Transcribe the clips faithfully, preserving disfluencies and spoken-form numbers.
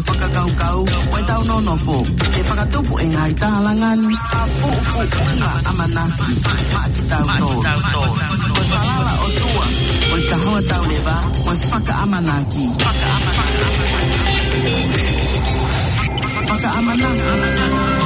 Fakakaukau, ko e tau nonofo, ʻe fakatupu e ngaahi tālanga ni, ʻa pupuʻunga ʻamanaki, maʻa kitautolu. Ko e falala ʻOtua, ko e kahoa tauleva, ko e fakaʻamanaki. Fakaʻamanaki.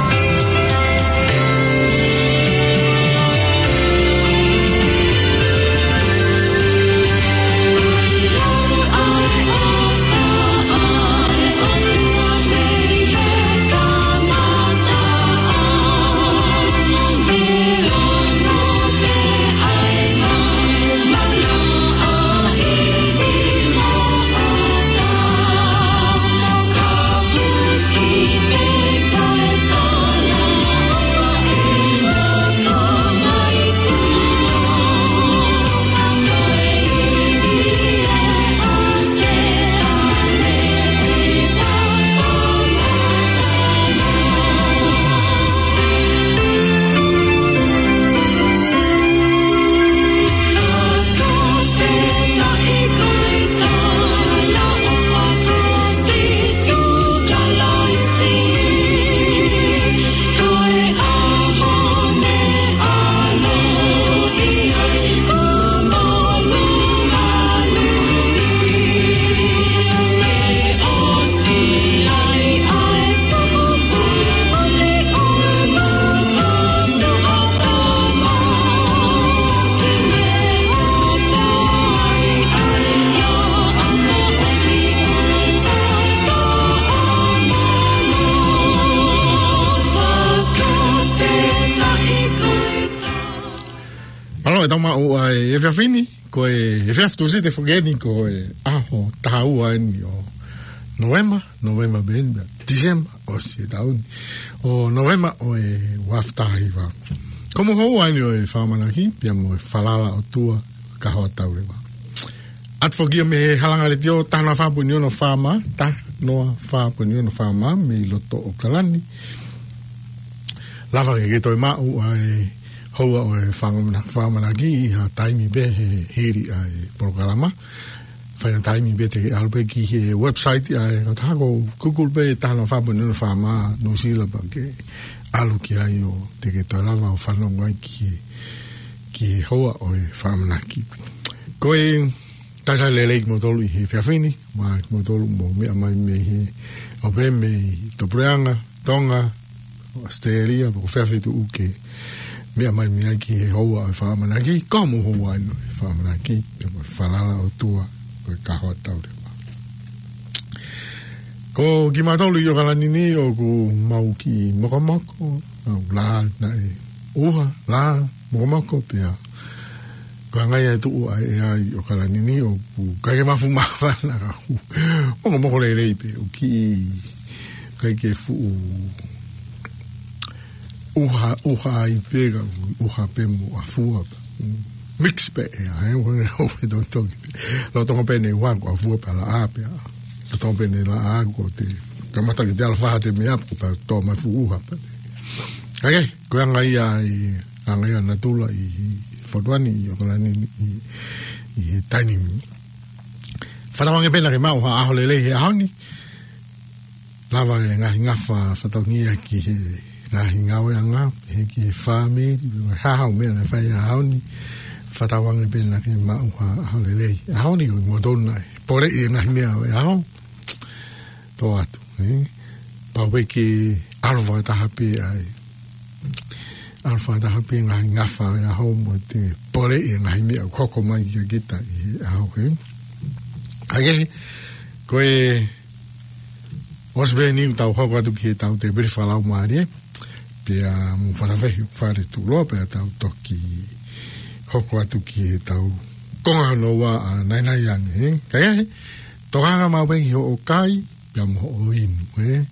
Mālō e tau maʻu ʻa e efiafi ni, ko e efiafi Tūsite foki eni, ko e ʻaho taha ua eni ʻo Novema, Novema pē eni, December, ʻosi e taʻu ni. ʻO Novema ʻo e ua afe taha hiva. Ko houa eni ʻo e fakaʻamanaki, pea mo e falala ʻOtua, kahoa tauleva. ʻAtu foki ia mei he Halanga Letiō, taha noa fā poini ono FM, taha noa fā poini ono FM, mei loto ʻAokalani. Lava ke ke toe maʻu ʻa e houa ʻo e fakaʻamana-, fakaʻamanaki ʻi ha taimi pē he hili ʻa e polokalama. Fai ha taimi pē te ke ʻalu pē ki he website ʻa e kautaha ko Google pē taha noa fā poini ono FM Nuʻusila pea ke ʻalu ki ai ʻo te ke toe lava ʻo fanongo ai ki he, ki he houa ʻo e fakaʻamanaki. Ko e talitali lelei kimoutolu ʻi he efiafi ni, mo kimoutolu ʻoku mou meʻa mai mei he, ʻo pē mei Tupuleʻanga, Tonga, ʻAositelēlia, pe ko fē feituʻu ʻoku ke meʻa mai mei ai ki he houa ʻo e fakaʻamanaki, ko hoʻomou houa eni ʻo e fakaʻamanaki, pea mo e falala ʻOtua, ko e kahoa tauleva. Ko kimautolu ʻi ʻAokalani ni ʻoku mau kiʻi mokomoko, mau lā naʻe ʻuha, lā, mokomoko pea. Ko e anga ia e tuʻu ʻa e ʻea ʻi ʻAokalani ni ʻoku ʻikai ke mafu māfana ka ʻoku mokomoko lelei pē, ʻoku kiʻi ʻikai ke fuʻu ʻuha, ʻuha ai pē ka ʻuha pē mo ʻafua pē. Mix pē ʻea, he, ʻo, ʻo, ʻo, tongi, tongi. Lolotonga pē ʻene ʻuha ko e ʻafua pē laʻā pē. Lolotonga pē ʻene laʻā ko te kamata ke te ʻalu ʻo fai ha meʻa pea tō mai fuʻu ʻuha pē. ʻA ia, ko e anga ia ʻa e, anga ia ʻa natula ʻi, ʻi Fatuani, ʻi ʻAokalani, ʻi, ʻi he taimi ni. Fakatauange pē naʻa ke maʻu ha ʻaho lelei he ʻaho ni. Lava e ngaahi ngafa fakatauange ia ki he ngaahi ngāueʻanga, he ki he fāmili, ha hau meʻa naʻe fai he ʻaho ni. Fakatauange pē naʻa ke maʻu ha ʻaho lelei. ʻAho ni ko e moutolu naʻe poleʻi e ngaahi meʻa ʻo e ʻaho. Tō atu, ē? Pau pē ke ʻalu fakataha pē ai. ʻAlu fakataha pē ngaahi ngafa ʻo e ʻaho mo e poleʻi e ngaahi meʻa ʻoku hoko mai kia kita ʻi he ʻaho, ē? ʻA ia, ko e ʻosi pē eni ʻetau hoko atu ki heʻetau tēpile fakalaumālie, pea mo e fakafehuʻi fale tuʻuloa, pea tau toki hoko atu ki heʻetau konga hono ua ʻa e naʻinaʻi ange, ē? Ka ʻi he, tokanga maʻu pē ki hoʻo kai, pea mo hoʻo inu, ē?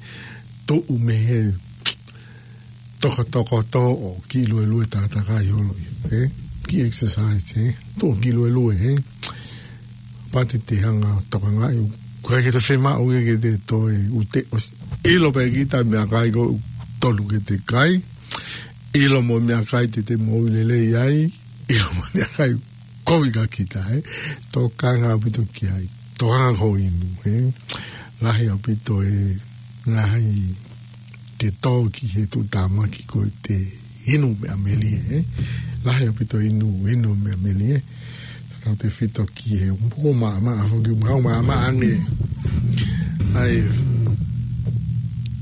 Tuʻu mei he tokotoko tō ʻo kiʻi luelue tātākai holo, ē? Kiʻi exercise, ē? Tuʻu kiʻi luelue, ē? Pea te te hanga ʻo tokangaʻi, ʻoku ʻikai ke te fiemaʻu ia ke te toe ʻute ʻosi. ʻIlo pē kita e meʻakai ʻoku tonu ke te kai. ʻIlo mo e meʻakai te te moʻui lelei ai. ʻIlo mo e meʻakai kovi kia kita, ē? Tokanga ʻaupito ki ai. Tokanga ki hoʻo inu, ē? Lahi ʻaupito e ngaahi te tō ki he tuʻutāmaki ko e te inu meʻa melie, ē? Lahi ʻaupito inu, inu meʻa melie, ē? Tautautefito ki he ʻupu ko maʻamaʻa, foki ʻupu ko maʻamaʻa ange. ʻAi,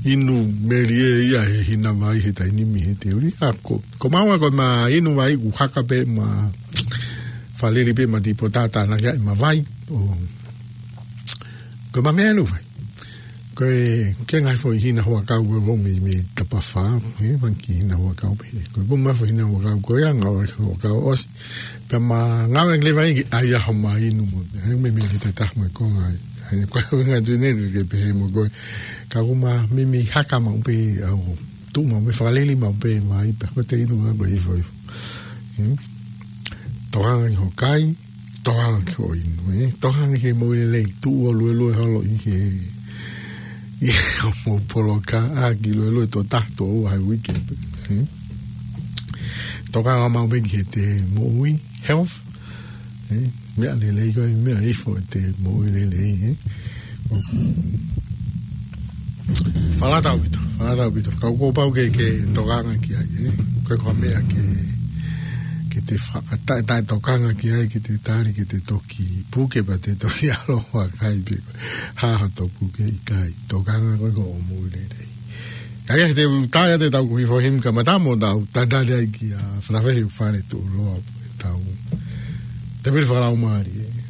inu melie ia he hina vai he taimi ni he te uli. ʻA ko, ko maua ko ma inu vai ʻoku haka pē ma falili pē ma tipota tānaki ʻa e ma vai. ʻO, ko ma meʻa inu vai. Ko e, ke ngaahi foʻi hina huʻakau ko e ko mei, mei tapafā, he, fanga kiʻi hina huʻakau pē. Ko e ko ma foʻi hina huʻakau ko e anga ʻo e huʻakau ʻosi. Pea ma ngāue ki le vai ki ai a ho ma inu mo. He mei mei te taha mo e konga ai. He ko e ngā tui nei ke pehē mo ko e. Ka ko ma mei mei haka maʻu pē au. Tuʻu maʻu pē fakalili maʻu pē mai pē. Ko te inu a ko e ifo ifo. Hmm? Tokanga ki ho kai. Tokanga ki hoʻo inu, ē? Tokanga ki he moʻui lelei, tuʻu ʻo luelue holo ʻi he, ʻi he mou poloka, ʻa ki luelue tō taha tō ua he uike, ē? Tokanga maʻu pē ki he te moʻui, health, ē? Meʻa lelei ko e, meʻa ifo e te moʻui lelei, ē? ʻOku Falala ʻaupito, falala ʻaupito. Ka ʻoku pau ke, ke tokanga ki ai, ē? Ko e ko e meʻa ke, ke te fa-, taʻe, taʻe tokanga ki ai, ke te tali, ke te toki puke, pea te toki ʻalu ʻo kai pē ko e hā hato puke ʻikai. Tokanga ko e ko hoʻo moʻui lelei. Ka ia te u tae atu ʻetau kuki fohim ka mata mo tau tatali ai ki a Falavehi ʻo fale tuʻuloa ʻetau. Te pili fakalaumālie, ē?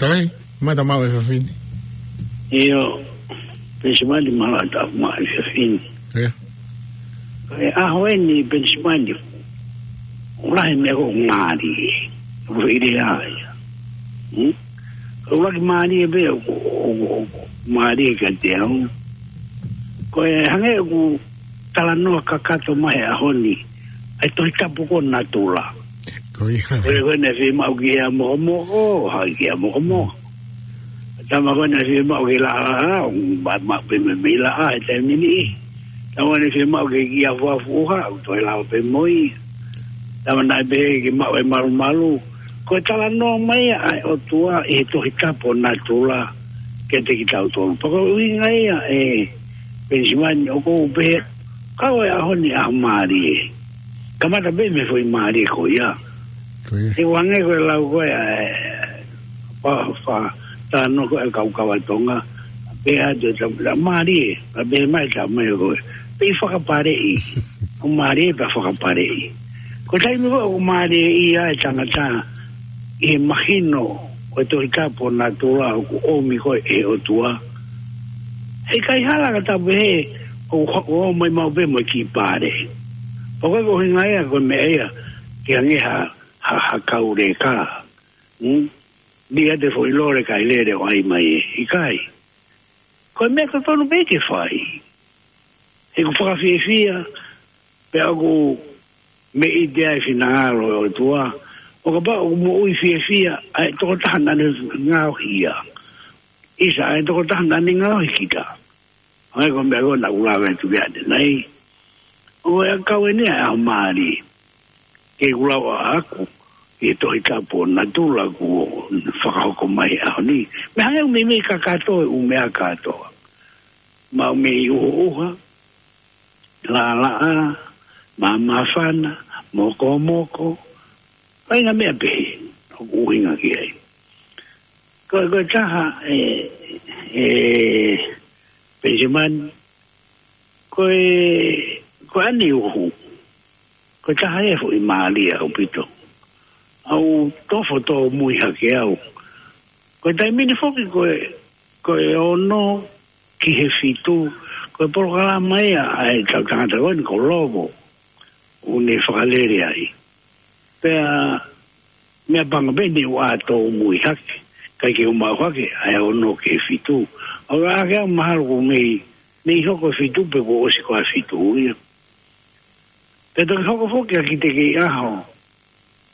Ai, mata mau e fafini. ʻIo, Penisimani, mālō ʻaupito e fafini. ʻIo. E ʻaho eni, Penisimani, ʻoku lahi e meʻa ʻoku mālie, ʻoku ʻi ai. Hmm? ʻOku lahi mālie pē, ʻoku, ʻoku, ʻoku mālie kiate au. Ko e hangē ʻoku talanoa kakato mai he ʻaho ni ʻa e Tohi Tapu ko natula. Ko ia. Ko e, ko e naʻe fiemaʻu ki he mokomoko, hā ki he mokomoko. Tama ko e naʻe fiemaʻu ki he laʻalaʻā, ʻo ma, ma, pē mei, mei laʻā he taimi ni. Tama ko e naʻe fiemaʻu ki he kiʻi afuafu ʻuha, ʻoku toe lava pē mo ia. Tama naʻe pehē ke maʻu e malumalu. Ko e talanoa mai ia ʻa e ʻOtua ʻi he Tohi Tapu ʻo natula kiate kitautolu. Pea ko e ʻuhinga ia, ē Penisimani, ʻoku ou pehē, ka ko e ʻaho ni ʻaho mālie. Kamata pē mei he foʻi mālie ko ia. Ko ia. He ʻoku hangē ko e lau ko ē, ē, fa, fa, talanoa ko ē ʻa e kau kava Tonga. Pea te ta, ta mālie, pea pehē mai ta mai ko ē, pea fakapaleʻi. ʻOku mālie pea fakapaleʻi. Ko e taimi ko ē ʻoku mālieʻia ai e tangata ʻi he mahino ko e Tohi Tapu ʻo natula ʻoku ʻomi ko ē ʻe he ʻOtua, heʻikai hala ka ta pehē ʻoku, ʻoku ō mai maʻu pē mo e kiʻi pale. Pea ko e ʻuhinga ia ko e meʻa ia ke hangē ha, ha, ha kau leka. Hmm? Lia te foʻi lole kae lele ʻo ʻai mai ē. ʻIkai. Ko e meʻa totonu pē ke fai. He ʻoku fakafiefia, pea ʻoku meʻite ai e finangalo ʻo e ʻOtua. ʻO kapau ʻoku moʻui fiefia ʻa e tokotaha naʻa ne ngaohi ia. ʻIsa, ʻa e tokotaha naʻa ne ngaohi kita. ʻA ia ko e meʻa ko ē naʻa ku lave atu ki ai ʻanenai. ʻO e ʻakau eni ʻa e ʻaho mālie. Ke u lau ʻaʻaku, ʻi he Tohi Tapu ʻo natula kuo fakahoko mai he ʻaho ni. Meʻa hangē ʻoku meimei kakato e ʻū meʻa kātoa. Maʻu mei ʻuhoʻuha, laʻalaʻā, māmāfana, mokomoko, faʻahinga meʻa pehē, ʻoku ʻuhinga ki ai. Ko, ko e taha, ē, ē, Penisimani, ko e, ko ʻene uhu, ko e taha ia e foʻi mālie ʻaupito. ʻOku ou tofo tōmui hake au. Ko e taimi ni foki ko e, ko e ono ki he fitu, ko e polokalama ia ʻa e kau tangata ko eni ko Lovo, ʻoku ne fakalele ai. Pea meʻapango pē ne u ʻā tōmui hake, ʻikai ke u maʻu hake ʻa e ono ki he fitu. ʻO ka ake au mahalo ʻoku mei, mei hoko e fitu pe kuo ʻosi ko ē fitu ia. Pea toki hoko foki ʻa Kite Kei ʻAho,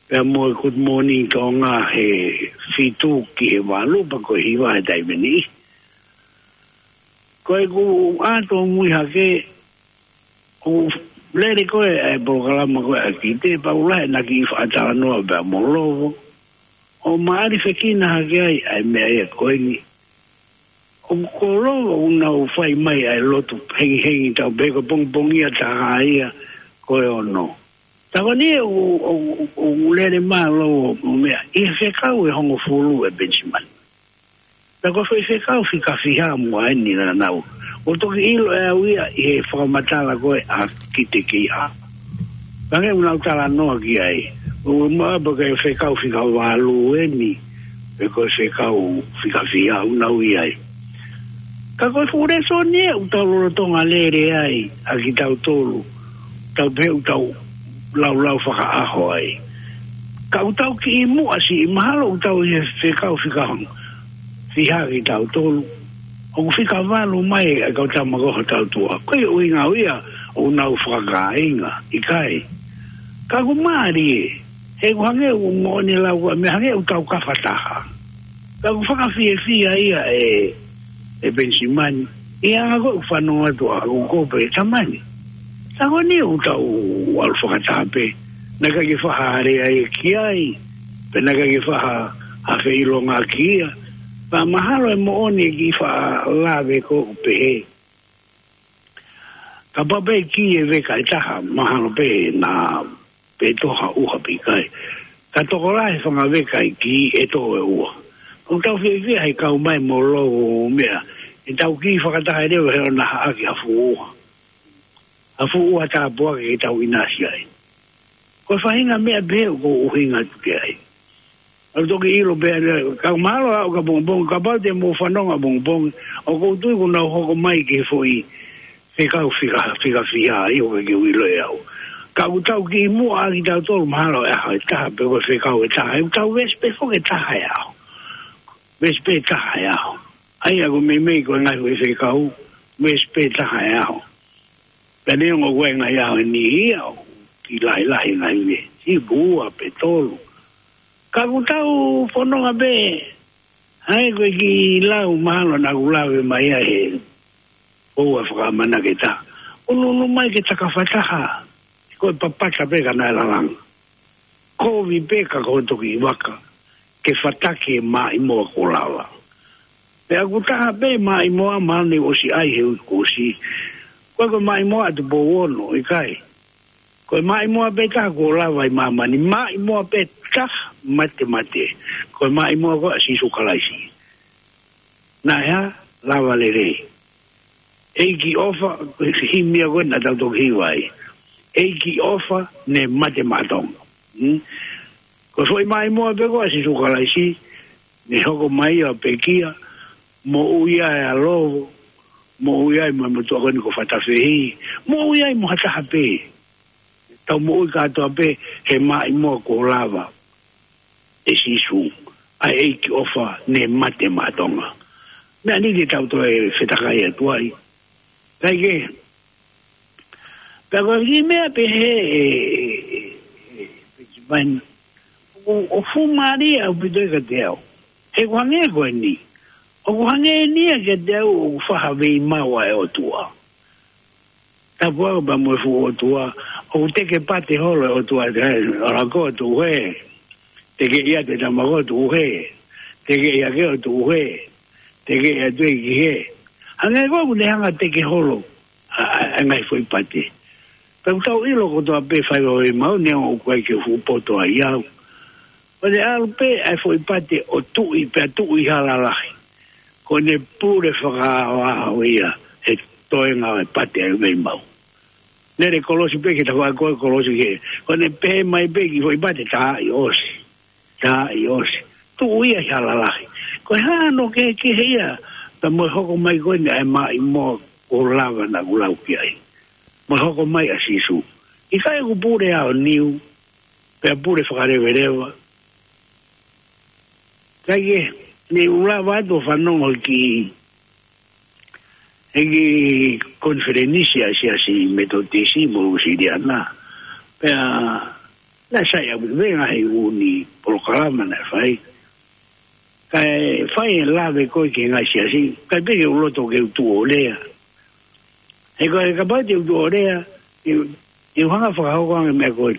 pea mo e Good Morning Tonga he fitu ki he valu, pea ko e hiva he taimi ni. Ko ʻeku ʻā tōmui hake, ʻoku lele ko ē ʻa e polokalama ko ē ʻa Kite, pea ʻoku lahi ʻena kiʻi faʻa talanoa pea mo Lovo. ʻO māʻalifekina hake ai ʻa e meʻa ia ko eni. ʻOku ko Lovo ʻoku nau fai mai ʻa e lotu hengihengi tau pē ko e pongipongia taha ia ko e ono. Ka ko eni ʻoku, ʻoku, ʻoku lele mai Lovo ʻo meʻa, ʻi he fekau ʻe hongofulu ʻe Penisimani. Pea ko e foʻi fekau fika fiha mo eni naʻa nau. ʻO toki ʻilo ʻe au ia ʻi he fakamatala ko ē ʻa Kite Kei ʻAho. Hangē ʻoku nau talanoa ki ai. ʻO maʻu pē ko e fekau fika valu eni, pe ko e fekau fika fiha ʻoku nau ʻi ai. Ka ko e fuʻu lēsoni ē ʻoku tau lolotonga lele ai ʻa kitautolu. Tau pehē ʻoku tau laulau fakaʻaho ai. Ka ʻoku tau kiʻi muʻa siʻi mahalo ʻoku tau ʻi he fekau fika fiha kitautolu. ʻOku fika valu mai ʻa e kau tama ko ē hotau tuʻa. Ko e ʻuhinga ia ʻoku nau fakakāinga, ʻikai. Ka ʻoku mālie, he ʻoku hangē ʻoku moʻoni e lau ko ē, meʻa hangē ʻoku tau kafa taha. Ka ʻoku fakafiefia ia ʻe, ʻe Penisimani. ʻI he anga ko ē ʻoku fanongo atu ʻaʻaku ʻoku ou pehē, Tamani, ka ko eni ʻoku tau ʻalu fakataha pē. Naʻe ʻikai ke faʻa ha lea ia ki ai, pe naʻe ʻikai ke faʻa ha, ha feʻilonga ki ia. Pea mahalo ʻe moʻoni e kiʻi faʻa lave ko ē ʻoku pehē. Kapau pē kiʻi veka ʻe taha, mahalo pē naʻa pē tō ha ʻuha pe ʻikai. Ka tokolahi e fanga veka ʻe kiʻi ʻe tō e ʻuha. ʻOku tau fiefia he kau mai mo Lovo ʻo meʻa. ʻE tau kiʻi fakataha ʻe leva he ʻoku na haʻaki ha fuʻu ʻuha. Ha fuʻu ʻuha tāpuaki ke tau ʻinasi ai. Ko e faʻahinga meʻa pehē ʻoku ou ʻuhinga atu ki ai. Au toki ʻilo pē ʻa e, ka mahalo ʻaʻu ka pongipongi, kapau te mou fanongo ʻapongipongi, ʻoku ou tui kuo nau hoko mai ki he foʻi fekau fika, fika fiha, ʻio ka ke ʻilo ʻe au. Ka ʻoku tau kiʻi muʻa ʻa kitautolu mahalo ʻe ʻaho ʻe taha pe ko e fekau ʻe taha, ʻe tau veesi pē foki ʻe taha ʻe ʻaho. Veesi pē ʻe taha ʻe ʻaho. ʻA ia ko e meimei ko e ngaahi foʻi fekau, veesi pē ʻe taha ʻe ʻaho. Pea neongo ko e ngaahi ʻaho ni ia ʻoku kiʻi lahilahi ngaahi veesi, ʻe ua pe tolu. Ka ʻoku tau fononga pē, ʻa e ko e kiʻi lau mahalo naʻa ku lave mai ai he ʻoua fakamanaketa. ʻUnuʻunu mai ke takafataha, ko e papata pē ka naʻe lalanga. Kovi pē ka ko e toki vaka, ke fataki e maʻimoa kuo lava. Pea ʻoku taha pē maʻimoa mahalo ne ʻosi ʻai he uike kuo ʻosi. Ko e ko e maʻimoa ʻa Tupou Ono, ʻikai. Ko e maʻimoa pē taha kuo lava ʻi māmani, maʻimoa pē taha matemate. Ko e maʻimoa ko ē ʻa Sīsū Kalaisi. Naʻe hā, lava lelei. ʻEiki ʻofa, ko e himi ia ko ē naʻa tau toki hiva ai. ʻEiki ʻofa, ne mate maʻa Tonga. Hmm? Ko e foʻi maʻimoa pē ko ē ʻa Sīsū Kalaisi, ne hoko mai ʻo pekia, moʻui ai ʻa Lovo, moʻui ai mo e motuʻa ko eni ko Fatafehi, moʻui ai mo ha taha pē. Tau moʻui kātoa pē he maʻimoa kuo lava ʻe Sīsū, ʻa e ʻEiki ʻofa ne mate maʻa Tonga. Meʻa ni te tau toe fetakai atu ai. Kae kehe, pea ko e kiʻi meʻa pehē ʻe, ʻe, ʻe, ʻe, ʻe, ʻo, ʻoku fuʻu mālie ʻaupito ia kiate au. He ʻoku hangē ko eni. ʻOku hangē eni ia kiate au ʻoku faha veimau ʻa e ʻOtua. Tapu au pea mo e fuʻu ʻOtua, ʻoku teke pate holo e ʻOtua, te ai, ʻola ko atu he. Teke ia te tama ko atu he. Teke ia ke atu he. Teke ia te ki he. Hangē ko ʻoku ne hanga teke holo, ʻa, ʻa, ʻa e ngaahi foʻi pate. Pea ʻoku tau ʻilo kotoa pē fai veimau neongo ʻoku ʻikai ke u fuʻu poto ai au. ʻO ne ʻalu pē ʻa e foʻi pate ʻo tuʻi, pea tuʻi hala lahi. Ko ʻene pule fakaʻaoʻao ia, he toenga ʻo e pate ʻa e veimau. Lele kolosi pē ke tau fai ko e kolosi ke. Ko ʻene pehē mai pē ki he foʻi pate tā ʻi ʻosi. Tā ʻi ʻosi. Tuʻu ia ʻi hala lahi. Ko e hā hono kehekehe ia, pea mo e hoko mai ko eni ʻa e maʻimoa kuo lava naʻa ku lau ki ai. Mo e hoko mai ʻa Sīsū. ʻIkai ʻoku pule aoniu, pea pule fakaleveleva. Kae kehe, ne u lava atu ʻo fanongo ki he kiʻi konifelenisi ʻa e Siasi Metotisi mo Uēsiliana. Pea naʻe sai ʻaupito pē ngaahi ʻū ni polokalama naʻe fai. Kae fai e lave ko ē ki he ngaahi siasi, kae pehē ke u loto ke u tuʻu ʻo lea. He ko e kapau te u tuʻu ʻo lea, ʻe, ʻe u hanga fakahoko ange meʻa ko ē.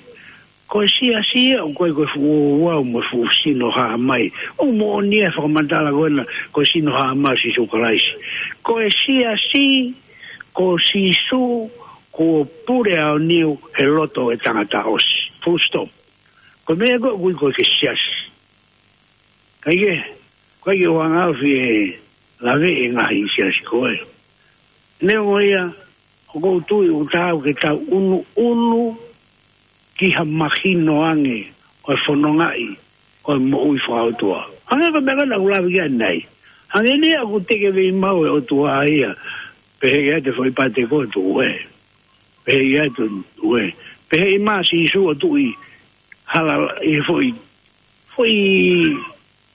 Ko e siasi ia ʻoku ʻikai ko e fuʻu ouau mo e fuʻu sino hā mai. ʻOku moʻoni e fakamatala ko ena, ko e sino hā mai ʻo Sīsū Kalaisi. Ko e siasi, ko Sīsū, kuo pule aoniu he loto ʻo e tangata ʻosi. Full stop. Ko e meʻa ko ē ʻoku ui ko e ke siasi. Kae kehe, ʻoku ʻikai ke u hanga ʻo fie lave e ngaahi siasi ko ē. Neongo ia, ʻoku ou tui ʻoku taau ke tau ʻunuʻunu ki ha mahino ange ʻo e fonongaʻi ʻo e moʻui fakaʻotua. Hangē ko e meʻa ko ē naʻa ku lave ki ai ʻanenai. Hangē ni ia ʻoku teke veimau e ʻOtua ia. Pehē ia te foʻi pate ko ē tuʻu ē. Pehē ia te tuʻu ē. Pehē ʻi mā Sīsū ʻo tuʻi hala ʻi he foʻi, foʻi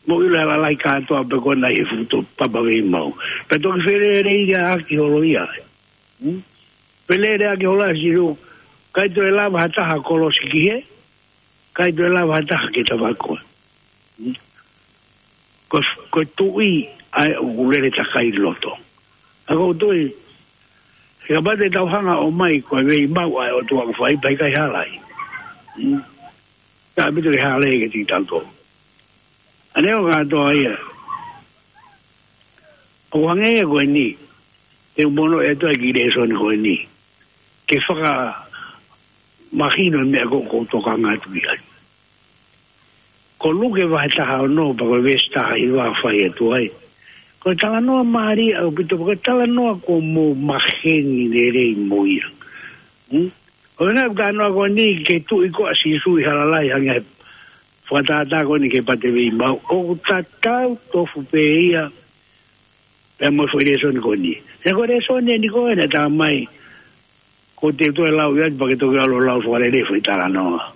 moʻui hala lahi kātoa pē ko ena ʻi he futo papa veimau. Pea toki feleleʻaki holo ia. Hmm? Feleleʻaki holo ia Sīsū. ʻIkai toe lava ha taha kolosi ki he. ʻIkai toe lava ha taha ke tava koe. Hmm? Ko, ko e tuʻi ʻa e ʻoku lele takai loto. ʻA ko e tuʻi, he kapau te tau hanga ʻo mai ko e veimau ʻa e ʻOtua ʻoku fai pea ʻikai hala ai. Hmm? Ka ʻaupito ke hala ai ke tiki tau tō. ʻA neongo kātoa ia. ʻOku hangē ia ko eni. Te u mono e toa ki lēsoni ko eni. Ke fakamahino e meʻa ko ē ʻoku ou tokanga atu ki ai. Ko Luke vahe taha ono pea ko e veesi taha hiva ʻoku fai atu ai. Ko e talanoa mālie ʻaupito, ko e talanoa ʻoku mou maheni lelei mo ia. Hmm? Ko e ngaahi talanoa ko eni ki he tuʻi ko ē ʻa Sīsū ʻi hala lahi hangē fakatātā ko eni ki he pate veimau, ʻoku tatau tofu pē ia pea mo e foʻi lēsoni ko eni. He ko e lēsoni eni ko ē naʻe talamai, ko e teu toe lau ia, pea ke toki ʻalu ʻo lau fakalelei e foʻi talanoa.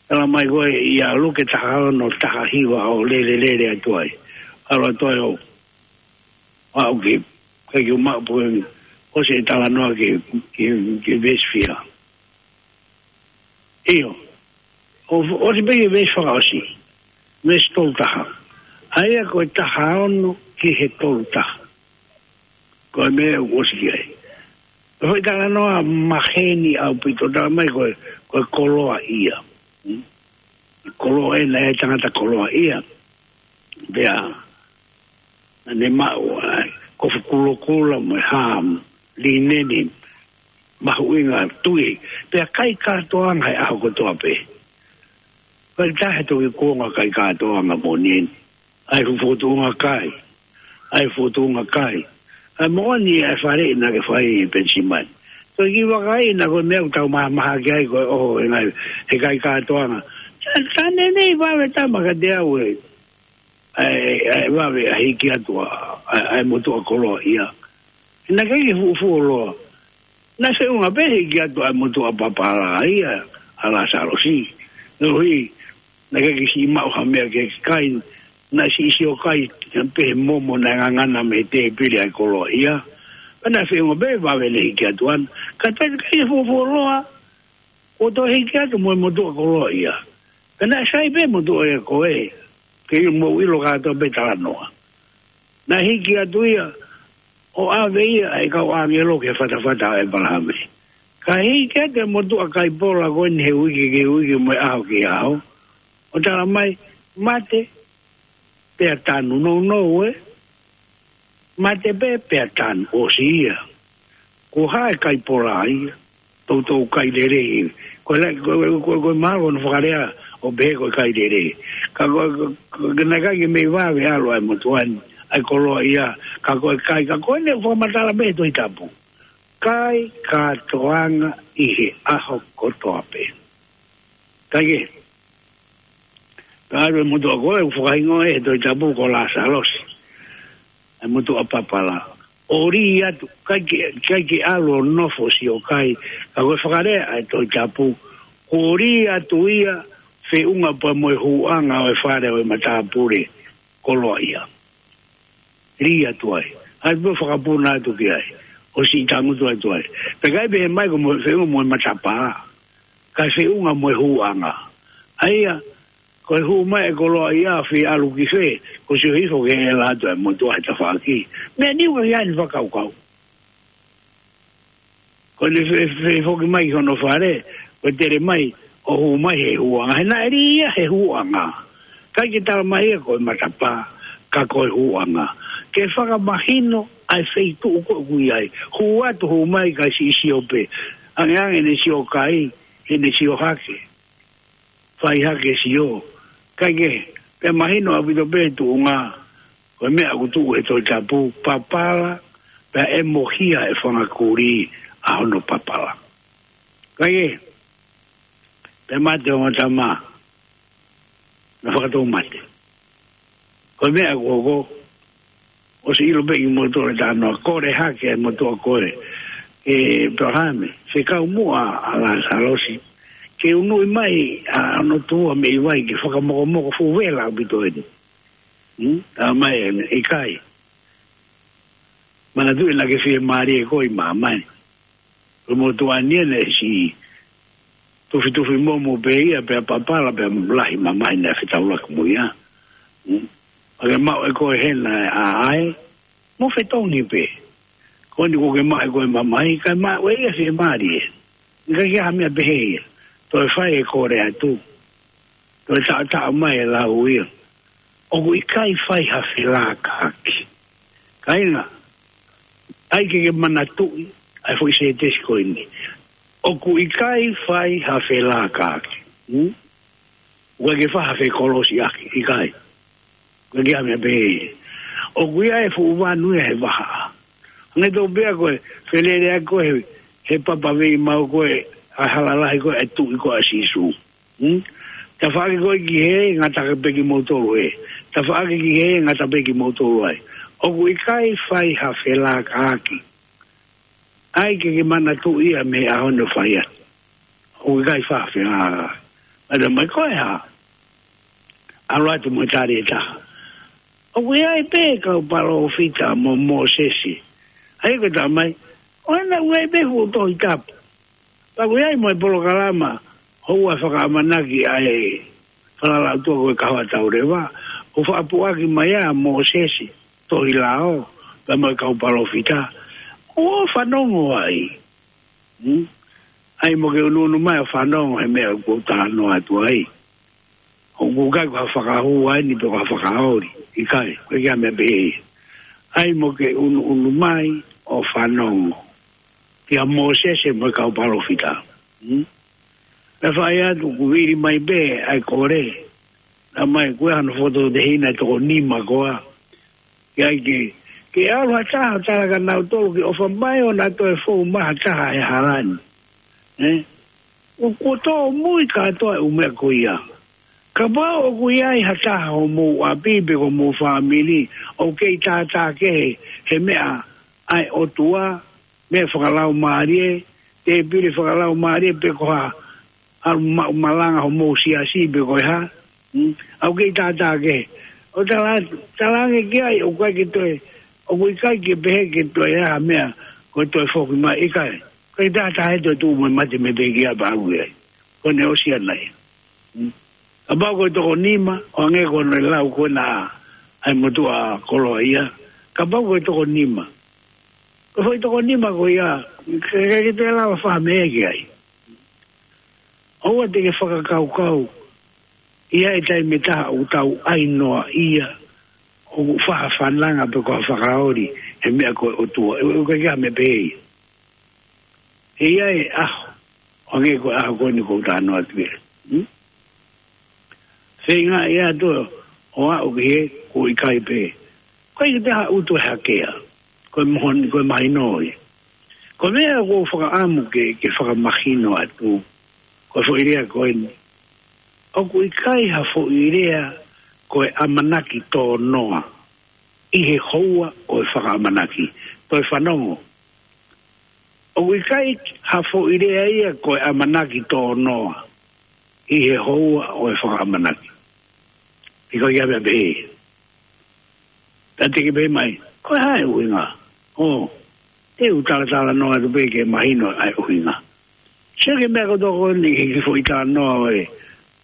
Talamai ko ē ʻia Luke taha ono, taha hiva ʻo lele lele atu ai. ʻAlu atu ai ʻo, ʻo aʻu ki, ʻikai ke u maʻu pe ʻosi e talanoa ki, ki, ki he veesi fiha. ʻIo. ʻO, ʻosi pē ki he veesi fakaʻosi. Veesi tolu taha. ʻA ia ko e taha ono ki he tolu taha. Ko e meʻa ʻoku ʻosi ki ai. Ko e foʻi talanoa maheni ʻaupito, talamai ko e, ko e koloaʻia. Hmm? Koloaʻia, naʻe ʻi ai e tangata koloaʻia. Pea naʻa ne maʻu ʻa e kofu kulokula mo e hā, lineni mahuʻinga tui. Pea kai kātoanga he ʻaho kotoa pē. Ko e taha e toki kuonga kai kātoanga moʻoni eni. ʻA e fuʻu fokotuʻunga kai. ʻA e fokotuʻunga kai. ʻA e moʻoni ʻa e faleʻi naʻa ke fai ʻi Penisimani. Toe kiʻi vakai ʻi he ko e meʻa ʻoku tau mahamaha ki ai ko e ʻoho e ngaahi, he kai kātoanga. Sa-, sa ne nei vave tama kiate au ē. ʻA e, ʻa e vave ʻa e hiki atu ʻa, ʻa e, ʻa e motuʻa koloaʻia. Naʻe ʻikai ke fuʻu fuoloa. Naʻe feʻunga pē he hiki atu ʻa e motuʻa papala ia ʻa Lāsalosi. Koeʻuhi, naʻe ʻikai ke siʻi maʻu ha meʻa ke kai, naʻe siʻi sio kai pē he momo naʻe ngangana mei he tēpile ʻa e koloaʻia. Pea naʻe feʻunga pē vave ne hiki atu ʻana. Ka toe ʻikai ke fuʻu fuoloa, kuo toe hiki atu mo e motuʻa koloaʻia. Pea naʻe sai pē motuʻa ia ko ē, ke ʻilo, mou ʻilo kātoa pē talanoa. Naʻe hiki atu ia, ʻo ʻave ia ʻe he kau ʻāngelo ki he fatafata ʻo ʻĒpalahame. Ka hiki atu e motuʻa kai pola ko eni he uike ki he uike mo e ʻaho ki he ʻaho. ʻO talamai, mate, pea tanu, nounou ē. Mate pē, pea tanu, ʻosi ia. Ko hai kai pola ia, toutou kai lelei. Ko e la-, ko, ko, ko, ko e mahalo ko hono fakalea ʻo pehē ko e kai lelei. Ka ko, ko, ko, ko e naʻe ʻikai ke mei vave ʻalu ʻa e motuʻa ni, ʻa e koloaʻia, ka ko e kai, ka ko eni ʻoku fakamatala mei he Tohi Tapu. Kai kātoanga ʻi he ʻaho kotoa pē. Kae kehe, ka ʻalu e motuʻa ko ē, ʻoku fakahingoa ʻe he Tohi Tapu ko Lāsalosi. ʻA e motuʻa papala. ʻO lī atu, ʻikai ke, ʻikai ke ʻalu ʻo nofo ʻo sio kai, ka ko e fakalea ʻa e Tohi Tapu, kuo lī atu ia, feʻunga pea mo e hūʻanga ʻo e fale ʻo e matāpule koloaʻia. Lī atu ai. ʻAi pē ʻo fakapuna atu ki ai. ʻO siʻi tangutu atu ai. Pea ʻikai pehē mai ko e mo-, feʻunga mo e matapā. Ka feʻunga mo e hūʻanga. ʻA ia, ko e hū mai e koloaʻia ʻo fie ʻalu ki fē, ko e sio hifo ki he ʻela atu ʻa e motuʻa he tafaʻaki. Meʻa ni ʻoku ʻikai ke ʻi ai hano fakakaukau. Ko ʻene fe-, fe-, foki mai ki hono fale, ko e tele mai, ʻo hū mai he hūʻanga. He naʻe lī ia he hūʻanga. ʻIkai ke talamai ia ko e matapā, ka ko e hūʻanga. Ke fakamahino ʻa e feituʻu ko ē ʻoku ʻi ai. Hū atu, hū mai, kae siʻi sio pē. Angeange ʻene sio kai, ʻene sio hake. Fai hake sio. Kae kehe, pea mahino ʻaupito pē tuʻunga, ko e meʻa ʻoku tuʻu he Tohi Tapu, papala, pea ʻe mohia e fanga kulī ʻa hono papala. Kae kehe, pea mate ʻa e ongo tama, naʻe fakatoumate. Ko e meʻa ko ē, ʻosi ʻilo pē ʻe kimoutolu e talanoa, kole hake e motuʻa ko ē, ʻe ʻĒpalahame, fekau muʻa ʻa Lāsalosi, ke unuʻi mai ʻa hono tuʻa mei vai ke fakamokomoko, fuʻu vela ʻaupito eni. Hmm? Talamai ʻe ia, ʻikai. Manatuʻi naʻa ke fiemālie koe ʻi māmani. Ko e motuʻa ni ʻene siʻi tufitufi momo pē ia, pea papala, pea lahi mamahi naʻe fetaulaki mo ia. Hmm? ʻA ke maʻu ʻe koe hena e ʻaʻai, mo fetongi pē. Ko eni kuo ke maʻu ʻe koe mamahi, kae maʻu ʻe ia fiemālie. ʻIkai ke ʻi ai ha meʻa pehē ia. Toe fai e kole atu. Toe taʻotaʻo mai e lau ia. ʻOku ʻikai fai ha felākaʻaki. Kāinga, ʻai ke ke manatuʻi ʻa e foʻi sētesi ko eni. ʻOku ʻikai fai ha felākaʻaki. Hmm? ʻOku ʻikai ke fai ha fekolosiʻaki, ʻikai. ʻOku ʻikai ha meʻa pehē. ʻOku ʻi ai e fuʻu vanu ia he vahaʻa. Hangē tofu pē ko e feleleʻaki ko ē he, he papa veimau ko ē, ʻa e hala lahi ko ē, ʻa e tuʻi ko ē ʻa Sīsū. Hmm? Tafaʻaki koe ki hē, ngata pē kimoutolu hē. Tafaʻaki ki hē, ngata pē kimoutolu ai. ʻOku ʻikai fai ha felākaʻaki. ʻAi ke ke manatuʻi ia mei he ʻaho ni ʻo fai atu. ʻOku ʻikai fai ha felākaʻaki. ʻAlu mai ko e hā? ʻAlu atu mo e tali ʻe taha. ʻOku ʻi ai pē kau palōfita mo Mōsese. ʻAi ko e talamai, ʻoua naʻa ʻi ai pē fuʻu Tohi Tapu. Pea ʻoku ʻi ai mo e polokalama houa fakaʻamanaki ʻa e Falala ʻOtua ko e Kahoa Tauleva, ʻoku fakapuʻaki mai ʻa Mōsese, Tohi Lao, pea mo e kau palōfita. ʻOua fanongo ai. Hmm? ʻAi mo ke ʻunuʻunu mai ʻo fanongo he meʻa ʻoku ou talanoa atu ai. ʻOku ʻikai ko ha fakahua eni pe ko ha fakaoli. ʻIkai, ko e kiʻi meʻa pehē. ʻAi mo ke ʻunuʻunu mai ʻo fanongo kia Mōsese mo e kau palōfita. Hmm? Pea fai atu ʻoku vili mai pē ʻa e kole. Talamai ko e hano foto ʻo e tehina ʻe toko nima koā. Ke ʻai ke, ke ʻalu ha taha ʻo tala kia nautolu ke ʻofa mai ʻo na toe fou mai ha taha he hala ni. Eh? ʻOku tōmui kātoa e ʻū meʻa ko ia. Kapau ʻoku ʻi ai ha taha homou ʻapi pe ko homou fāmili ʻoku kei tātā kehe he meʻa ʻa e ʻOtua, meʻa fakalaumālie, tēpile fakalaumālie pe ko ha ʻalu maʻu malanga homou siasi pe ko e hā. Hmm? ʻOku kei tātā kehe. ʻO tala, talaange ki ai ʻoku ʻikai ke toe, ʻoku ʻikai ke pehē ke toe ʻi ai ha meʻa ko e toe foki mai, ʻikai. ʻIkai tātā he toe tuʻu mo e mate mei he pekia pea ʻalu ai. Ko ʻene ʻosi ʻana ia. Hmm? Kapau ko e toko nima, ʻo hangē ko hono lau ko ena ʻa e motuʻa koloaʻia. Kapau ko e toko nima. Ko e foʻi toko nima ko ia, ke, ke, ke te lava fai ha meʻa ki ai. ʻOua te ke fakakaukau, ʻi ai e taimi ʻe taha ʻoku tau ʻai noaʻia, ʻoku fai ha fananga pe ko ha fakaoli he meʻa ko e ʻOtua. ʻE, ʻe, ʻikai ke ʻi ai ha meʻa pehē ia. ʻE ʻi ai e ʻaho, ʻo hangē ko e ʻaho ko eni ʻoku ou talanoa atu ki ai. Hmm? Feinga ia atu ʻo aʻu ki he ʻoku ʻikai pē. Ko e ʻikai ke te ha utu e hakea. Ko e moho ni, ko e mahino ia. Ko e meʻa ʻoku ou fakaʻamu ke, ke fakamahino atu. Ko e foʻi lea ko eni. ʻOku ʻikai ha foʻi lea ko e ʻamanaki tōnoa ʻi he houa ʻo e fakaʻamanaki. Toe fanongo. ʻOku ʻikai ha foʻi lea ia ko e ʻamanaki tōnoa ʻi he houa ʻo e fakaʻamanaki. ʻIkai ke ʻi ai ha meʻa pehē. Ka te ke pehē mai, ko e hā e ʻuhinga? ʻŌ, te u talatalanoa atu pē ke mahino ʻa e ʻuhinga. Sio ki he meʻa kotoa ko eni he kiʻi foʻi talanoa ʻo e,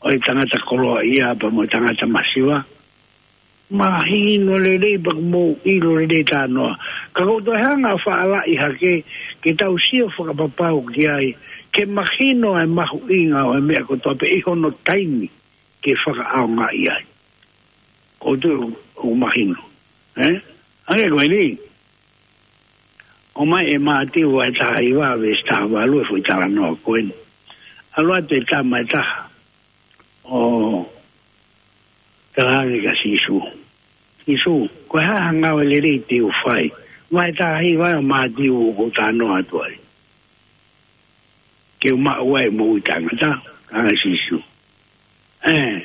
ʻo e tangata koloaʻia pea mo e tangata masiva. Mahino lelei pea ʻoku mou ʻilo lelei e talanoa. Ka ʻoku ou toe hanga ʻo fāʻeleʻi hake ke tau sio fakapapau ki ai, ke mahino ʻa e mahuʻinga ʻo e meʻa kotoa pē ʻi hono taimi ke fakaʻaongaʻi ai. ʻOku ou tui ʻoku mahino. Eh? Hangē ko eni. ʻOmai ʻe Mātiu vahe taha hiva veesi taha valu e foʻi talanoa ko eni. ʻAlu atu e tama ʻe taha ʻo talaange kia Sīsū. Sīsū, ko e hā ha ngāue lelei te u fai? Vahe taha hiva ʻo Mātiu ʻoku ou talanoa atu ai. Ke u maʻu ai e moʻui taʻengata, talaange ʻe Sīsū. Eh,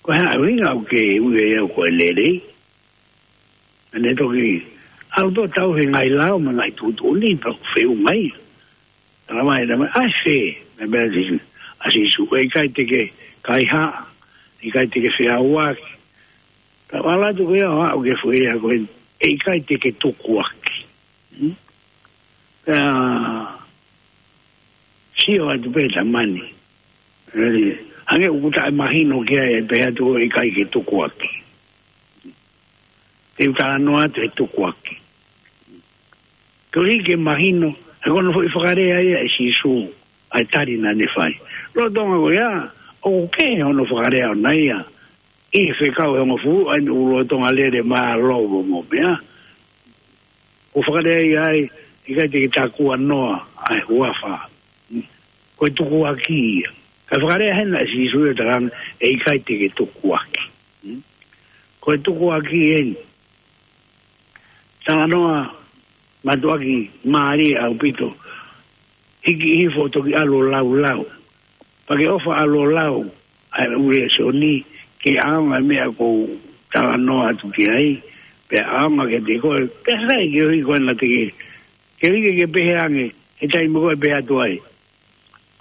ko e hā e ʻuhinga ʻoku ke ui au ko e lelei? Pea ne toki ʻalu ʻo tauhi e ngaahi lao mo e ngaahi tuʻutuʻuni pea ʻoku feʻunga ia. Talamai, talamai, ʻa e fē, meʻa meʻa Sīsū, ʻa Sīsū, ʻe ʻikai te ke kaihaʻa, ʻe ʻikai te ke feʻauaki. Pea ʻalu atu ko ia ʻo aʻu ki he foʻi lea ko eni, ʻe ʻikai te ke tukuaki. Hmm? Pea sio atu pē tama ni. Hangē ʻoku taʻemahino ki ai e pehē atu ʻe ʻikai ke tukuaki. Te u talanoa atu he tukuaki. Koeʻuhi ke mahino, he ko hono foʻi fakalea ia ʻe Sīsū, ʻa e tali naʻa ne fai. Lolotonga ko ia, ʻoku kehe hono fakalea ʻona ia. ʻI he fekau ʻe hongofulu, ʻa eni ʻoku lolotonga lele mālō mo e meʻa. ʻOku fakalea ia ai, ʻikai te ke takuanoa, ʻa e huafa. Ko e tukuaki ia. Ka fakalea hena ʻe Sīsū ʻo talaange, ʻe ʻikai te ke tukuaki. Ko e tukuaki eni. Talanoa mātuʻaki mālie ʻaupito. Hiki hifo ʻo toki ʻalu ʻo laulau. Pea ke ʻofa ʻalu ʻo lau. ʻa e ʻū lēsoni, ke ʻaonga e meʻa ʻoku ou talanoa atu ki ai, pea ʻaonga kiate koe, pea sai ke ui koe naʻa te ke, ke ui ke ke pehē ange, he taimi ko ē pehē atu ai.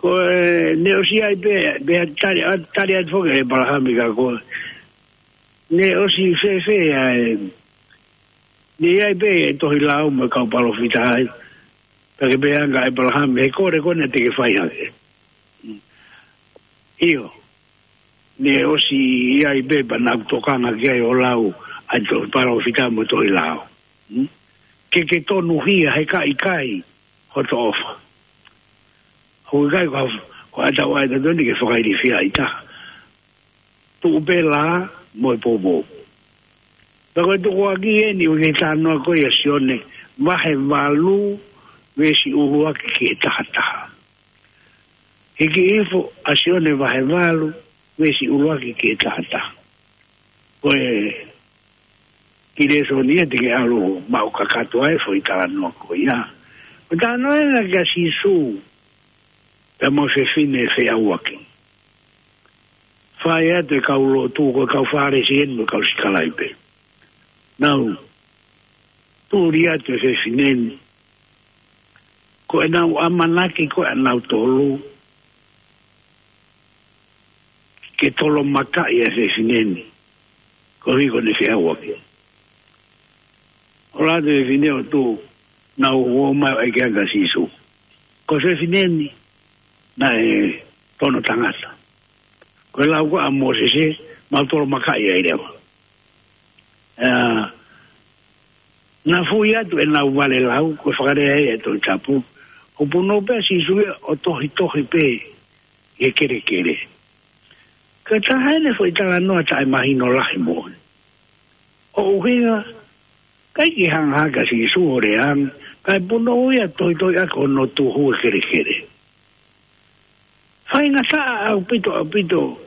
Ko e, ne ʻosi ʻi ai pē, pehē tali, ʻa, tali atu foki ʻe ʻĒpalahame kia koe. Ne ʻosi fēfē ʻa e, ne ʻi ai pē e tohi lao mo e kau palōfita ai. Pea ke pehē ange kia ʻĒpalahame, he kole ko ena te ke fai hake. ʻIo, ne ʻosi ʻi ai pē pea naʻa ku tokanga ki ai ʻo lau ʻa e tohi palōfita mo e tohi lao. Hmm? Ke ke tonuhia he ka ʻikai hoto ʻofa. Ko e ʻikai ko, ko ʻetau ʻai tatoni ke fakailifia ʻi taha. Tuʻu pē lā mo e poupou. Pea ko e tukuakiʻi eni ʻo e talanoa ko ia ʻa Sione, vahe valu, veesi ʻuluaki ki he taha taha. Hiki hifo ʻa Sione vahe valu, veesi ʻuluaki ki he taha taha. Ko e kiʻi lēsoni ia te ke ʻalu maʻu kakato ai e foʻi talanoa ko ia. Ko e talanoa ena kia Sīsū, pea mo e fefine feʻauaki. Fai atu e kau lotu, ko e kau Fālesi eni mo e kau sikalaipe. Nau tuli atu e fefine ni. Ko ʻenau ʻamanaki ko ē ʻanautolu ke tolomakaʻi e fefine ni. Koeʻuhi ko ʻene feʻauaki. ʻOku ʻalu atu e fefine ʻo tuʻu, nau ō mai ʻo ʻeke ange kia Sīsū. Ko e fefine ni, naʻe tono tangata. Ko e lau ko ē ʻa Mōsese, mau tolomakaʻi ai leva. ʻA, naʻe fui atu ʻenau vale lau, ko e fakalea ia ʻa e Tohi Tapu. ʻO punou pē ʻa Sīsū ia ʻo tohitohi pē ʻi he kelekele. Ko e taha eni e foʻi talanoa taʻemahino lahi moʻoni. ʻUhinga, ʻikai ke hanga hake ʻa Sīsū ʻo lea ange, kae punou ia ʻo tohitohi ʻaki hono tuhu e kelekele. Faingataʻa ʻaupito, ʻaupito,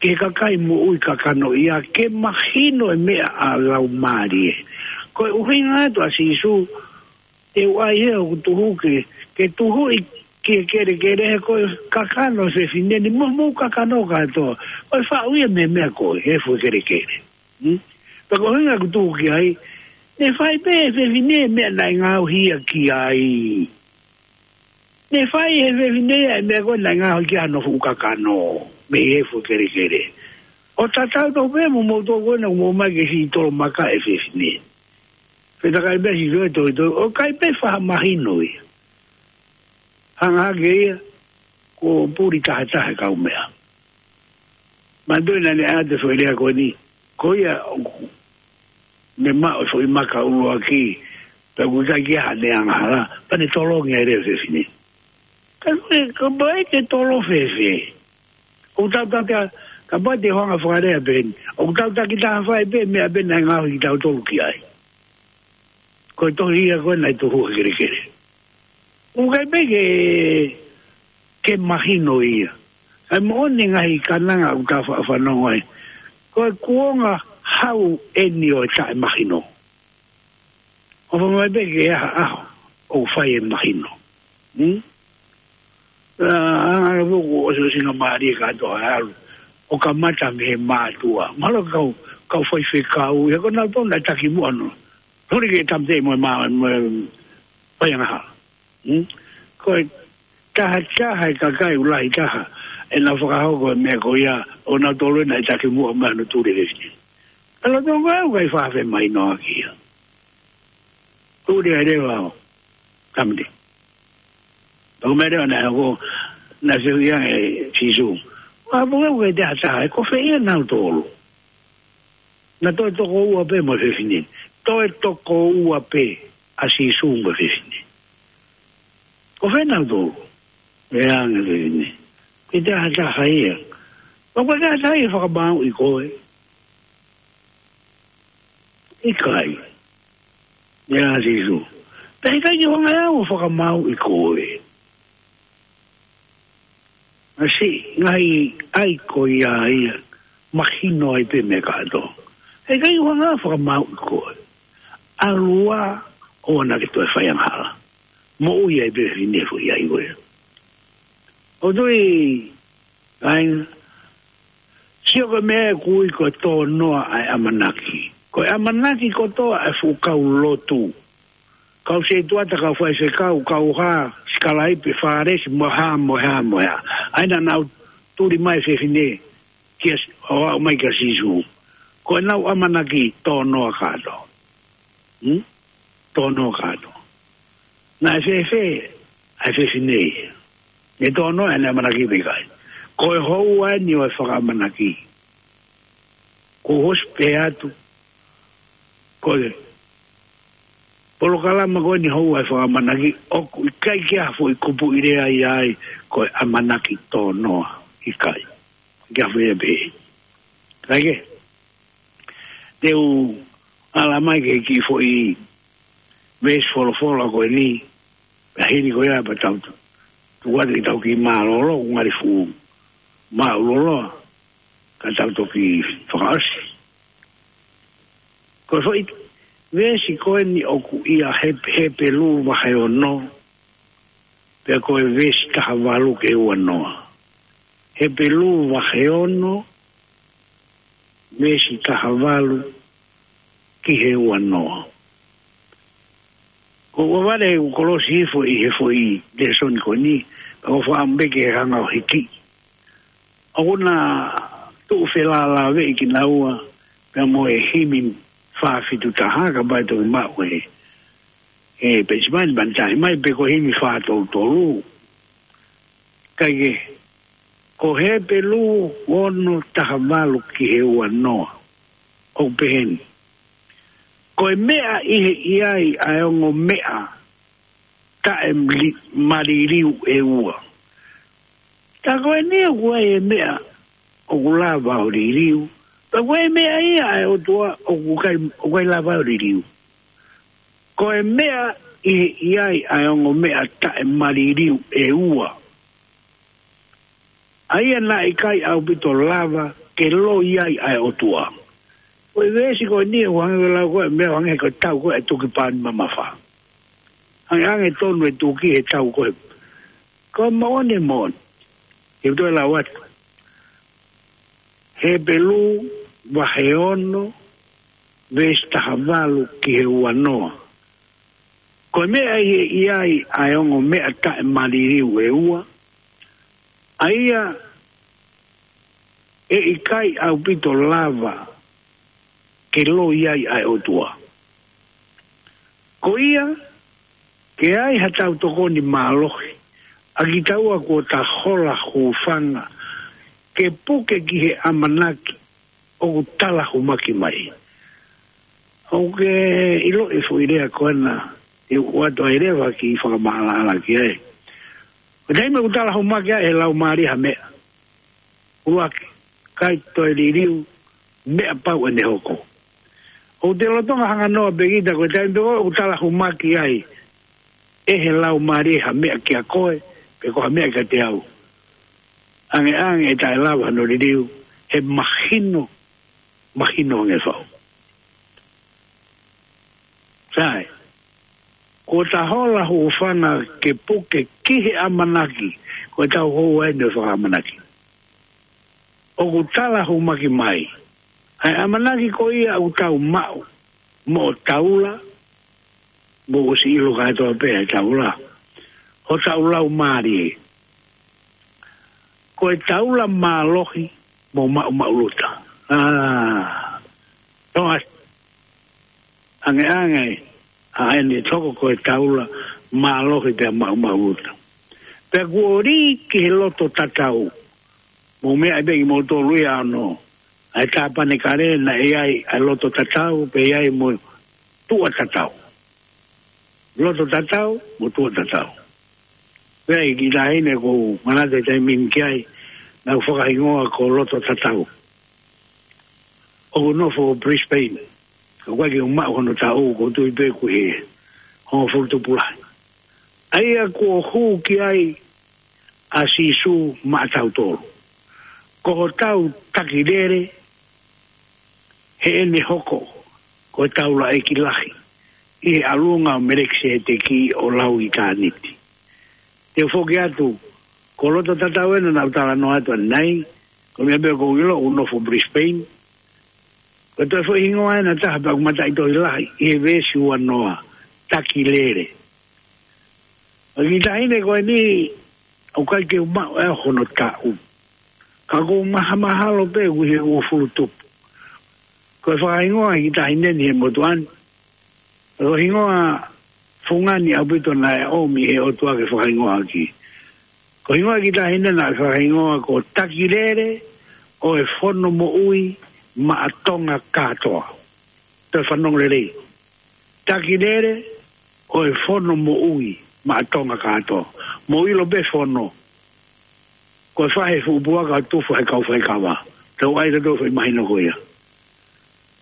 ki he kakai moʻui kakano ia, ke mahino e meʻa ʻa e laumālie. Ko e ʻuhinga atu ʻa Sīsū, ʻe ʻai ʻe hoku tuhu ke, ke tuhuʻi ki he kelekele he ko e kakano e fefine ni, mo, mo e kakano kātoa. Ko e faʻu ia mei he meʻa ko ē, he fuʻu kelekele. Hmm? Pea ko e ʻuhinga ʻoku tuku ki ai, ne fai pē ʻe he fefine e meʻa naʻe ngaohi ia ki ai. Ne fai ʻe he fefine ia e meʻa ko ē naʻe ngaohi ki ai hono fuʻu kakano, mei he fuʻu kelekele. ʻO tatau tofu pē mo moutolu ko ena ʻoku mou ō mai ke siʻi tolomakaʻi e fefine. Fetakai pē Sīsū ʻo tohitohi, ʻoku ʻikai pē faʻa mahino ia. Hanga hake ia, kuo puli tahataha e kaumeʻa. Manatuʻi naʻa ne ʻai atu e foʻi lea ko eni, ko ia ʻoku ne maʻu e foʻi maka ʻuluaki, pea ʻoku ʻikai ke ʻi ai haʻane angahala, pea ne tolongi ai leva e fefine. Ka ko e, kapau ʻe tolo fēfē. ʻOku tau taki, kapau te u hanga ʻo fakalea pē eni. ʻOku tau takitaha fai pē e meʻa pē naʻe ngaohi kitautolu ki ai. Ko e tohi ia ko ē naʻe tuhu he kelekele. ʻOku ʻikai pē ke, ke mahino ia. ʻA e moʻoni e ngaahi kananga ʻoku tau faʻa fanongo ai. Ko e kuonga hau eni ʻo e taʻemahino. ʻOfa mai pē ke ʻi ai ha ʻaho ʻoku fai e mahino. Hmm? ʻA, ʻa, ʻa, ʻoku ʻosiʻosingamālie kātoa ʻa e ʻalu ʻo kamata mei he mātuʻa. Mahalo kau, kau faifekau, he ko nautolu naʻe taki muʻa noa. Huli ke tāmateʻi mo e mā, mo e faiangahala. Hmm? Ko e tahataha e kakai ʻoku lahi taha ʻenau fakahoko e meʻa ko ia, ʻo nautolu ē naʻe taki muʻa mai hono tuli e fefine. Ka loto ko ē ʻoku ʻikai faʻa femahinoʻaki ia. Tuli ai leva ʻo tāmateʻi. Pea ko e meʻa leva naʻe hoko, naʻe fehuʻi ange ʻe Sīsū, ʻa, pea ko e tahataha, ʻe ko fē ia ʻanautolu? Naʻe toe toko ua pē mo e fefine. Toe toko ua pē ʻa Sīsū mo e fefine. Ko fē ʻanautolu? Lea ange e fefine, ko e tahataha ia. Pea ko e tahataha ia ʻe fakamāuʻi koe? ʻIkai. Lea ʻa Sīsū, pea ʻikai ke u hanga ʻe au ʻo fakamāuʻi koe. Masi, ngaahi ʻai ko ia ia, mahino ai pē meʻa kātoa. ʻIkai ke u hanga ʻo fakamāuʻi koe. ʻAlu ā ʻoua naʻa ke toe faiangahala. Moʻui ai pē e fefine foʻi ʻai ko ia. ʻOku ou tui, kāinga, Sio ko e meʻa ʻoku ui ko e tōnoa ʻa e ʻamanaki. Ko e ʻamanaki kotoa ʻa e fuʻu kau lotu. Kau setuata, kau faifekau, kau hā, sikalaipe, fālesi, mo e hā, mo e hā, mo e hā. ʻA ia naʻa nau tuli mai fefine, kia S-, ʻo aʻu mai kia Sīsū. Ko ʻenau ʻamanaki tōnoa kātoa. Hmm? Tōnoa kātoa. Naʻe fēfē ʻa e fefine ia? Ne tōnoa ʻene ʻamanaki pe ʻikai? Ko e houa eni ʻo e fakaʻamanaki. Ko hosi pē atu. Ko e polokalama ko eni houa e fakaʻamanaki, ʻoku ʻikai ke ʻi ai ha foʻi kupuʻi lea ia ai, ko e ʻamanaki tōnoa, ʻikai. Ke a fia pē. Kae kehe, te u ala mai ki he kiʻi foʻi veesi folofola ko eni, pea hili ko ia pea tau tu-, tuku atu ke tau kiʻi mālōlō, ʻoku ngali fuʻu māʻulōlō, ka tau toki fakaʻosi. Ko e foʻi veesi ko eni ʻoku ʻia Hep-, Hepelū vahe ono, pea ko e veesi taha valu ki he ua noa. Hepelū vahe ono, veesi taha valu ki he ua noa. Ko ʻeku vale ʻeku kolosi hifo ʻi he foʻi lēsoni ko eni, ka ʻoku ou fakaʻamu pē ke hanga ʻo hiki. ʻOku na tuʻu felālāveʻi kinaua, pea mo e himi fā fitu taha, kapau ʻe toki maʻu ʻe he, ʻe he peisi mai, pea ne tali mai pe ko e himi fā tolu tolu. Kae kehe, ko Hepelū ono taha valu ki he ua noa. ʻOku pehē ni. Ko e meʻa ʻi he ʻi ai ʻa e ongo meʻa taʻe mali-, maliliu ʻe ua. Tā ko eni ʻoku ʻi ai e meʻa ʻoku lava ʻo liliu. Tā ko e meʻa ia ʻa e ʻOtua ʻoku ʻikai, ʻoku ʻikai lava ʻo liliu. Ko e meʻa ʻi he ʻi ai ʻa e ongo meʻa taʻe maliliu ʻe ua. ʻA ia naʻe ʻikai ʻaupito lava ke loi ai ʻa e ʻOtua. Ko e veesi ko eni ʻoku hangē ko e lau ko e meʻa hangē ko e tau ko e tuki pauni mamafa. Hangē, hangē tonu e tuki he tau ko e. Ko e moʻoni, moʻoni. Ke u toe lau atu. Hepelū vahe ono, veesi taha valu ki he ua noa. Ko e meʻa ʻi he ʻi ai ʻa e ongo meʻa taʻe maliliu ʻe ua, ʻa ia ʻe ʻikai ʻaupito lava ke loi ai ʻa e ʻOtua. Ko ia, ke ʻi ai ha tau tokoni mālohi, ʻa kitaua kuo ta hola hūfanga, ke puke ki he ʻamanaki ʻoku talahumaki mai. ʻOku ke ʻiloʻi e foʻi lea ko ena, ʻe ʻoatu ai leva ki fakamaʻalaʻala ki ai. Ko e taimi ʻoku talahumaki ai ʻe he Laumālie ha meʻa, ʻuluaki, ʻikai toe liliu, meʻa pau ʻene hoko. ʻOku te lolotonga hanganoa pē kita ko e taimi pē ko ē ʻoku talahumaki ai ʻe he Laumālie ha meʻa kia koe, pe ko ha meʻa kiate au, ʻangeʻange ʻe taʻe lava hano liliu, he mahino, mahino ange fau. Sai, kuo ta hola hūfanga ke puke ki he ʻamanaki, ko e tau houa eni ʻo e fakaʻamanaki. ʻOku talahumaki mai. ʻA e ʻamanaki ko ia ʻoku tau maʻu, moʻo taula, mo ʻosi ʻilo kātoa pē ʻa e taula. Hotau laumālie. Ko e taula mālohi mo maʻumaʻuluta. ʻĀ, toa, ʻangeʻange, ʻa eni toko ko e taula mālohi pea maʻumaʻuluta. Pea kuo ʻi ai ki he loto tatau. Mo meʻa pē ki mo tolu ia ano. ʻA e Tāpanekale naʻe ʻi ai ʻa e loto tatau, pea ʻi ai mo tuʻa tatau. Loto tatau, mo tuʻa tatau. Pea ʻi ai ki tahi ne ko manate taimi ni ki ai, naʻa ku fakahingoa ko loto tatau. ʻOku nofo ʻo Brisbane. Ka ʻoku ʻikai ke u maʻu hono taʻu, ʻoku ou tui pē ʻoku ʻi he hongofulu tupu lahi. ʻA ia kuo hū ki ai ʻa Sīsū maʻatautolu. Ko hotau takilele, heʻene hoko ko e taulaʻeiki lahi ʻi he ʻalunga ʻo Melekiseteki ʻo lau ʻitāniti. Te u foki atu, ko loto tatau ena naʻa ku talanoa atu ʻanenai, Ko e meʻa pē ʻoku ou ʻilo, ʻoku ou nofo Brisbane. Ko e toe foʻi hingoa ʻe taha pea ʻoku mataʻitohi lahi ʻi he veesi uanoa, Takilele. ʻA e kiʻi taʻahine ko eni, ʻoku ʻikai ke u maʻu ʻe au hono taʻu. Ka ʻoku ou mahamahalo pē ʻoku ʻi he uofulu tupu. Ko e fakahingoa ʻa e kiʻi taʻahine ni he motuʻa ni. Ko e hingoa fungani ʻaupito naʻe ʻomi ʻe he ʻOtua ke fakahingoa ʻaki. Ko e hingoa ʻa e kiʻi taʻahine naʻe fakahingoa ko Takilele ʻo e Fono Moʻui maʻa Tonga kātoa. Toe fanongo lelei. Takilele ʻo e Fono Moʻui maʻa Tonga kātoa. Mou ʻilo pē fono. Ko e faʻahi fuʻu puaka tufa he kau faikava. Tau ʻai tautolu foʻi mahino ko ia.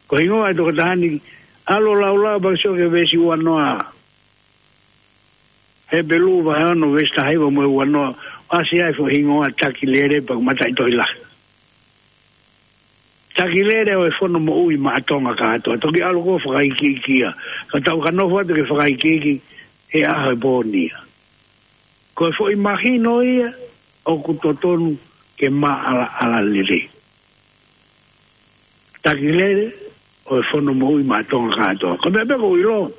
Ko e hingoa ʻa e tokotaha ni, ʻalu ʻo laulau pea ke sio ki he veesi uanoa. Hepelū vahe ono veesi taha hiva mo e uanoa, ʻasi ai foʻi hingoa Takilele pea ʻoku mataʻitohi lahi. Takilele ʻo e Fono Moʻui maʻa Tonga kātoa. Toki ʻalu ko e fakaikiiki ia. Ka tau ka nofo atu ke fakaikiiki he ʻaho e pō ni ia. Ko e foʻi mahino ia ʻoku totonu ke maʻalaʻala lelei. Takilele ʻo e Fono Moʻui maʻa Tonga kātoa. Ko e meʻa pē ʻoku ou ʻilo.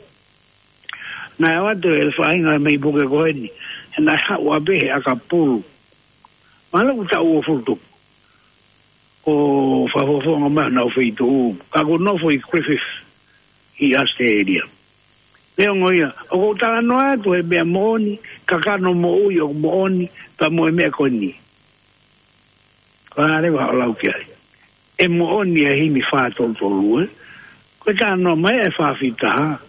Naʻe ʻoatu ʻe he faʻahinga mei puke ko eni. He naʻe haʻu ʻa pē he ʻakapulu. Mahalo ʻoku taʻu uofulu tupu. ʻO fakafofonga mai honau feituʻu. Ka ʻoku nofo ʻi Griffith, ʻi Australia. Neongo ia, ʻoku ou talanoa atu he meʻa moʻoni, kakano moʻui ʻoku moʻoni, pea mo e meʻa ko eni. Ko e hā leva haʻo lau ki ai. ʻE moʻoni ʻa e himi fā tolu tolu, ē? Ko e talanoa mai ʻa e fā fitu taha.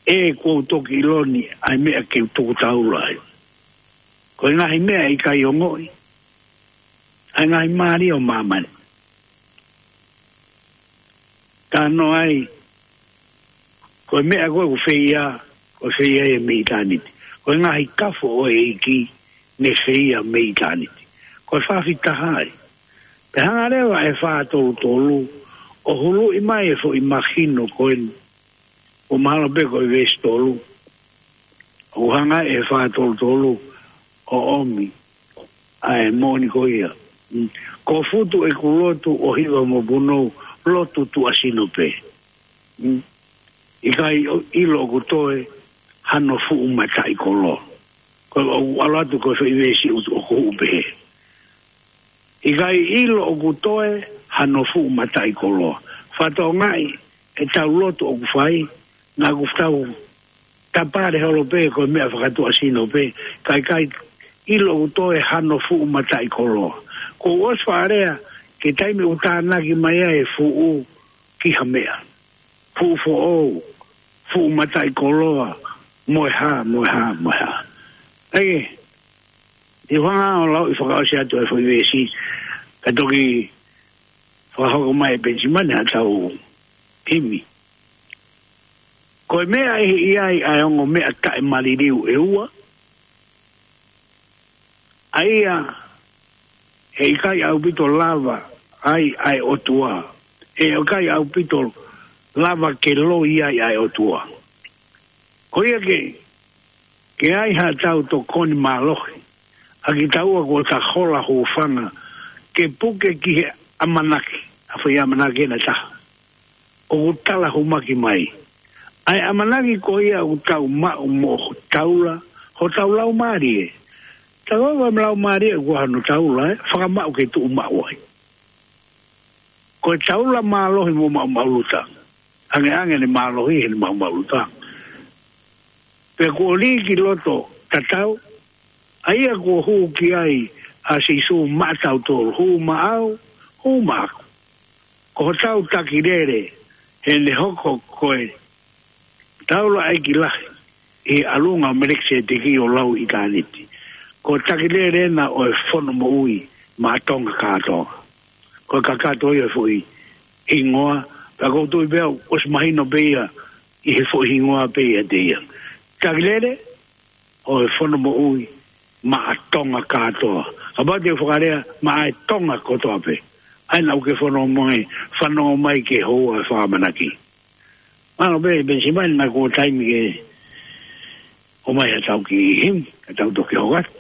ʻE kuo u toki ʻilo ni ʻa e meʻa ke u tuku taula ai. Ko e ngaahi meʻa ʻe ʻikai ongoʻi. ʻA e ngaahi mālie ʻo māmani. Talanoa ai, ko e meʻa ko ē ʻoku feia, ko e feia ia mei ʻitāniti. Ko e ngaahi kafo ʻo e ʻEiki, ne feia mei ʻitāniti. Ko e fā fitu taha ai. Pea hanga leva ʻe he fā tolu tolu, ʻo huluʻi mai e foʻi mahino ko eni. ʻO mahalo pē ko e veesi tolu. ʻO hanga ʻe he fā tolu tolu, ʻo ʻomi ʻa e moʻoni ko ia. Mm. Ko Futu ʻeku lotu ʻo hiva mo punou, lotu tuʻasino pē. Mm. ʻIkai ʻilo ʻoku toe hano fuʻu mataʻikoloa. Ko e ʻoku ʻalu atu ko e foʻi veesi ʻoku, ʻoku pehē. ʻIkai ʻilo ʻoku toe hano fuʻu mataʻikoloa. Fakatokangaʻi ʻetau lotu ʻoku fai, naʻa ʻoku tau tapale holo pē ko e meʻa fakatuʻasino pē, ka ʻikai ʻilo ʻoku toe hano fuʻu mataʻikoloa. Ko ʻosi faʻa lea, ki he taimi ʻoku tānaki mai ai e fuʻu ki ha meʻa. Fuʻu foʻou, fuʻu mataʻikoloa, mo e hā, mo e hā, mo e hā. ʻAi, ʻi he hanga ʻo lau ʻi fakaʻosi atu e foʻi veesi, ka toki fakahoko mai ʻe Penisimani haʻatau himi. Ko e meʻa ʻe ʻi ai ʻa e ongo meʻa taʻemaliliu ʻe ua, ʻa ia he ʻikai ʻaupito lava ai ʻa e ʻOtua. He ʻikai ʻaupito lava ke loi ai ʻa e ʻOtua. Ko ia ke, ke ai haʻatau tokoni mālohi, ʻa kitaua kuo ta hola hūfanga, ke puke ki he ʻamanaki, ʻa e foʻi ʻamanaki ʻe taha. ʻOku tala humaki mai. ʻA e ʻamanaki ko ia ʻoku tau maʻu mo ho taula, hotau laumālie. Tau ava mo laumālie ʻoku hano taula, ē, fakamaʻu ke tuʻu maʻu ai. Ko e taula mālohi mo maʻumaʻuluta. Angeange ne mālohi he ne maʻumaʻuluta. Pea kuo lī ki loto tatau, ʻa ia kuo hū ki ai ʻa Sīsū maʻatautolu, hū maʻau, hū maʻaku. Ko hotau Takilele, he ne hoko ko e taulaʻeiki lahi, ʻi he ʻalunga ʻo Melekiseteki ʻo lau ʻitāniti. Ko e Takilele ena ʻo e Fono Moʻui maʻa Tonga kātoa. Ko e kakato ia e foʻi hingoa, pea ʻoku ou tui pē au, ʻosi mahino pē ia, ʻi he foʻi hingoa pē ia te ia. Takilele, ʻo e Fono Moʻui maʻa Tonga kātoa. Kapau te u fakalea maʻa e Tonga kotoa pē. ʻAi naʻa ke fanongo mai, fanongo mai ke houa e fakamanaki. Mālō pē, Penisimani, naʻa ko e taimi ke ʻomai haʻatau kiʻi himi, ka tau toki hoko atu.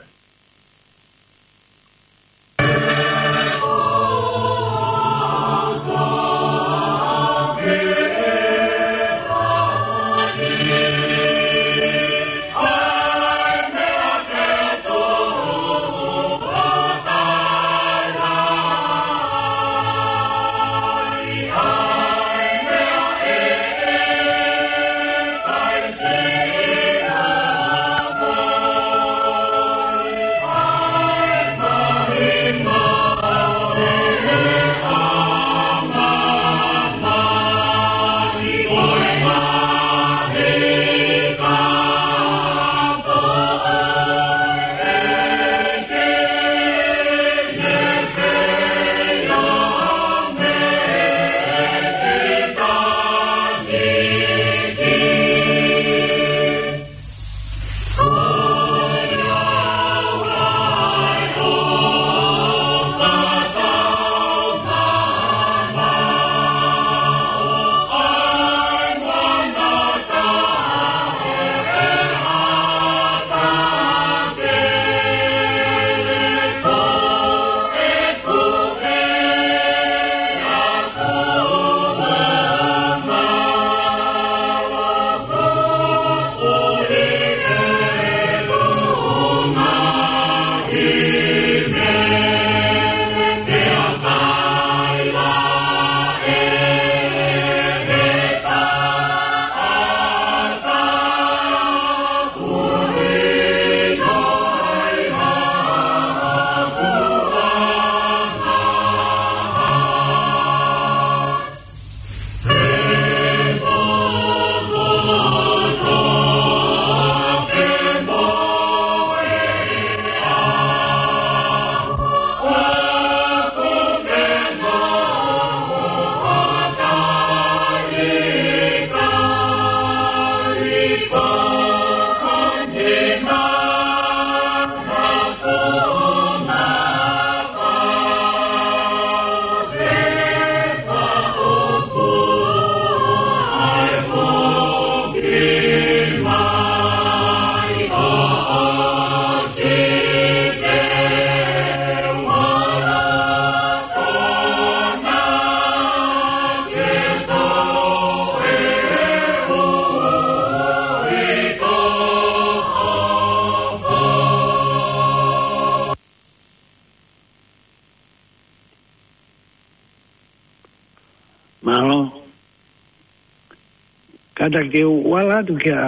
Kātaki ke u ala atu ki he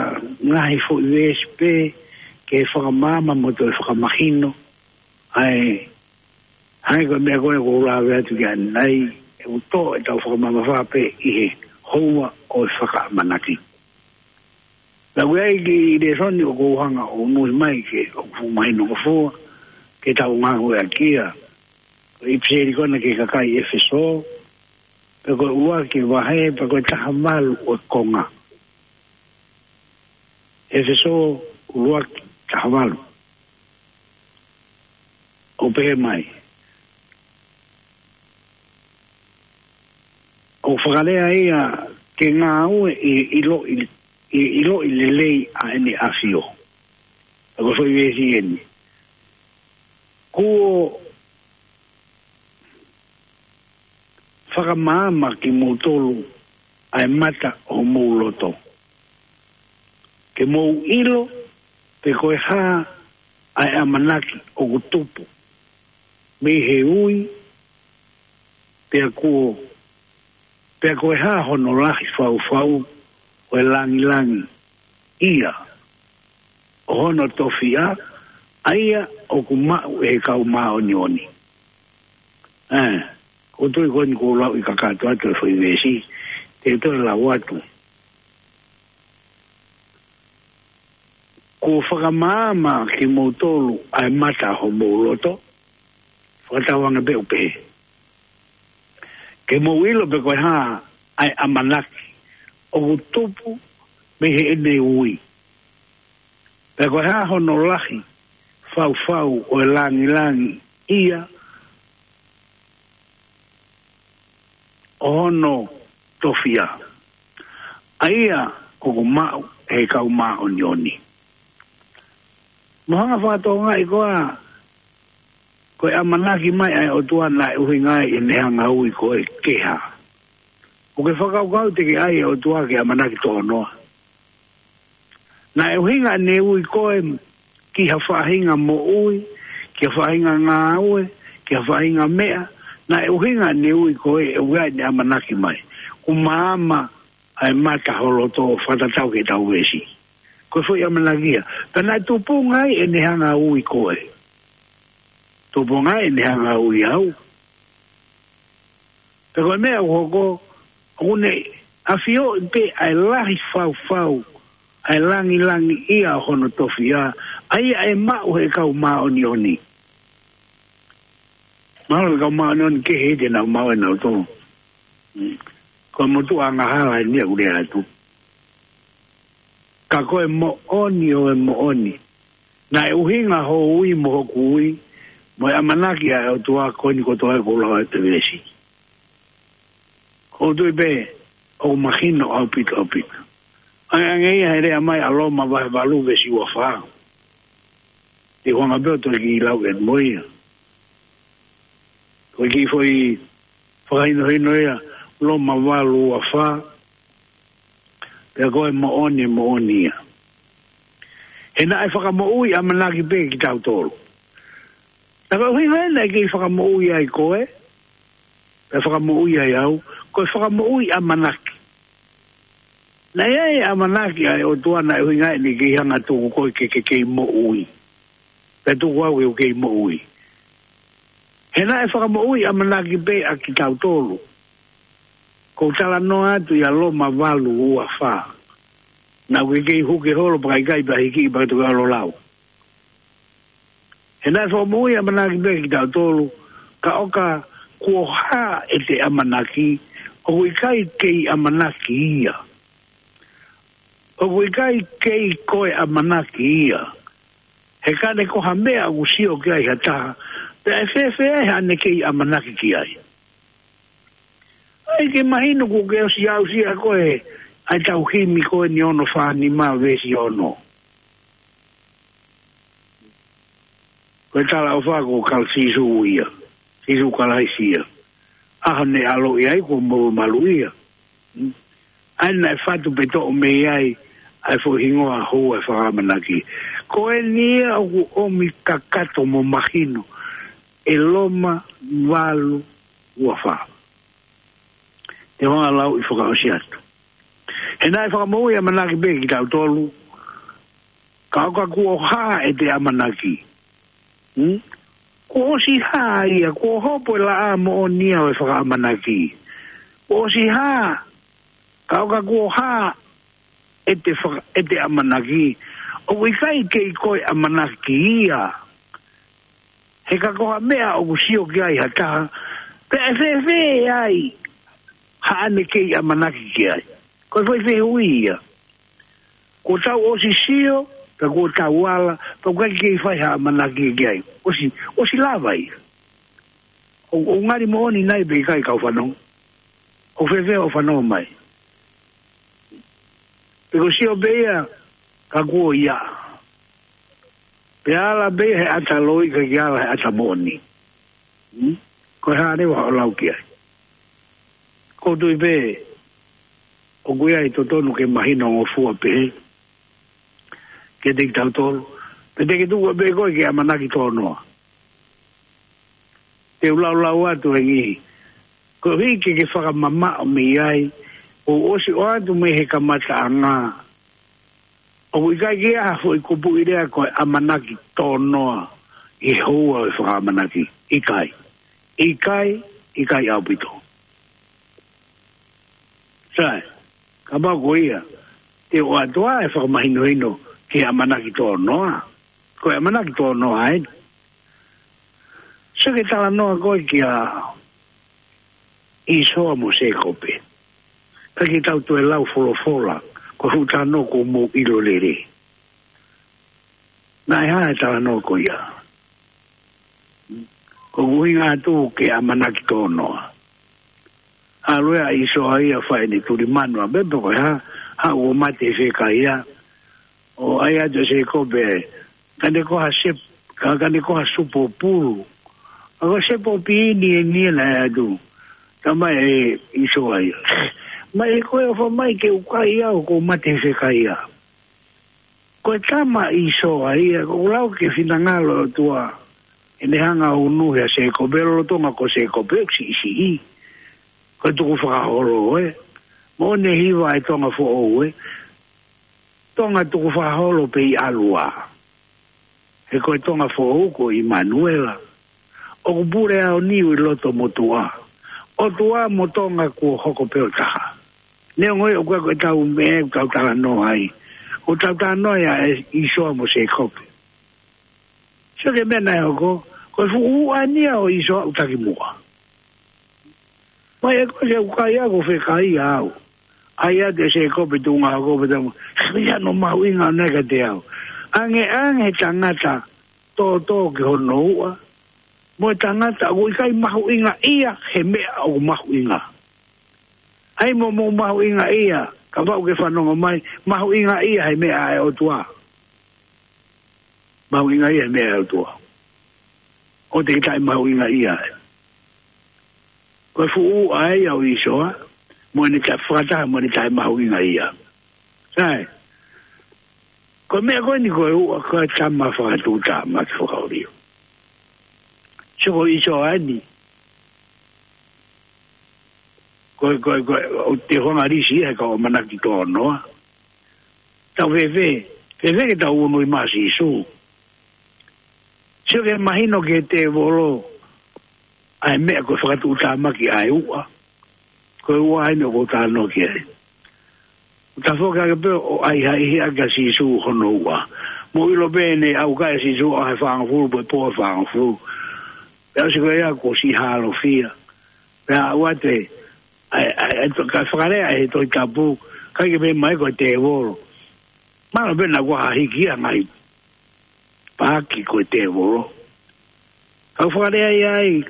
ngaahi foʻi veesi pē ke fakamaama mo toe fakamahino ʻa e hangē ko e meʻa ko ē ʻoku ou lave atu ki ai ʻanenai, ʻoku tō ʻetau fakamamafa pē ʻi he houa ʻo e fakaʻamanaki. Naʻa ku ʻi ai ki he lēsoni ʻoku ou hanga ʻo unuhi mai ke ʻoku fuʻu mahino ngofua ke tau ngāueʻaki ia. Ko e ʻipiseli ko ena ki he kakai ʻEfesō, pea ko e ʻuluaki vahe, pea ko e taha valu ʻo e konga. ʻEfesō ʻuluaki taha valu. ʻOku pehē mai, ʻoku fakalea ia ke ngāue ʻi he ʻiloʻi, ʻi he ʻiloʻi lelei ʻa ʻEne ʻAfio. Pea ko e foʻi veesi eni. Kuo fakamaama kimoutolu ʻa e mata ʻo homou loto, ke mou ʻilo pe ko e hā ʻa e ʻamanaki ʻoku tupu mei he ui, pea kuo, pea ko e hā hono lahi faufau ʻo e langilangiʻia ʻo hono tofiʻa, ʻa ia ʻoku maʻu ʻe he kau māʻoniʻoni. Ē, ʻoku ou tui ko eni ʻoku ou lau ʻi he kakato atu e foʻi veesi, te u toe lau atu. Kuo fakamaama kimoutolu ʻa e mata homou loto, fakatauange pē ʻoku pehē. Ke mou ʻilo pe ko e hā ʻa e ʻamanaki ʻoku tupu mei heʻene ui, pe ko e hā hono lahi faufau ʻo e langilangiʻia ʻo hono tofiʻa, ʻa ia ʻoku maʻu ʻe he kau māʻoniʻoni. Mo hanga fakatokangaʻi koā, ko e ʻamanaki mai ʻa e ʻOtua naʻe ʻuhinga ai ʻene hanga ui koe ke hā? ʻOku ke fakakaukau te ke ʻai e ʻOtua ke ʻamanaki tōnoa? Naʻe ʻuhinga ʻene ui koe ki ha faʻahinga moʻui, ki ha faʻahinga ngāue, ki ha faʻahinga meʻa. Naʻe ʻuhinga ʻene ui koe ʻe ʻuhinga ʻene ʻamanaki mai. Kuo maama ʻa e mata ho loto, fakatatau ki heʻetau veesi. Ko e foʻi ʻamanaki ia. Pea naʻe tupunga ai ʻene hanga ui koe. Tupunga ai ʻene hanga ui au. Pea ko e meʻa ʻoku hoko, ʻoku ne ʻafioʻi pē ʻa e lahi faufau ʻa e langilangiʻia ʻo hono tofiʻa, ʻa ia ʻe maʻu ʻe he kau māʻoniʻoni. Mahalo ko e kau māʻoniʻoni kehe te nau maʻu ʻe nautolu. Mm. Ko e motuʻa angahala eni ʻoku lea atu. Ka ko e moʻoni ʻo e moʻoni, naʻe ʻuhinga hoʻo ui mo hoku ui, mo e ʻamanaki ʻa e ʻOtua ko eni kotoa ʻoku ou lau ʻi he veesi. ʻOku ou tui pē ʻoku mahino ʻaupito, ʻaupito. ʻAngeʻange ia he lea mai ʻa Loma vahe valu veesi ua fā. Te u hanga pē ʻo toe kiʻi lau ʻeni mo ia. Ko e kiʻi foʻi fakahinohino ia, Loma valu ua fā, pea ko e moʻoni, moʻoni ia. He naʻe fakamoʻui ʻamanaki pē kitautolu. Naʻe ʻuhinga ia naʻe kei fakamoʻui ai koe, pea fakamoʻui ai au, ko e fakamoʻui ʻamanaki. Naʻe ʻi ai e ʻamanaki ʻa e ʻOtua naʻe ʻuhinga ia ʻene kei hanga tuku koe ke, ke kei moʻui. Pea tuku au ke u kei moʻui. He naʻe fakamoʻui ʻamanaki pē ʻa kitautolu. Ko u talanoa atu ia Loma valu ua fā. Naʻa ku kei huke holo pea ʻikai pea hiki pea toki ʻalu ʻo lau. He naʻe fakamoʻui ʻamanaki pē kitautolu, ka ʻoka kuo hā ʻete ʻamanaki, ʻoku ʻikai kei ʻamanaki ia. ʻOku ʻikai kei ko e ʻamanaki ia. He ka ne ko ha meʻa ʻoku sio ki ai ha taha, pea ʻe fēfē ai haʻane kei ʻamanaki ki ai? ʻAi ke mahino kuo ke ʻosi aʻusia koe ʻa e tau himi ko eni ono fā nima veesi ono. Ko e talaʻofa ko Kal-, Sīsū ia. Sīsū Kalaisi ia. ʻAho ne ʻaloʻi ai kuo molumalu ia. ʻA ia naʻe fatu pē toʻo mei ai ʻa e foʻi hingoa houa ʻo e fakaʻamanaki. Ko eni ia ʻoku ʻomi kakato mo mahino ʻe Loma valu ua fā. Te u hanga lau ʻi fakaʻosi atu. He naʻe fakamoʻui ʻamanaki pē kitautolu. Ka ʻoka kuo hā ʻete ʻamanaki. Hmm? Kuo ʻosi hā ia, kuo hopo e laʻā moʻoni ia ʻo e fakaʻamanaki. Kuo ʻosi hā, ka ʻoka kuo hā ʻete faka-, ʻete ʻamanaki. ʻOku ʻikai kei ko e ʻamanaki ia. He ka ko ha meʻa ʻoku sio ki ai ha taha, pea ʻe fēfē ai haʻane kei ʻamanaki ki ai. Ko e foʻi fehuʻi ia. Kuo tau ʻosi sio, pea kuo tau ala, pea ʻoku ʻikai kei fai ha ʻamanaki ki ai. ʻOsi, ʻosi lava ia. ʻO, ʻo ngali moʻoni nai pe ʻikai kau fanongo. ʻO fēfē ʻo fanongo mai. Pe ko sio pē ia, ka kuo ia. Pea ala pē he ʻata loi ka ke ala he ʻata moʻoni. Hmm? Ko e hā leva ʻo lau ki ai. Ko tui pē, ʻoku ʻi ai totonu ke mahino ngofua pē. Ke te kitautolu. Pe te ke tuku pē koe ke ʻamanaki tō noa. Te u laulau atu e ngihi. Ko hiki ke fakamamaʻo mei ai. ʻO ʻosi ʻoatu mei he kamataʻanga. ʻOku ʻikai ke ʻi ai ha foʻi kupuʻi lea ko e ʻamanaki tō noa ʻi he houa ʻo e fakaʻamanaki. ʻIkai. ʻIkai, ʻikai ʻaupito. Sai, kapau ko ia, te u ʻoatu ʻa e fakamahinohino ki he ʻamanaki tō noa. Ko e ʻamanaki tō noa eni. Sio ki he talanoa ko ē kia ʻĪsoa mo Sēkope. Ka ke tau toe lau folofola, ko e fuʻu talanoa kuo mou ʻilo lelei. Naʻe hā e talanoa ko ia. Ko e ʻuhinga atu ke ʻamanaki tō noa. ʻAlu ʻa ʻĪsoa ia fai ʻene tuli manu ʻa pē pe ko e hā, haʻu ʻo mate fekaia. ʻO ʻai atu ʻe Sēkope, ka ne ko ha sep-, ka, ka ne ko ha supo pulu. ʻA ko e sepo piini eni naʻe ʻai atu. Talamai ʻe ʻĪsoa ia. Mai ko e ʻofa mai ke u kai au ko e mate fekaia. Ko e tama ʻa ʻĪsoa ia, ko e lau ki he finangalo ʻo e ʻOtua. ʻEne hanga ʻo unuhi ʻa Sēkope, lolotonga ko Sēkope, ʻoku siʻisiʻi. Ko e tukufakaholo ē. Moʻoni e hiva ʻa e Tonga Foʻou ē. Tonga tukufakaholo pē ʻi ʻAlua. He ko e Tonga Foʻou ko ʻImanuela. ʻOku pule ʻa ʻIuni ʻi loto motuʻa. ʻOtua mo Tonga kuo hoko pē ʻo taha. Neongo ē ʻoku ʻikai ko e tau meʻa ʻoku tau talanoa ai. ʻOku tau talanoa ia ʻa ʻĪsoa mo Sēkope. Sio ki he meʻa naʻe hoko, ko e fuʻu uʻa eni ia ʻo ʻĪsoa ʻoku taki muʻa. Mai ē ko e ʻoku kai au ko e fekaia au. ʻAi atu ʻe Sēkope tuʻunga hoko pē tamu. Ko ia no mahuʻinga ʻo neka te au. Ange ange he tangata tōtō ki hono uʻa. Mo e tangata ʻoku ʻikai mahuʻinga ia he meʻa ʻoku mahuʻinga. ʻAi mo mou mahuʻinga ia, kapau ʻoku ke fanongo mai, mahuʻinga ia he meʻa ʻa e ʻOtua. Mahuʻinga ia he meʻa ʻa e ʻOtua. ʻOua te ke taʻe mahuʻinga ia. Ko e fuʻu uʻa ia ʻo ʻĪsoa, mo ʻene taʻe fakataha, mo ʻene taʻe mahuʻinga ia. Sai. Ko e meʻa ko eni ko e uʻa, ko e tama fakatuʻutāmaki fakaʻolio. Sio ko ʻĪsoa eni. Ko e, ko e, ko e, ʻoku te hanga lisi ia he kau ʻamanaki tō noa. Tau fēfē, fēfē ke tau unuhi mai ʻa Sīsū. Sio ke mahino ki he tēvolo, ʻa e meʻa ko e fakatuʻutāmaki ʻa e uʻa. Ko e uʻa eni ʻoku ou talanoa ki ai. ʻOku ta foki ake pē ʻo ʻai ha ʻihiʻaki ʻa Sīsū hono uʻa. Mou ʻilo pē ʻene ʻaukai ʻa Sīsū ʻaho ʻe fāngofulu, pō ʻe fāngofulu. Pea ʻosi ko ia kuo siʻi hālofia. Pea ʻoatu ē, ʻa e, ʻa e, ʻa e, ka fakalea ʻe he Tohi Tapu, ʻikai ke pehē mai ko e tēvolo. Mahalo pē naʻa kuo hiki ia ngai. Paki ko e tēvolo. Ka fakalea ia ai,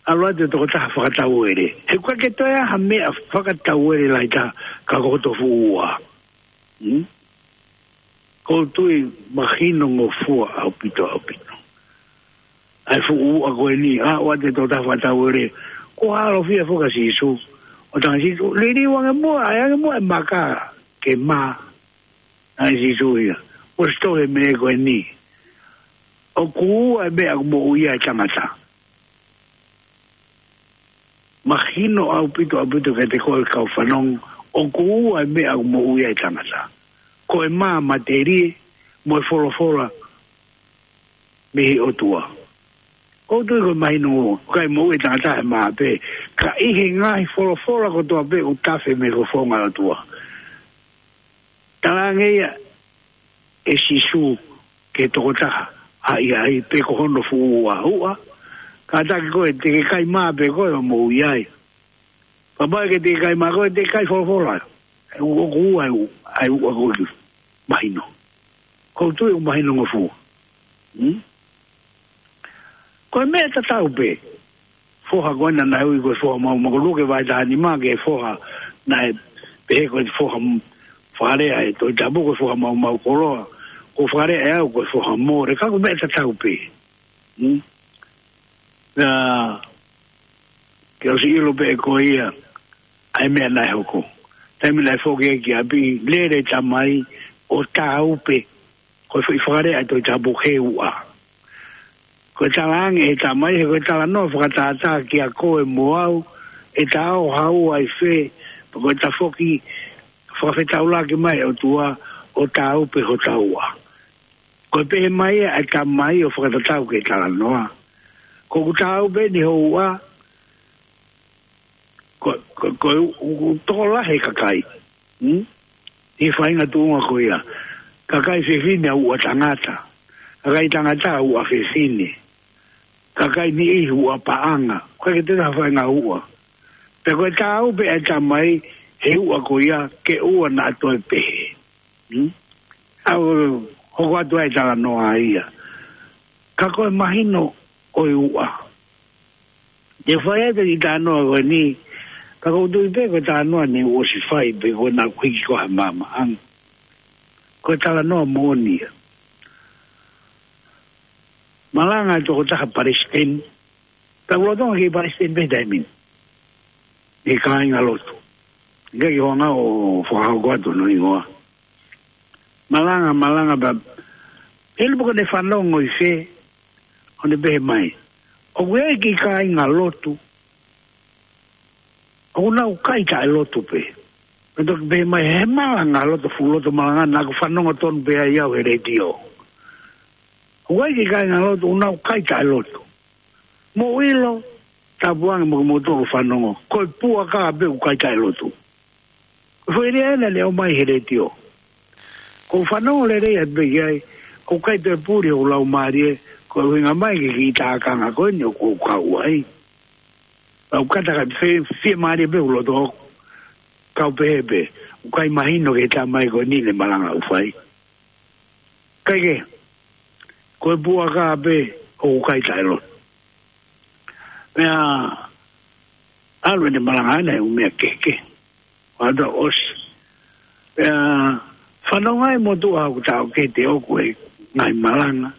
ʻalu atu e tokotaha fakatauele. He ʻoku ʻikai ke toe ʻi ai ha meʻa fakatauele lahi taha ka ko hoto fuʻu uʻa. Hmm? ʻOku ou tui mahino ngofua ʻaupito, ʻaupito. ʻA e fuʻu uʻa ko eni, ʻa, ʻoatu e tokotaha fakatauele. Kuo hālofia foki ʻa Sīsū. ʻO talaange ʻe Sīsū, liliu ange muʻa, ʻai ange muʻa e maka, ke mā. ʻAi ʻe Sīsū ia. ʻOsi tohi e meʻa ko eni. ʻOku uʻa e meʻa ʻoku moʻui ai e tangata. Mahino ʻaupito, ʻaupito kiate koe kau fanongo, ʻOku ua e meʻa ʻoku moʻui ai e tangata. Ko e mā matelie mo e folofola mei he ʻOtua. ʻOku ou tui ko e mahino, ʻikai moʻui e tangata he mā pē, ka ʻi he ngaahi folofola kotoa pē ʻoku tafe mei he fofonga ʻo e ʻOtua. Talaange ia ʻe Sīsū ki he tokotaha, ʻai, ʻai, pe ko hono fuʻu ua, ua. Kātaki koe, te ke kai mā pē koe ʻo moʻui ai. Kapau ʻe ʻikai te ke kai mā koe, te ke kai folofola. ʻOku ua ai, ai ua ko ki mahino. ʻOku ou tui ʻoku mahino ngofua. Hmm? Ko e meʻa tatau pē. Foha ko ena naʻe ui ko e foha maumau, ko Luke vahe taha nima ki he foha naʻe pehē ko e foha m-, fakalea ʻe he Tohi Tapu ko e foha maumau koloa. Ko fakalea ʻe au ko e foha mole, ka ko e meʻa tatau pē. Hmm? Na, ke ʻosi ʻilo pē ʻe koe ia ʻa e meʻa naʻe hoko. Taimi naʻe foki ai ki ʻapi, lele e tamai ʻo tāupe. Ko e foʻi fakalea ʻa e Tohi Tapu he ua. Ko e talaange ʻe he tamai, he ko e talanoa fakatātā kiate koe mo au, ʻe ta ō ha ua ʻi fē, pe ko e tafoki fakafetaulaki mai ʻOtua ʻo tāupe hota ua. Ko e pehē mai ʻa e tamai ʻo fakatatau ki he talanoa. Ko ʻeku tāupe ni ho ua, ko, ko, ko e u-, u-, u-, tokolahi e kakai. Hmm? ʻI he faʻahinga tuʻunga ko ia. Kakai fefine ʻa ua tangata. Kakai tangata ʻa ua fefine. Kakai niʻihi ua paʻanga. ʻIkai ke toe ha faʻahinga ua. Pea ko e tāupe ʻa e tamai he ua ko ia ke ua naʻa toe pehē. Hmm? ʻOku hoko atu ai e talanoa ia. Ka ko e mahino ʻo e ua. Te fai atu e talanoa ko eni, ka ʻoku ou tui pē ko e talanoa ni ʻoku ʻosi fai pē ko ena kuo hiki ko ē he maama. Ang-, ko e talanoa moʻoni ia. Malanga e tokotaha palesiteni, ka ʻoku lolotonga kei palesiteni pē he taimi ni. ʻI he kāingalotu. ʻIkai ke u hanga ʻo fakahoko atu hono hingoa. Malanga, malanga pea. He lupa ko ʻene fanongo ʻi fē, ʻo ne pehē mai. ʻOku ʻi ai e kiʻi kāingalotu. ʻOku nau kai taʻelotu pē. Pea toki pehē mai, he malanga loto fuʻu loto malanga naʻa ku fanongo tonu pē ai au he letiō. ʻOku ʻi ai e kiʻi kāingalotu, ʻoku nau kai taʻelotu. Mou ʻilo, tapu ange mo kimoutolu fanongo. Ko e puaka pē ʻoku kai taʻelotu. Ko e foʻi lea ena naʻe ʻomai he letiō. ʻOku ou fanongo lelei atu pē ki ai, ʻoku ʻikai toe puli hoku laumālie, ko e ʻuhinga mai ki he kiʻi tākanga ko eni ʻoku ou kau ai. ʻOku ou kata ka fie, fiemālie pē hoku loto ʻoku kau pehē pē, ʻoku ʻikai mahino ki he tamai ko eni ʻene malanga ʻoku fai. ʻIkai ke, ko e puaka pē ʻoku kai taʻelotu. Pea, ʻalu ʻene malanga ena he ʻū meʻa kehekehe. ʻO aʻu atu ʻosi. Pea, fanongo ai motuʻa ʻoku taʻokete ʻoku ʻi he ngaahi malanga.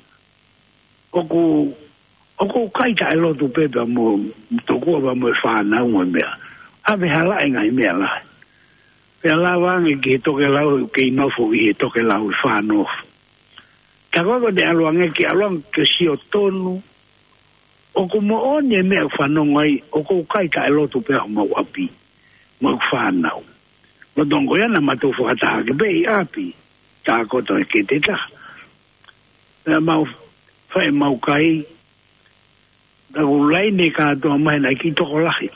ʻOku, ʻoku kai taʻelotu pē pea mo, tokua pea mo e fānau mo e meʻa. ʻAve hala e ngaahi meʻa lahi. Pea lava ange ki he tokelau, kei nofo ʻi he tokelau ʻi fānofo. Tā ko ē ko ʻene ʻalu ange ke ʻalu ange ke sio tonu. ʻOku moʻoni e meʻa ʻoku fanongo ai, ʻoku kai taʻelotu pē homau ʻapi. Mo e fānau. Lolotonga ia naʻa ma tau fakataha ki pē ʻi ʻapi. Tākoto e kete taha. Pea mau fai mau kai. Naʻa ku laine kātoa mai naʻe kiʻi tokolahi.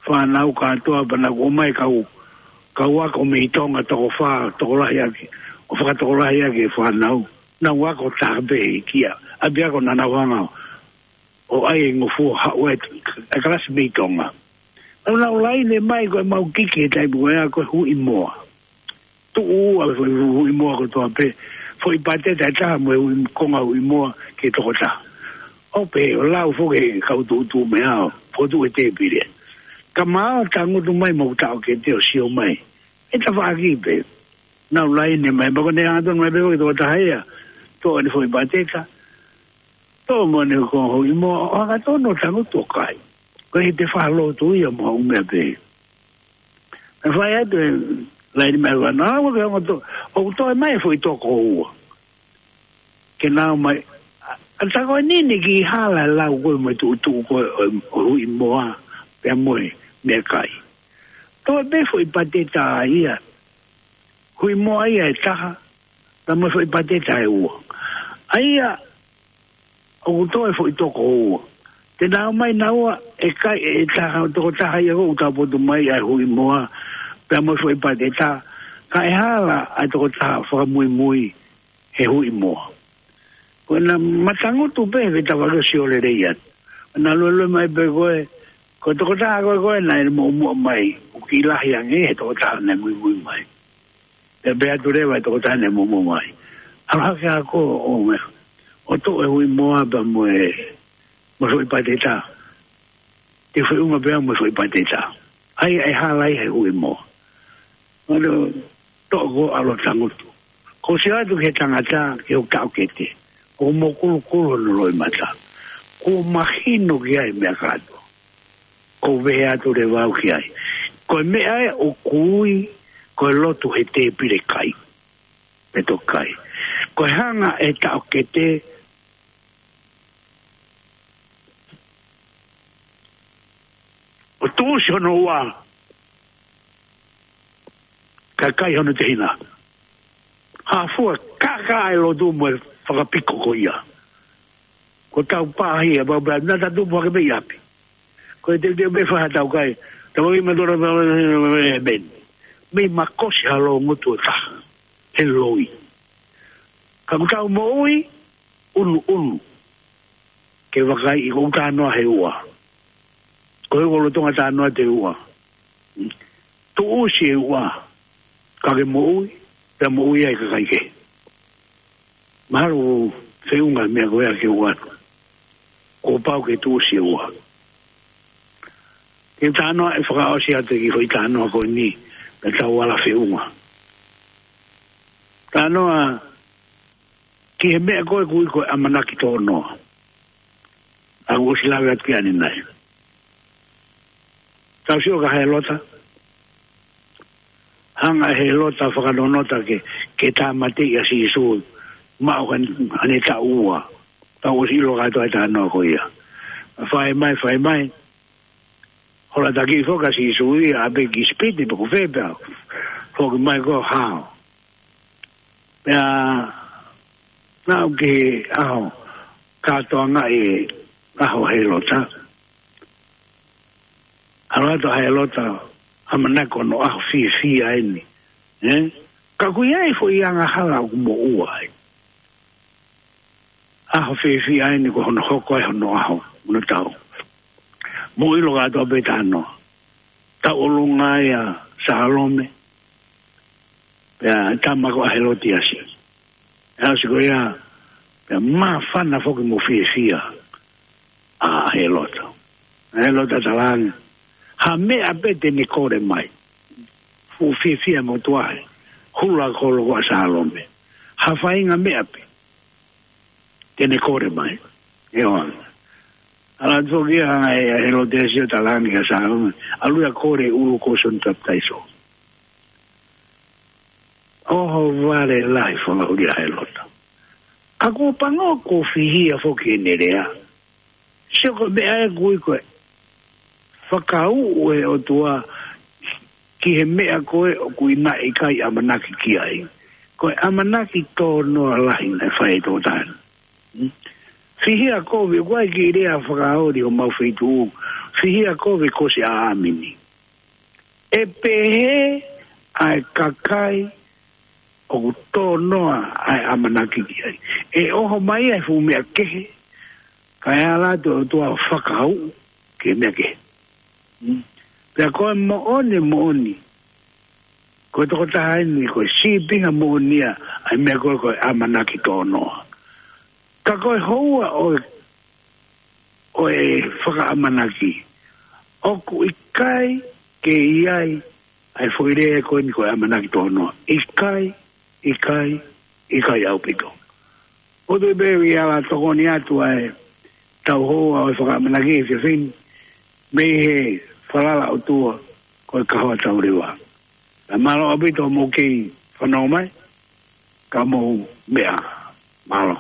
Fānau kātoa pea naʻa ku ʻomai kau, kau ako mei Tonga toko fā, tokolahi ʻaki. ʻO fakatokolahi ʻaki e fānau. Naʻa ku ako taha pē ʻi he kia. ʻApiako naʻa nau hanga ʻo ʻai e ngofua haʻu e, e kalasi mei Tonga. Naʻa ku laine mai ko e mau kiki he taimi ko ia ko e huʻi moa. Tuʻu ua foʻi huʻi moa kotoa pē. Foʻi pāteta ʻe taha mo e huʻi, konga huʻi moa ki he tokotaha. ʻO pehē, ʻo lau foki e kau tuʻutuʻu meʻa ʻo, fotu e tēpile. Ka mau tangutu mai mo taʻokete ʻo sio mai. ʻE tafaʻaki pē. Naʻa ku laine mai, pea ko ʻene hanga tonu mai pē ko e tokotaha ia. Toʻo ʻene foʻi pāteta. Toʻo mo ʻene konga huʻi moa, ʻo hanga tonu ʻo tangutu ʻo kai. Ko e hete fakalōtu ia mo ha ʻū meʻa pē. Naʻe fai atu e laine mai ua, naʻa ku ke ongo to, ʻoku toe mai e foʻi toko ua. Ke nau mai, ʻa, ʻa tā ko eni ʻene kiʻi hala e lau ko ē mo e tuʻutuʻu ko ē ʻo, ʻo huʻi moa, pea mo e meʻakai. Toe pē foʻi pateta ia. Huʻi moa ia ʻe taha, pea mo e foʻi pateta ʻe ua. ʻA ia, ʻoku toe foʻi toko ua. Te nau ō mai naua ʻe kai ʻe taha, tokotaha ia ʻoku tau potu mai ʻa e huʻi moa, pea mo e foʻi pateta, ka ʻe hala ʻa e tokotaha fakamuimui he huʻi moa. Ko ena matangutu pē he tafaʻaki ʻo sio lelei atu. Naʻa luelue mai pē ko e, ko e tokotaha ko ē ko ē naʻe muʻomuʻa mai, ʻoku kiʻi lahi ange he tokotaha naʻe muimui mai. Pea pehē atu leva e tokotaha naʻe muʻomuʻa mai. ʻAlu hake ʻa ko ē ʻo meʻa, ʻo toʻo e huʻi moa pea mo e, mo e foʻi pateta. Te feʻunga pea mo e foʻi pateta. ʻA ia ʻe hala ai he huʻi moa. Mano, toʻo ko ʻalu ʻo tangutu. Ko e sio atu ki he tangata, ki hoku taʻokete, ʻoku mokulukulu hono loʻimata. Kuo mahino ki ai e meʻa kātoa. Ko e pehē atu leva au ki ai, ko e meʻa ē ʻoku ui ko e lotu he tēpile kai. Pe toki kai. Ko e hanga ʻe he taʻokete ʻo tuʻusi hono ua, kae kai hono tehina. Hafua kaka e lotu mo e fakapiko ko ia. Ko ʻetau pāhia, pau pea naʻa tau tupu hake pē ʻi ʻapi. Ko e teuteu pē fai haʻatau kai. Tau ʻai ma tora pea, mei makosi ha loungutu ʻe taha he loi. Ka ʻoku tau moʻui, ʻunuʻunu. Ke vakai ʻi ko ʻeku talanoa he ua. Ko e ua lolotonga talanoa te ua. Tuʻusi e ua. Ka ke moʻui, pea moʻui ai e kakai kehe. Mahalo ʻoku feʻunga e meʻa ko ia ke ua. Kuo pau ke tuʻusi e ua. Ke talanoa ʻe fakaʻosi atu e kiʻi foʻi talanoa ko eni, pea tau ala feʻunga. Talanoa ki he meʻa ko ē ʻoku ui ko e ʻamanaki tō noa. ʻOku ʻosi lave atu ki ai ʻanenai. Tau sio kia Hēlota. Hanga ʻe Hēlota ʻo fakanonota ke, ke tāmateʻi ʻa Sīsū. Maʻu haʻane, haʻane taʻu ua. Tau ʻosi ʻilo kātoa e talanoa ko ia. Fai mai, fai mai. Hola taki foki ʻa Sīsū ia, ʻapi ki ʻIsipite pe ko fē pea. Foki mai ko e hao. Pea, naʻa ku ki he ʻaho, kātoanga e ʻaho ʻo Hēlota. ʻAlu atu ʻa Hēlota, ʻamanaki ko hono ʻaho fiefia eni. Ē? Ka ʻoku ʻi ai e foʻi angahala ʻoku moʻua ai. ʻAho fiefia eni ko hono hoko ai hono ʻaho, hono tau. Mou ʻilo kātoa pē talanoa. Tauʻolunga ai ʻa Salome. Pea tama ko ʻAhelotiasi. ʻAsi ko ia, pea māfana foki mo fiefia ʻa Hēlota. Hēlota talaange, ha meʻa pē te ne kole mai. Fuʻu fiefia mo tuahe, hula kolo ko ʻa Salome. Ha faʻahinga meʻa pē te ne kole mai. ʻIo. ʻAlu atu foki ia ʻa Hēlotiasi ʻo talaange kia Salome, ʻalu ia ʻo kole ʻulu ko Sione Papitaiso. ʻOhovale lahi fakaʻuli ʻa Hēlota. Ka kuo pango kuo fihia foki ʻene lea. Sio ko e meʻa ē ʻoku ui ko e fakauʻu ʻe he ʻOtua ki he meʻa ko ē ʻoku ʻi ai ʻikai ʻamanaki ki ai. Ko e ʻamanaki tō noa lahi naʻe fai ʻe he tokotaha. Hmm? Fihia kovi, ʻoku ʻai kiʻi lea fakaoli ʻo mau feituʻu. Fihia kovi ko si ʻa ʻāmini. ʻE pehē ʻa e kakai ʻoku tō noa ʻa e ʻamanaki ki ai. ʻE ʻoho mai ʻa e fuʻu meʻa kehe, kae ʻalu atu e ʻOtua ʻo fakauʻu ki he meʻa kehe. Hmm. Pea ko e moʻoni, moʻoni. Ko e tokotaha eni, ko e sīpinga moʻoni ia, ʻa e meʻa ko ē ko e ʻamanaki tō noa. Ka ko e houa ʻo e, ʻo e fakaʻamanaki. ʻOku ʻikai ke ʻi ai, ʻa e foʻi lea ko eni ko e ʻamanaki tō noa. ʻIkai, ʻikai, ʻikai ʻaupito. ʻOku ou tui pē ʻe ala tokoni atu ʻa e tau houa ʻo e fakaʻamanaki ʻi he efiafi ni, mei he falala ʻOtua ko e kahoa tau leva. Pea mālō ʻaupito hoʻomou kei fanongo mai, ka mou meʻa. Mālō.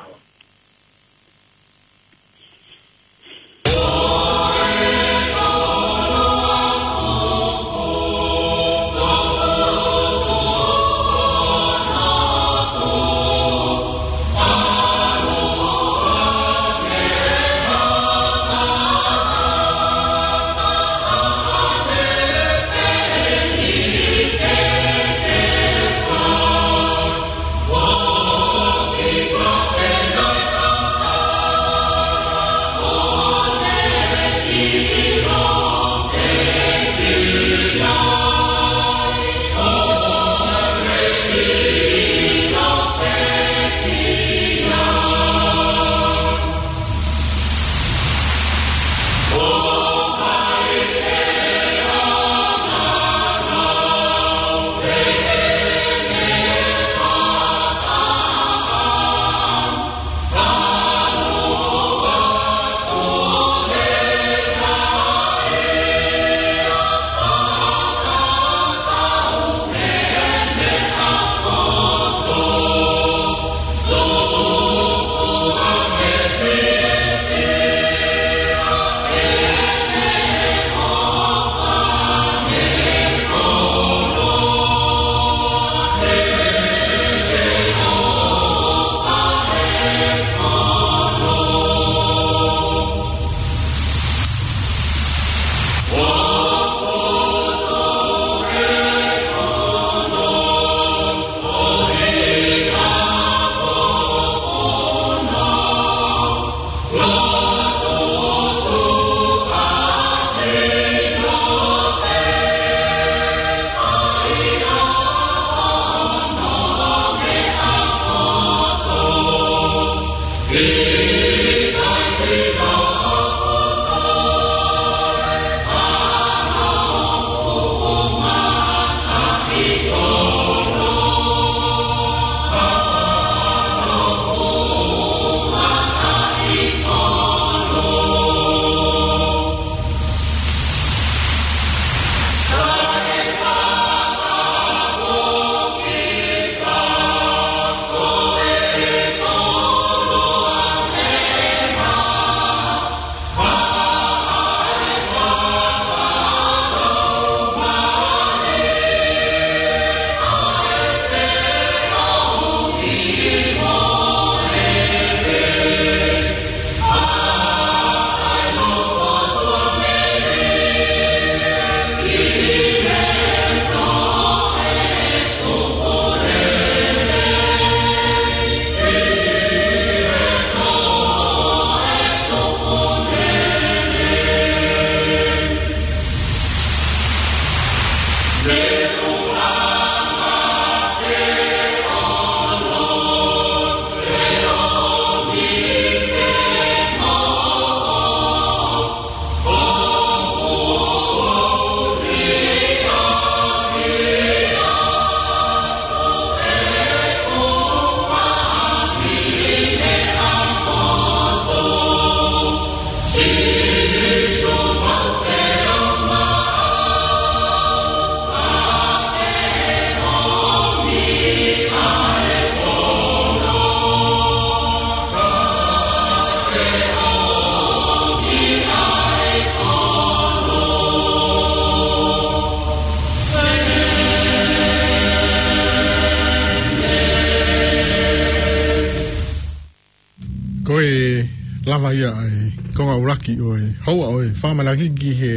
Lava ia ʻa e konga ʻuluaki ʻo e houa ʻo e fakamanaki ki he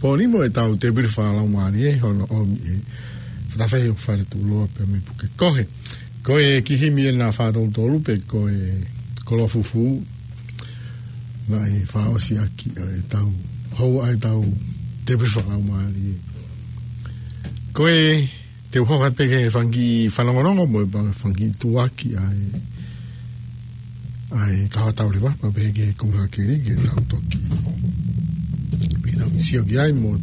pō ni mo ʻetau tēpile fakalaumālie hono ʻomi ʻe Fatafehi ʻo Faletuʻuloa pea mei Pukekohe. Ko e kiʻi himi ena fā tolu tolu pe ko e koloa fufū naʻe fakaʻosi ʻaki ʻa ʻetau houa ʻa ʻetau tēpile fakalaumālie. Ko e te u hoko atu pē ki he fanga kiʻi fanongonongo mo e pa-, fanga kiʻi tuʻuaki ʻa e, ʻa e kahaʻu tau leva, pea pehē ki he kumi hā keli ke tau toki. Ke tau sio ki ai mo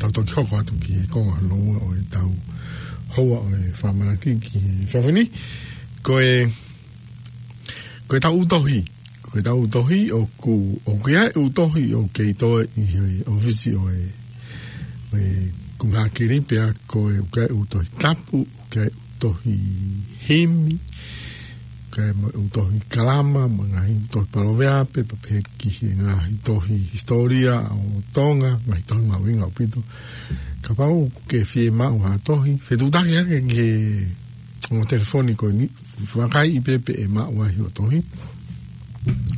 tau toki hoko atu ki he konga hono ua ʻo ʻetau houa ʻo e fakamanaki ki he efiafi ni. Ko e, ko ʻetau ʻū tohi, ko ʻetau ʻū tohi ʻoku, ʻoku ʻi ai e ʻū tohi ʻoku kei toe ʻi he ʻōfisi ʻo e, ʻo e kumi hā keli pea ko e, ʻoku ʻi ai e ʻū tohi tapu, ʻoku ʻi ai e ʻū tohi himi, ʻoku ʻi ai mo e ʻū tohi kalama, mo e ngaahi ʻū tohi palōveape, pea pehē ki he ngaahi tohi hisitōlia ʻo Tonga, ngaahi tohi mahuʻinga ʻaupito. Kapau ʻoku ke fiemaʻu ha tohi, fetuʻutaki hake ki he ongo telefoni ko eni, vakai pē pe ʻe maʻu ai hoʻo tohi.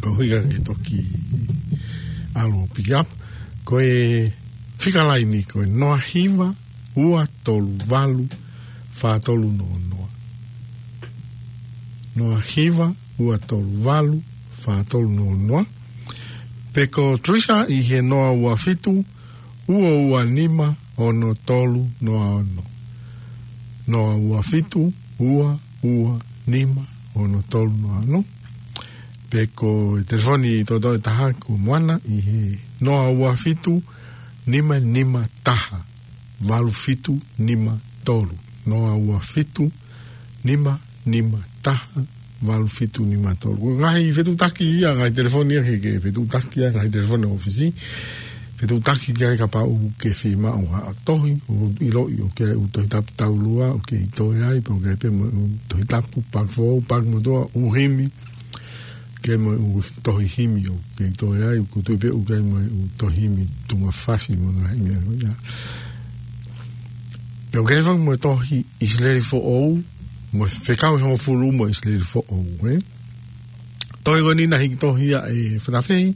Ko e ʻuhinga ke toki ʻalu ʻo pick up. Ko e fika laini ko e noa hiva, ua tolu valu, fā tolu noa noa. Noa hiva, ua tolu valu, fā tolu noa noa. Pe ko Teresa ʻi he noa ua fitu, ua ua nima, ono tolu noa ono. Noa ua fitu, ua ua nima, ono tolu noa ono. Pe ko e telefoni toʻotoʻo ʻe taha ko Moana ʻi he noa ua fitu, nima nima taha, valu fitu nima tolu. Noa ua fitu, nima nima taha, valu fitu nima tolu. Ko e ngaahi fetuʻutaki ia, ngaahi telefoni ia ke, ke fetuʻutaki ia, ngaahi telefoni ʻōfisi. Fetuʻutaki ki ai kapau ʻoku ke fiemaʻu ha tohi, ʻo ʻiloʻi ʻoku ʻi ai e ʻū tohi tapu taulua ʻoku kei toe ai, pe ʻoku ʻi ai pē mo e ʻū tohi tapu, paaki foʻou, paaki motuʻa, ʻū himi, ʻoku ʻi ai mo e ʻū tohi himi ʻoku kei toe ai, ʻoku ou tui pē ʻoku ʻi ai mo e ʻū tohi himi tuʻunga fasi mo e ngaahi meʻa ko ia. Pea ʻoku ʻi ai foki mo e tohi ʻIsileli Foʻou, mo e fekau ʻe hongofulu mo ʻIsileli Foʻou, ē? Tohi ko eni naʻe hiki tohi ia ʻe Fatafehi,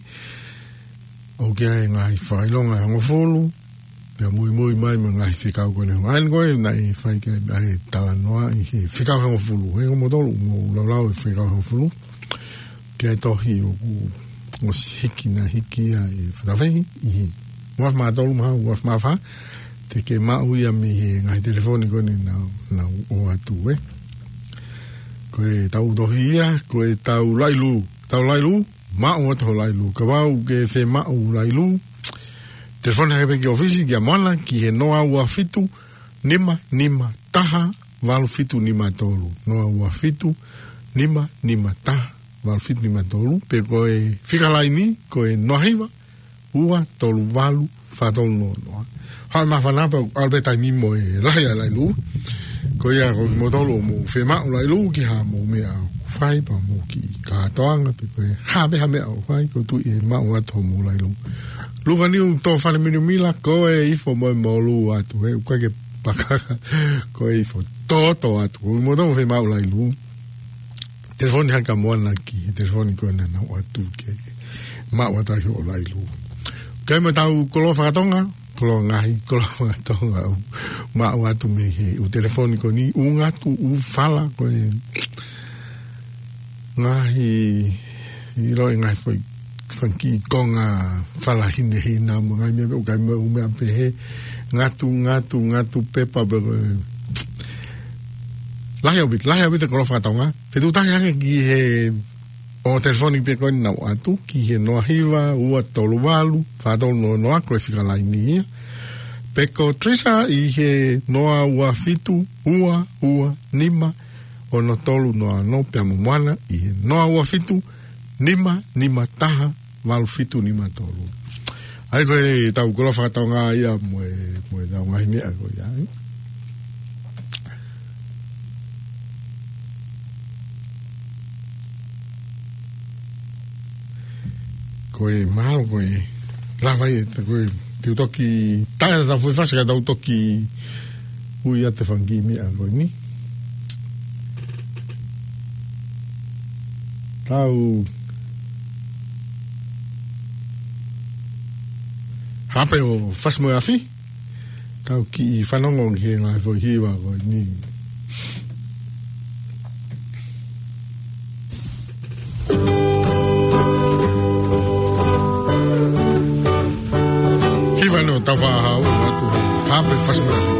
ʻoku ʻi ai e ngaahi fakaʻilonga ʻe hongofulu, pea muimui mai mo e ngaahi fekau ko eni. Hangē ko ē naʻe fai ki ai ʻa e talanoa ʻi he fekau ʻe hongofulu, ē, ko moutolu mou laulau e fekau ʻe hongofulu. Ko e tohi ʻoku ʻosi hiki, naʻe hiki ia ʻe Fatafehi ʻi he ua afe mā tolu mo e ua afe mā fā, te ke maʻu ia mei he ngaahi telefoni ko eni naʻa, naʻa ku ʻoatu, ē. Ko ʻetau tohi ia, ko ʻetau lailū, tau lailū, maʻu atu hoʻo lailū. Kapau ʻoku ke fiemaʻu lailū, telefoni hake pē ki he ʻōfisi kia Moana ki he noa ua fitu, nima nima taha, valu fitu nima tolu. Noa ua fitu, nima nima taha, valu fitu nima tolu. Pe ko e fika laini, ko e noa hiva, ua tolu valu, fā tolu noa noa. Haʻu e māfana pea ʻalu pē taimi mo e lahi ʻa e lailū. Ko ia ko kimoutolu ʻoku mou fiemaʻu lailū ki haʻamou meʻa ʻoku fai, pe mou kiʻi kātoanga, pe ko e hā pē ha meʻa ʻoku fai, ʻoku ou tui ʻe maʻu atu hoʻomou lailū. Luka Niu Tōfale Milamila, ko e ifo mo e molū atu, ē, ʻoku ʻikai ke pakaka, ko e ifo tōtō atu. Ko kimoutolu ʻoku fiemaʻu lailū, telefoni hake kia Moana ki he telefoni ko ē naʻa ku ʻoatu ke maʻu atu ai hoʻo lailū. Kae mo ʻetau koloa fakatonga, koloa ngaahi, koloa fakatonga ʻoku maʻu atu mei he ʻū telefoni ko eni, ʻū ngatu, ʻū fala ko ē. Ngaahi, ʻiloʻi ngaahi foʻi fanga kiʻi konga fala hinehina mo e ngaahi meʻa pē ʻoku ʻi ai mo e ʻū meʻa pehē, ngatu, ngatu, ngatu pepa pe ko e lahi ʻaupito, lahi ʻaupito e koloa fakatonga. Fetuʻutaki hake ki he ongo telefoni pē ko eni naʻa ku ʻoatu, ki he noa hiva, ua tolu valu, fā tolu noa noa, ko e fika laini ia. Pe ko Teresa ʻi he noa ua fitu, ua ua nima, ono tolu noa ono, pea mo Moana ʻi he noa ua fitu, nima nima taha, valu fitu nima tolu. ʻA ia ko ʻetau koloa fakatonga ia mo e, mo ʻetau ngaahi meʻa ko ia, ē. Ko e mahalo ko e lava ia, ko e te u toki taʻe ʻetau foʻi fasi kae tau toki ui atu e fanga kiʻi meʻa ko eni. Tau Ape ʻo Fasi mo e Afi. Tau kiʻi fanongo ki he ngaahi foʻi hiva ko eni. Hiva ʻeni ʻo Taufaʻāhau atu. Ape Fasi mo e Afi.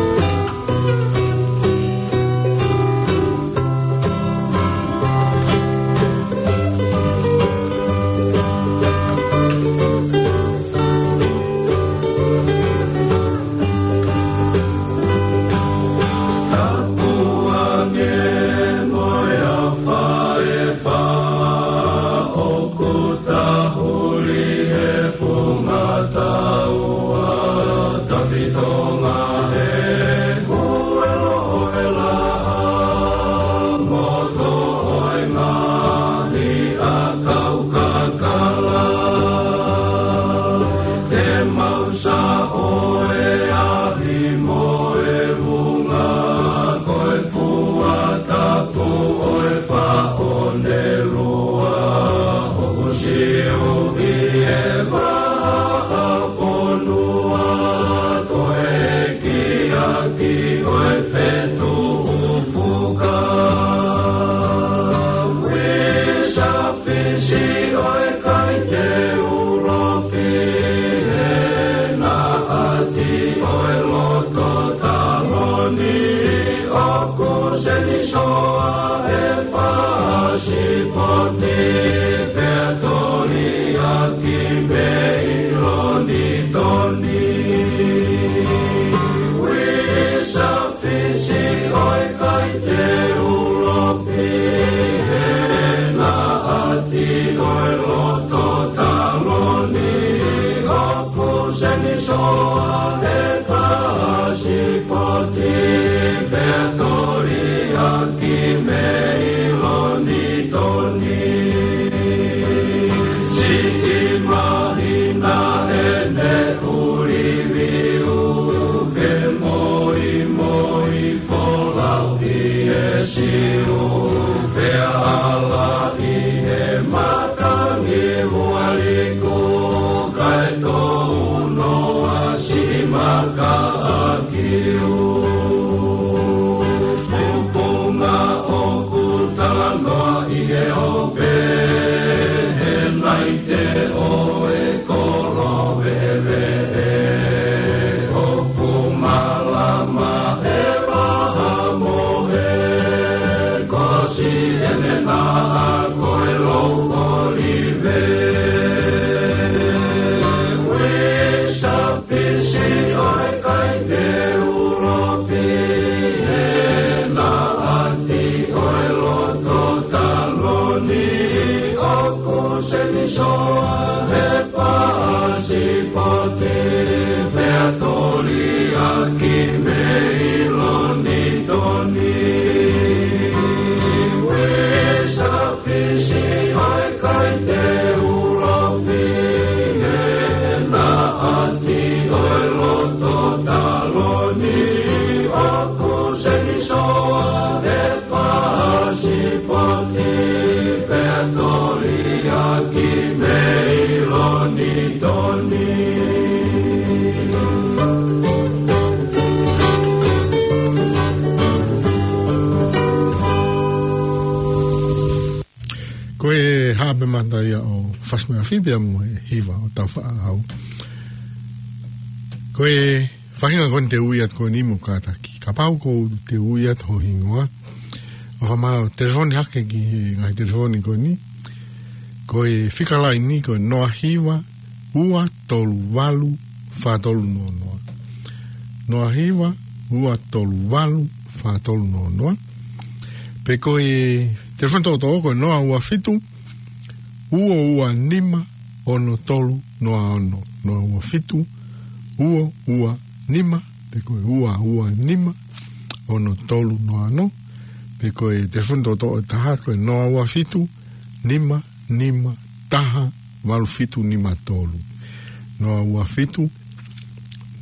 Ko e haʻape mata ia ʻo Fasi mo e Afi pea mo e hiva ʻo Taufaʻāhau. Ko e faʻahinga ko eni te u ui atu ko eni mo kātaki. Kapau ʻoku te u ui atu ho hingoa, ʻofa mai ʻo telefoni hake ki he ngaahi telefoni ko eni. Ko e fika laini ko e noa hiva, ua tolu valu, fā tolu noa noa. Noa hiva, ua tolu valu, fā tolu noa noa. Pe ko e telefoni toʻotoʻo ko e noa ua fitu, ua ua nima, ono tolu noa ono. Noa ua fitu, ua ua nima, pe ko e ua ua nima, ono tolu noa ono. Pe ko e telefoni toʻotoʻo ʻe taha ko e noa ua fitu, nima nima taha, valu fitu nima tolu. Noa ua fitu,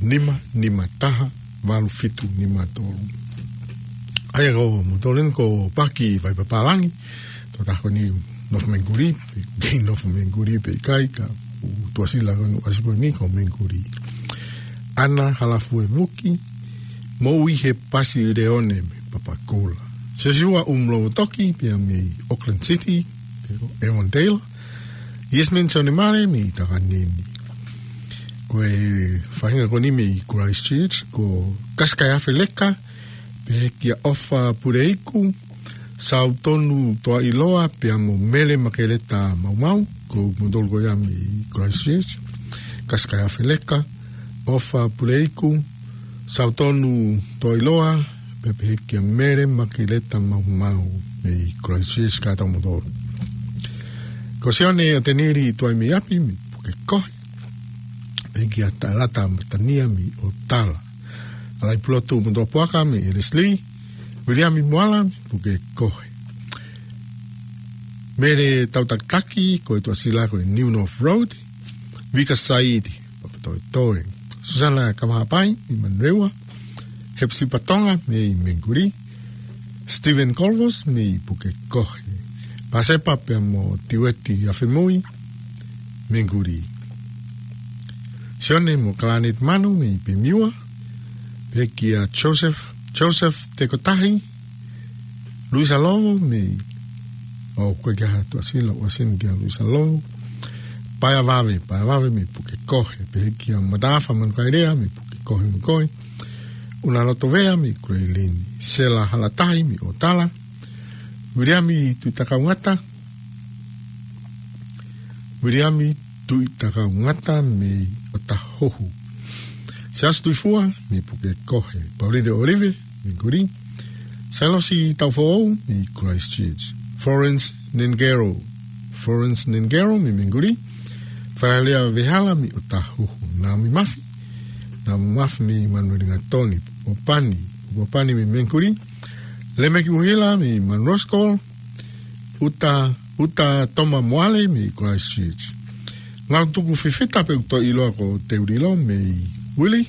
nima nima taha, valu fitu nima tolu. ʻA ia ko moutolu eni ko Paki Vaipapālangi, tokotaha ko eni nofo Mengikuli, pe kei nofo Mengikuli pe ʻikai, ka ʻoku tuʻasila ko eni ʻasi ko eni ko Mengikuli. ʻAna Halafuevuki, Moʻuihe Pasileone mei Papakura. Siosiua ʻUmulou Toki, pea mei Auckland City, pea ko Evan Taylor. Yasmin Sonemale mei Takanini. Ko e faʻahinga ko eni mei Christchurch, ko Kasikaiafe Leka, pehē kia ʻOfa Puleiku, Sautonu Toailoa, pea mo Mele Makeleta Maumau, ko kimoutolu ko ia mei Christchurch, Kasikaiafe Leka, ʻOfa Puleiku, Sautonu Toailoa, pea pehē kia Mele Makeleta Maumau mei Christchurch kātoa kimoutolu. Ko Sione ʻOtenili Tuaimeiapi mei Pukekohe, pehē kia Talata Matania mei ʻOtala. ʻAlaipulotu Motuʻapuaka mei ʻElesilī, Viliami Moala mei Pukekohe. Mele Tautakitaki, ko e tuʻasila ko e New North Road, Vika Saidi, Papatoetoe. Susana Kavahapai mei Manurewa, Hepsipa Tonga mei Mengulī, Stephen Colvos mei Pukekohe. Pasepa pea mo Tiueti Afemui, Mengulī. Sione mo Kalanet Manu mei Pemiua, pehē kia Joseph, Joseph Tekotahi, Luisa Lovo mei, ʻo ko e kia ha tuʻasila, ʻoku ʻasi eni kia Luisa Lovo. Paea Vave, Paea Vave mei Pukekohe, pehē kia Matafa Manukaelea mei Pukekohe mo koe. ʻUnaloto Vea mei Kuleilini, Sela Halatahi mei ʻOtala, Viliami Tuitakaungata, Viliami Tuitakaungata mei ʻOtahuhu. Siaosi Tuifua mei Pukekohe. Paulino ʻOlive mei Mengulī. Sailosi Taufoʻou mei Christchurch. Florence Nengero. Florence Nengero mei Mengulī. Falalea Vehala mei ʻOtahuhu. Naomi Mafi. Naomi Mafi mei Manurewa Gatoni. Popani. Popani mei Mengulī. Lemeki Uhila mei Manurewa School. Uta, Uta Toma Moale mei Christchurch. Ngalo Tuku Fifita pe ʻoku toe ʻiloa ko Teulilo mei Wili.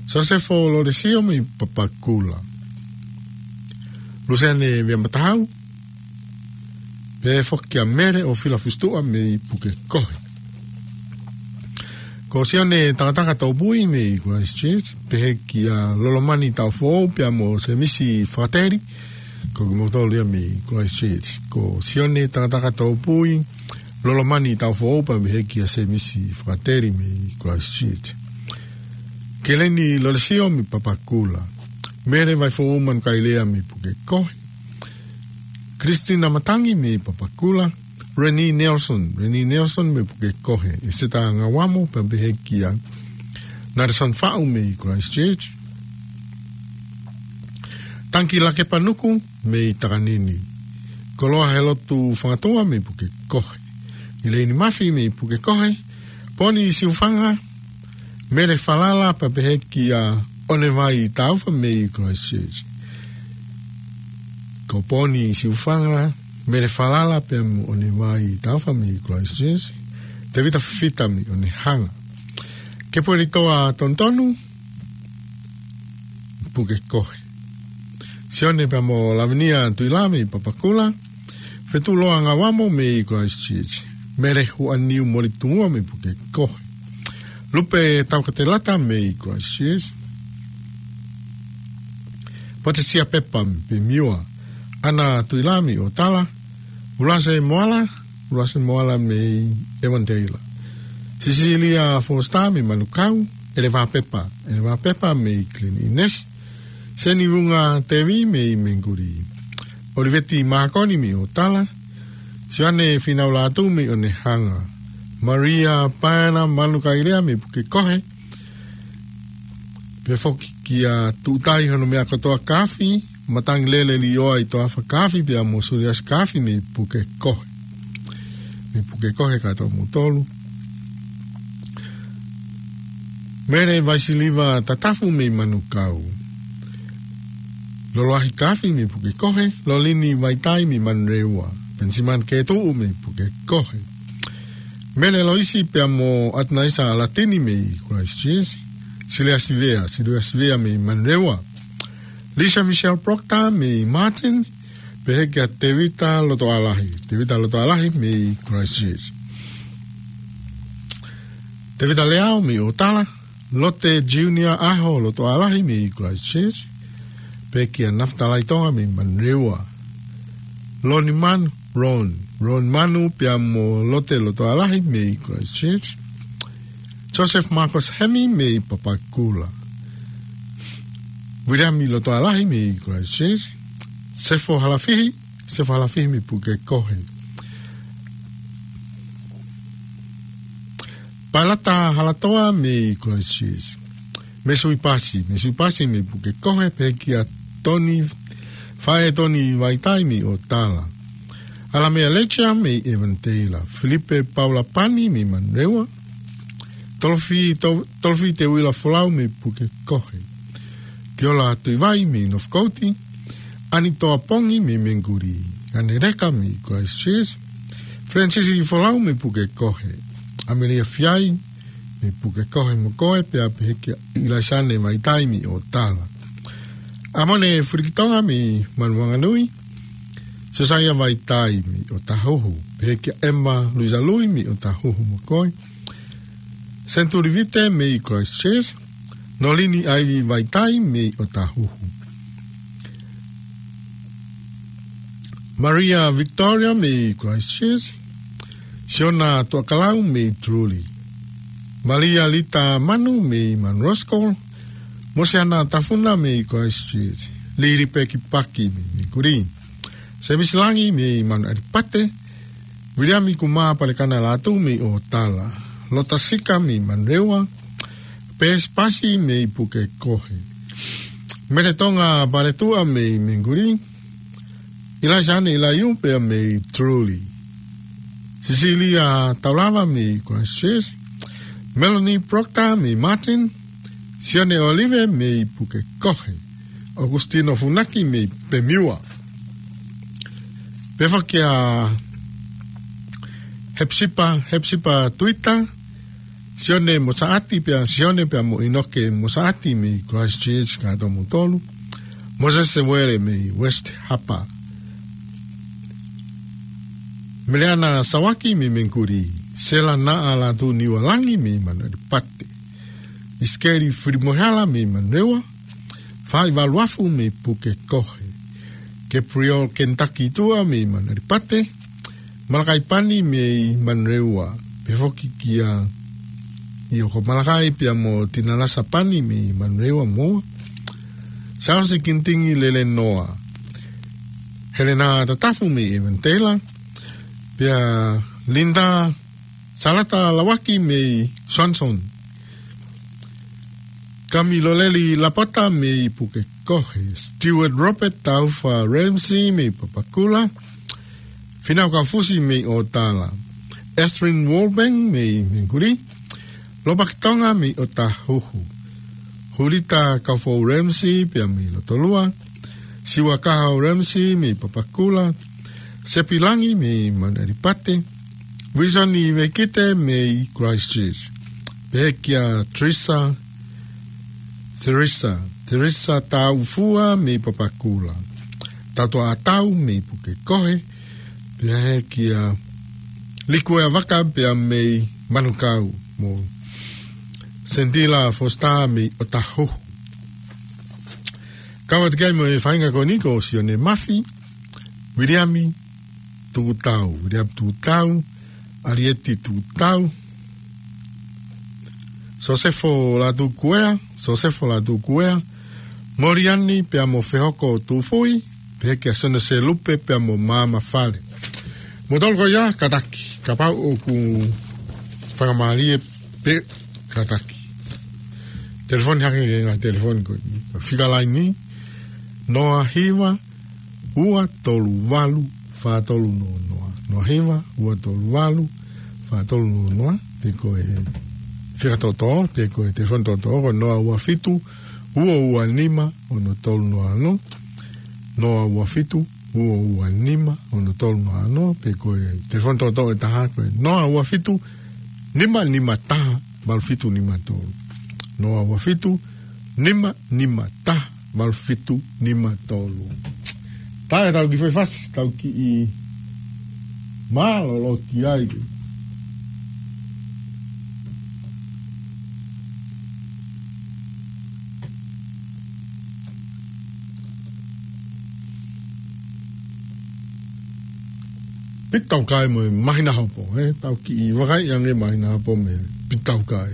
Sosefo Lolesio mei Papakura. Luseane Vea Matahau. Pehē foki kia Mele ʻo Fila Fusituʻa mei Pukekohe. Ko Sione Takataka Topui mei Christchurch, pehē kia Lolomani Taufoʻou pea mo Semisi Fakateli, ko kimoutolu ia mei Christchurch. Ko Sione Takataka Topui, Lolomani Taufoʻou pea pehē kia Semisi Fakateli mei Christchurch. Keleni Lolesio mei Papakura. Mele Vaifoʻou Manukaelea mei Pukekohe. Christina Matangi mei Papakura. Reni Nelson, Reni Nelson mei Pukekohe. ʻEseta Ngauamo pea pehē kia Nelson Faʻu mei Christchurch. Tanki Lakepanuku mei Takanini. Koloa Helotu Fangatua mei Pukekohe. Elaine Mafi mei Pukekohe. Poni Siufanga, Mele Falala pea pehē kia ʻOnevai Taufa mei Christchurch. Ko Poni Siufanga, Mele Falala pea mo ʻOnevai Taufa mei Christchurch. Tevita Fifita mei ʻOnehanga. Kepuelitoa Tonutonu, Pukekohe. Sione pea mo Lavinia Tuila mei Papakura. Fetuloa Ngauamo mei Christchurch. Mele Huʻaniu Molitungua mei Pukekohe. Lupe Taukatelata mei Christchurch. Potesia Pepa mei Pemiua. ʻAna Tuila mei ʻOtala. Ulase Moala, Ulase Moala mei Avondale. Sisilia Foster mei Manukau. ʻEleva Pepa, ʻEleva Pepa mei Glen Innes. Seni Vunga Tevi mei Mengulī. ʻOliveti Makoni mei ʻOtala. Sione Finaulatu mei ʻOnehanga. Maria Paena Manukaelea mei Pukekohe. Pehē foki kia Tuʻutai Honomeakotoa Kaafi, Matangilele Lioa ʻi Toafa Kaafi pea mo Suliasi Kaafi mei Pukekohe. Mei Pukekohe kātoa kimoutolu. Mele Vaisiliva Tatafu mei Manukau. Loloahi Kaafi mei Pukekohe. Lolini Vaitai mei Manurewa. Penisimani Ketuʻu mei Pukekohe. Mele Loisi pea mo Atinaisa Latini mei Christchurch. Silia Sivea, Silia Sivea mei Manurewa. Lisa Michelle Proctor mei Marton, pehē kia Tevita Lotoalahi, Tevita Lotoalahi mei Christchurch. Tevita Leao mei ʻOtala, Lote Junior ʻAho Lotoʻalahi mei Christchurch, pehē kia Nafatalai Tonga mei Manurewa. Loni Manu, Ron, Ron Manu pea mo Lote Lotoʻalahi mei Christchurch. Joseph Marcus Hemi mei Papakura. Viliami Lotoʻalahi mei Christchurch. Sefo Halafihi, Sefo Halafihi mei Pukekohe. Pailata Halatoa mei Christchurch. Mesuipasi, Mesuipasi mei Pukekohe, pehē kia Toni, Faʻē Toni Vaitai mei ʻOtala. ʻAlamea Lecha mei Evandale. Filipe Paula Pani mei Manurewa. Tolofi, To-, Tolofi Teuila Folau mei Pukekohe. Kiola Tuivai mei Northcote. Anitoa Pongi mei Menguli. Ane Leka mei Christchurch. Francis Folau mei Pukekohe. Amelia Fiai mei Pukekohe mo koe, pea pehē kia ʻIlaisane Vaitai mei ʻOtala. ʻAmone Fulikitonga mei Manuanganui. Siosaia Vaitai mei ʻOtahuhu, pehē kia ʻEma Luisa Lui mei ʻOtahuhu mo koe. Senturi Vite mei Christchurch. Nolini ʻAivi Vaitai mei ʻOtahuhu. Maria Victoria mei Christchurch. Siona Tuʻakalau mei Tuli. Malia Lita Manu mei Manu Roskol. Mosiana Tafuna mei Christchurch. Lili Peki Paki mei Menguli. Semisi Langi mei Manu ʻAlipate. Viliami Kumā Palekana Latu mei ʻOtala. Lota Sika mei Manurewa. Pesi Pasi mei Pukekohe. Mele Tonga Paletuʻa mei Menguli. ʻIlaisane ʻIlaiu pea mei Tuli. Sisilia Taulava mei Christchurch. Melanie Proctor mei Martin. Sione Olive mei Pukekohe. Augustino Funaki mei Pemiua. Pehē foki kia Hepsipa, Hepsipa Tuita. Sione Mosaʻati pea Sione pea mo ʻInoke Mosaʻati mei Christchurch, kātoa kimoutolu. Mosese Uele mei West Harbour. Meleana Sawaki mei Menguli. Sela Naʻa Latu Niualangi mei Manu ʻAlipate. ʻIsikeli Filimoehala mei Manurewa. Fai Valuafu mei Pukekohe. Kepriol Kentucky Tua mei Manu ʻAlipate. Malakai Pani mei Manurewa. Pehē foki kia ʻIoko Malakai pea mo Tinalasa Pani mei Manurewa mo Sausi Kintingi Lele Noa. Helena Tatafu mei Evandale. Pea Linda Salata Lawaki mei Swanson. Kamiloleli Lapata mei Pukekohe. Stewart Robert Taufa Ramsey mei Papakura. Finau Kaufusi mei ʻOtala. Estrin Wolbeng mei Menguli. Lopaki Tonga mei ʻOtahuhu. Hulita Kaufou Ramsey pea mei Lotolua. Siua Kahau Ramsey mei Papakura. Sepi Langi mei Manu ʻAlipate. Wilson Ivekite mei Christchurch. Pehē kia Teresa, Teresa, Teresa Taufua mei Papakura. Tautua Atau mei Pukekohe. Pehē kia Likuea Vaka pea mei Manukau mo Sentila Foster mei ʻOtahuhu. Kau atu ki ai mo e faʻahinga ko eni ko Sione Mafi, Viliami Tukutau, Viliami Tukutau, ʻAlieti Tukutau, Sosefo Latukuea, Sosefo Latukuea, Moliani pea mo Fehoko Tufui, pehē kia Sona Selupe pea mo Māmā Fale. Mou tolu ko ia, kātaki, kapau ʻoku fakamālie pē, kātaki. Telefoni hake ki he ngaahi telefoni ko eni. Fika laini, noa hiva, ua tolu valu, fā tolu noa noa. Noa hiva, ua tolu valu, fā tolu noa noa. Pe ko e fika toʻotoʻo, pe ko e telefoni toʻotoʻo, ko e noa ua fitu, ua ua nima, ono tolu noa ono. Noa ua fitu, ua ua nima, ono tolu noa ono. Pe ko e telefoni toʻotoʻo ʻe taha, ko e noa ua fitu, nima nima taha, valu fitu nima tolu. Noa ua fitu, nima nima taha, valu fitu nima tolu. Tā ʻetau kiʻi foʻi fasi, tau kiʻi mālōlō ki ai. Pita Taukae mo e Māhina Hopo, ē? Tau kiʻi vakaiʻi ange Māhina Hopo mo Pita Taukae.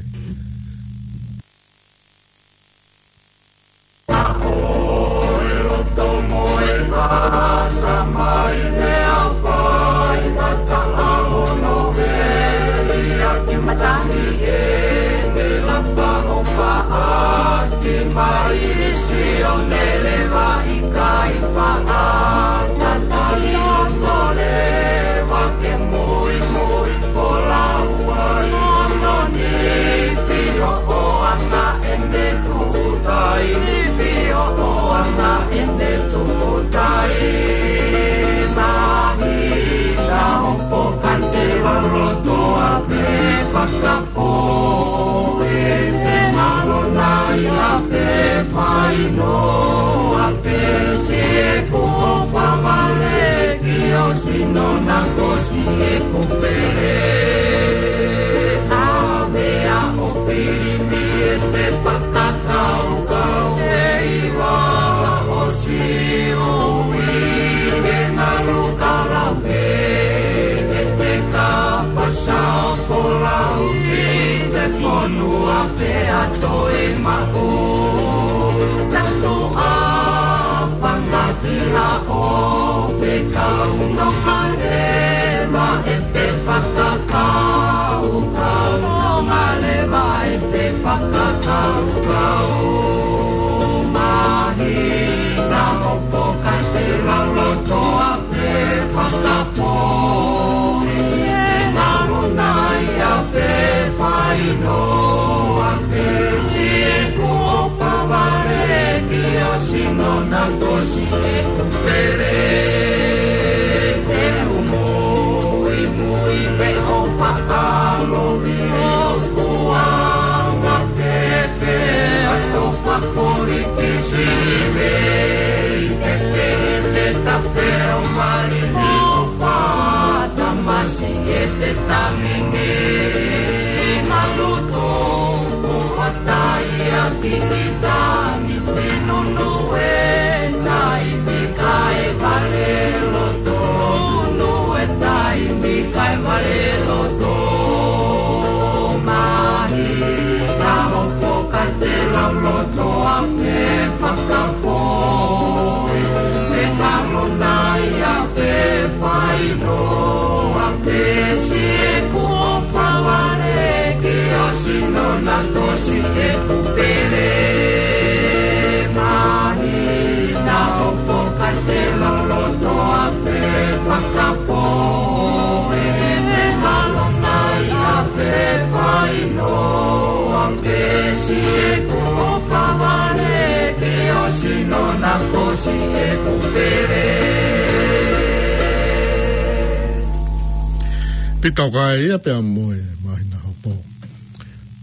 Pita Taukae ia pea mo e Māhina Hopo.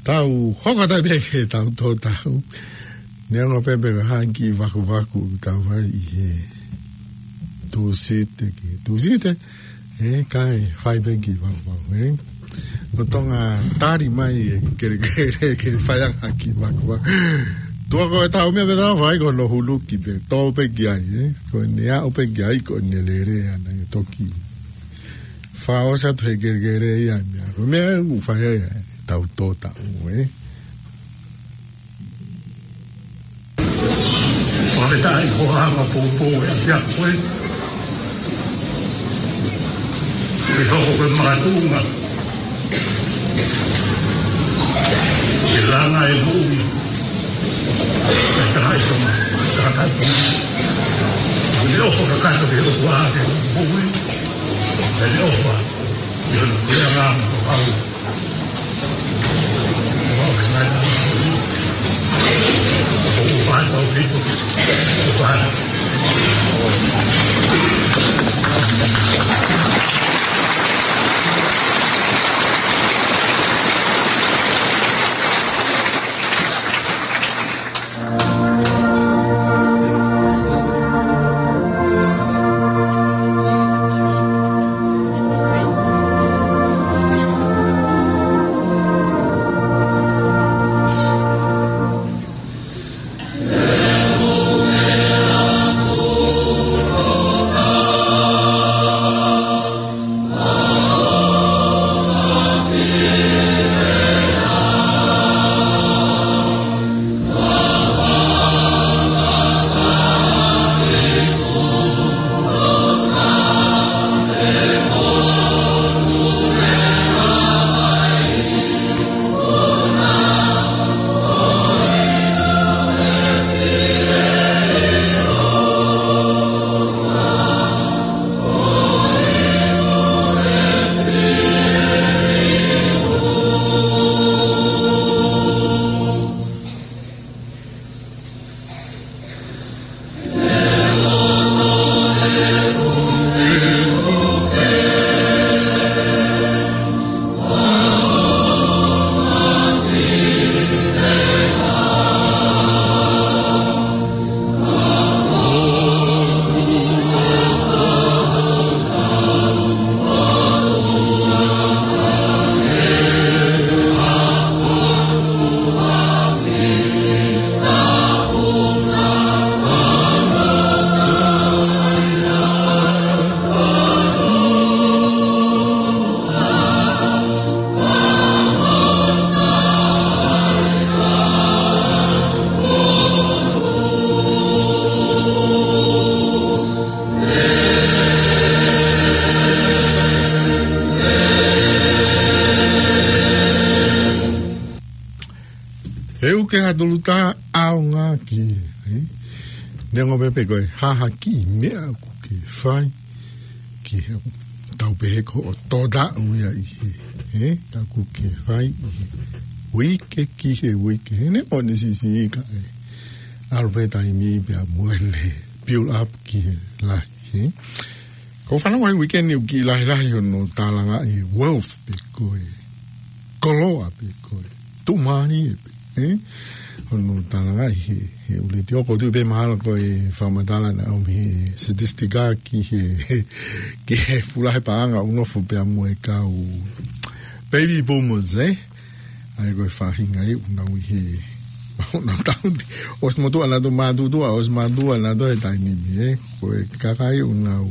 Tau hoko atu pē ki heʻetau tō tau. Neongo pē pe ko e hā e kiʻi vakuvaku ʻoku tau fai ʻi he Tūsite ki he Tūsite. Ē, kae fai pē kiʻi vakuvaku, ē. Lolotonga tali mai e kelekele ke fai ange ha kiʻi vakuvaku. Tuʻa ko ʻetau meʻa pē ʻetau fai ko hono huluki pē, tō pē ki ai, ē. Ko ʻene aʻu pē ki ai, ko ʻene lele ʻana ia toki fakaʻosi atu he kelekele ia e meʻa. Ko e meʻa ʻoku fai ai ʻetau tō tau, ē. Fakafetaʻi ko e anga poupou e ʻapiako ko ē. ʻE hoko ko e makatuʻunga ke langa e moʻui ʻa e tangataʻeiki Tonga, tangataʻeiki Tonga. ʻOku ne ʻofa kakato ki he ʻOtua ke moʻui, ʻoku ne ʻofa ki hono puleʻanga mo e kau. Ka tolu tā ʻaonga ki, ē? Neongo pē pe ko e hā ha kiʻi meʻa ʻoku ke fai, ki he tau pehē ko hoʻo tōtaʻu ia ʻi he, ē? Ka ʻoku ke fai ʻi he uike ki he uike. He neongo ʻene siʻisiʻi ka ʻe ʻalu pē taimi pea mo ʻene build up ki he lahi, ē? Ko e fanongo he weekend ʻoku kiʻi lahilahi hono tālangaʻi e wealth pe ko e koloa pe ko e tuʻumālie pe, ē? Hono tālangaʻi he, he ʻū letiō. ʻOku ou tui pē mahalo ko e fakamatala naʻe ʻomi he statistika ki he, ki he fuʻu lahi e paʻanga ʻoku nofo pea mo e kau baby boomers, ē? ʻA ia ko e faʻahinga ia ʻoku nau ʻi he, ʻoku nau tauhi. ʻOsi motuʻa nautolu, mātuʻa, ʻosi mātuʻa nautolu he taimi ni, ē? Ko e kakai ʻoku nau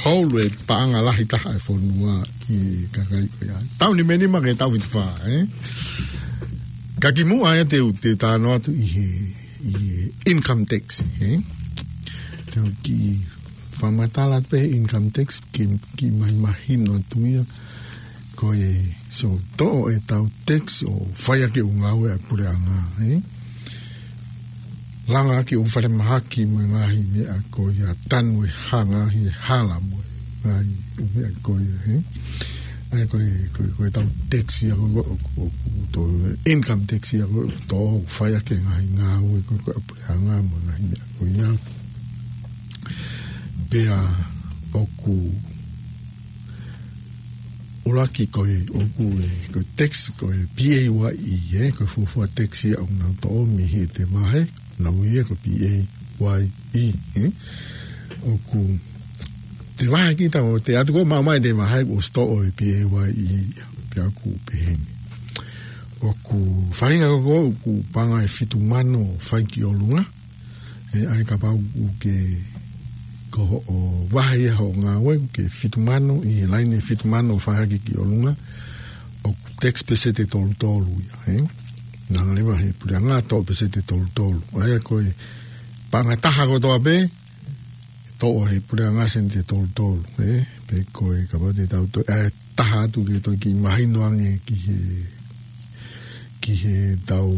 hold e paʻanga lahi taha e fonua ʻi he kakai ko ia. Taʻu nima nima ki he taʻu fitu fā, ē? Ka kimuʻa ia te u, te u talanoa atu ʻi he, ʻi he income tax, ē? Te u kiʻi fakamatala pē he income tax, ke, kiʻi mahimahino atu ia. Ko e, so, toʻo ʻetau tax ʻo fai ʻaki e ʻū ngāue ʻa e puleʻanga, ē? Langa ʻaki e ʻū falemahaki mo e ngaahi meʻa ko ia, tanu e hanga he hala mo e ngaahi ʻū meʻa ko ia, ē? ʻA ia ko e, ko e, ko ʻetau tax ia ko, ko, ko, ko, toʻo e income tax ia ko, toʻo ʻo fai ʻaki e ngaahi ngāue ko, ko e puleʻanga mo e ngaahi meʻa ko ia. Pea ʻoku ʻuluaki ko e, ʻoku ʻi ai, ko e tax, ko e P A Y E, ē, ko e fuofua tax ia ʻoku nau toʻo mei heʻete vahe, nau ia ko e P A Y E, ē. ʻOku, te vahe kita ʻo te atu ko ē maʻu mai ʻete vahe ʻoku ʻosi toʻo e P A Y E, pea ʻoku pehē ni. ʻOku faʻahinga ko ē ʻoku paʻanga ʻe fitu mano ʻo fai ki ʻolunga, ē, ʻa ia kapau ʻoku ke, ko hoʻo vahe ia hoʻo ngāue, ʻoku ke fitu mano, ʻi he laine ʻe fitu mano ʻo fai hake ki ʻolunga, ʻoku tax peseti ʻe tolu tolu ia, ē? Hanga leva he puleʻanga ʻo toʻo peseti ʻe tolu tolu. ʻA ia ko e paʻanga taha kotoa pē, toʻo he puleʻanga sēniti ʻe tolu tolu, ē? Pe ko e kapau te tau toe, ē, taha atu ke toe kiʻi mahino ange ki he, ki he tau,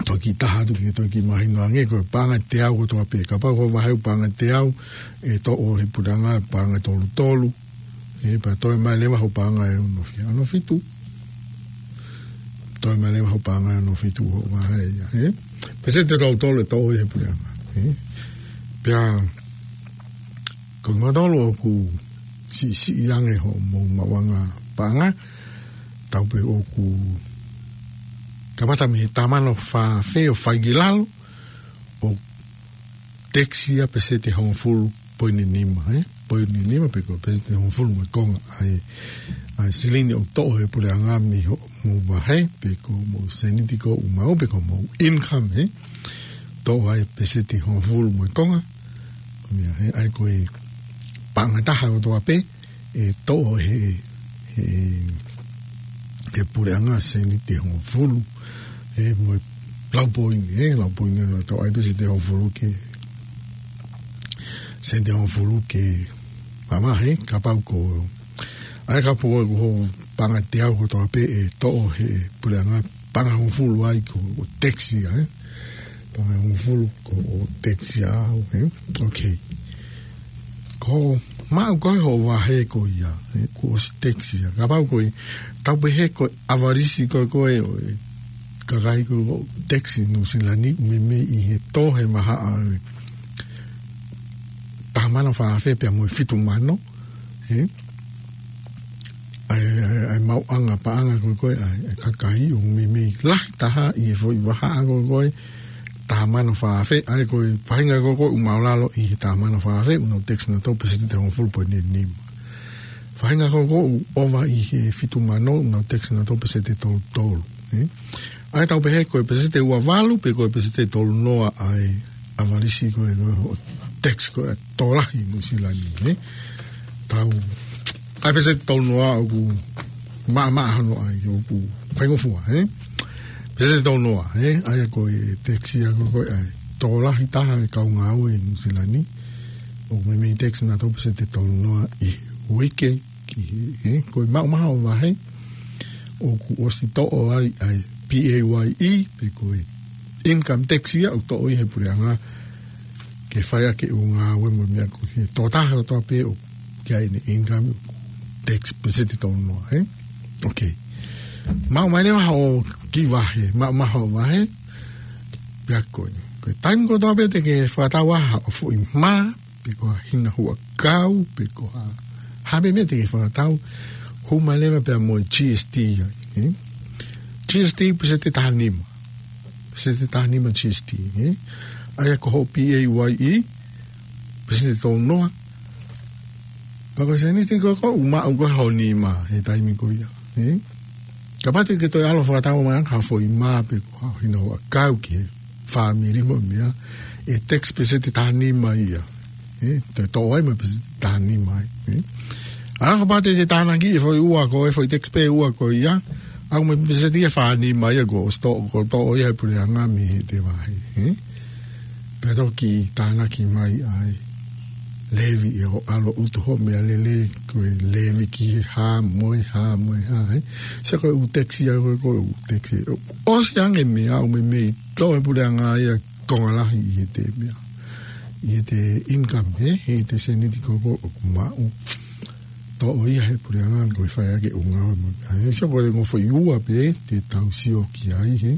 toe kiʻi taha atu ke toe kiʻi mahino ange, ko e paʻanga ʻe teau kotoa pē. Kapau ko e vahe ʻoku paʻanga ʻe teau, ʻe toʻo he puleʻanga paʻanga ʻe tolu tolu, ē, pea toe mai leva hoʻo paʻanga ʻe ono fi-, ono fitu. Toe mai leva hoʻo paʻanga ʻe ono fitu hoʻo vahe ia, ē? Peseti ʻe tolu tolu ʻe toʻo he puleʻanga, ē? Pea ko kimoutolu ʻoku siʻisiʻi ange hoʻomou maʻuʻanga paʻanga, tau pehē ʻoku kamata mei he taha mano fā afe ʻo fai ki lalo, ʻoku tax ia peseti ʻe hongofulu poini nima, ē? Poini nima pe ko e peseti ʻe hongofulu mo e konga ʻa e, ʻa e silini ʻoku toʻo he puleʻanga mei hoʻomou vahe, pe ko hoʻomou sēniti ko ē ʻoku maʻu, pe ko hoʻomou income, ē? Toʻo ai peseti ʻe hongofulu mo e konga. Ko e meʻa, ē, ʻa ia ko e paʻanga taha kotoa pē, ʻe toʻo he, he, he puleʻanga sēniti ʻe hongofulu, ē, mo e lau poini, ē, lau poini ʻe toʻo ai peseti ʻe hongofulu ke, sēniti ʻe hongofulu ke mamahi, kapau ko, ʻa ia kapau ko hoʻo paʻanga ʻe teau kotoa pē ʻe toʻo he puleʻanga paʻanga ʻe hongofulu ai ko, ko e tax ia, ē? Paʻanga ʻe hongofulu ko e tax ia au, ē? Ok. Ko e maʻu ko ē hoʻo vahe ko ia, ē, kuo ʻosi tax ia. Kapau ko e, tau pehē ko e ʻavalisi ko ē ko ē ʻo e kakai ko ē ʻoku tax ʻi Nuʻusila ni, meimei ʻi he tō he vahaʻa ʻo e taha mano fā afe pea mo e fitu mano, ē? ʻA e, ʻa e, ʻa e maʻuʻanga paʻanga ko ē ko ē ʻa e, ʻa e kakai ʻoku meimei lahi taha ʻi he foʻi vahaʻa ko ē ko ē, taha mano fā afe, ʻa ia ko e faʻahinga ko ē ko ē ʻoku māʻulalo ʻi he taha mano fā afe, ʻoku nau tax nautolu peseti ʻe hongofulu poini nima. Faʻahinga ko ē ko ē ʻoku ʻova ʻi he fitu mano, ʻoku nau tax nautolu peseti ʻe tolu tolu, ē? ʻA ia tau pehē ko e peseti ʻe ua valu, pe ko e peseti ʻe tolu noa ʻa e ʻavalisi ko ē, ko e tax ko ē ʻa e tokolahi ʻi Nuʻusila ni, ē? Tau, ʻa e peseti ʻe tolu noa ʻoku maʻamaʻa hono ʻai, ʻoku faingofua, ē? Peseti ʻe tolu noa, ē? ʻA ia ko e tax ia ko ē ko ē ʻa e tokolahi taha e kau ngāue ʻi Nuʻusila ni, ʻoku meimei tax nautolu peseti ʻe tolu noa ʻi he uike ki he, ē? Ko e maʻumaʻu hoʻo vahe, ʻoku ʻosi toʻo ai ʻa e P A Y E, pe ko e income tax ia ʻoku toʻo ia he puleʻanga ke fai ʻaki ʻū ngāue mo e meʻa ko ē. Toʻo taha kotoa pē ʻoku ʻi ai ʻene income, tax peseti tolu noa, ē? Ok. Maʻu mai leva hoʻo kiʻi vahe, maʻu mai hoʻo vahe, pea ko ē. Ko e taimi kotoa pē te ke fakatau ai haʻo foʻi mā, pe ko ha hina huʻakau, pe ko ha, ha meʻa te ke fakatau, hū mai leva pea mo e G S T ai, ē? G S T peseti taha nima. Peseti taha nima G S T, ē? ʻA ia ko hoʻo P A Y E, peseti tolu noa. Pea ko e sēniti ko ē ʻoku maʻu ko ē hoʻo nima he taimi ko ia, ē? Kapau te ke toe ʻalu ʻo fakatau mai ha foʻi mā pe ko ha hina huʻakau ki he fāmili mo e meʻa, ʻe tax peseti taha nima ia. Ē, te toʻo ai mo e peseti taha nima ai, ē? ʻA ia kapau te ke tānaki e foʻi ua ko ē, foʻi tax pē ua ko ia, ʻa ia mo e peseti ia fā nima ia kuo ʻosi toʻo, kuo toʻo ia he puleʻanga mei heʻete vahe, ē? Pea toki tānaki mai ai levy, ʻe ʻalu ʻo utu hoʻo meʻalele, ko e levy ki he hā mo e hā mo e hā, ē? Sio ko e ʻū tax ia ko ē, ko e ʻū tax ia. ʻOsi ange e meʻa, ʻū meʻa mei toʻo he puleʻanga ia konga lahi ʻi heʻete meʻa, ʻi heʻete income, ē? ʻI heʻete sēniti ko ē ʻoku maʻu. Toʻo ia he puleʻanga ko e fai ʻaki ʻū ngāue mo e meʻa, ē? Sio ko e ongo foʻi ua pē te tau sio ki ai, ē?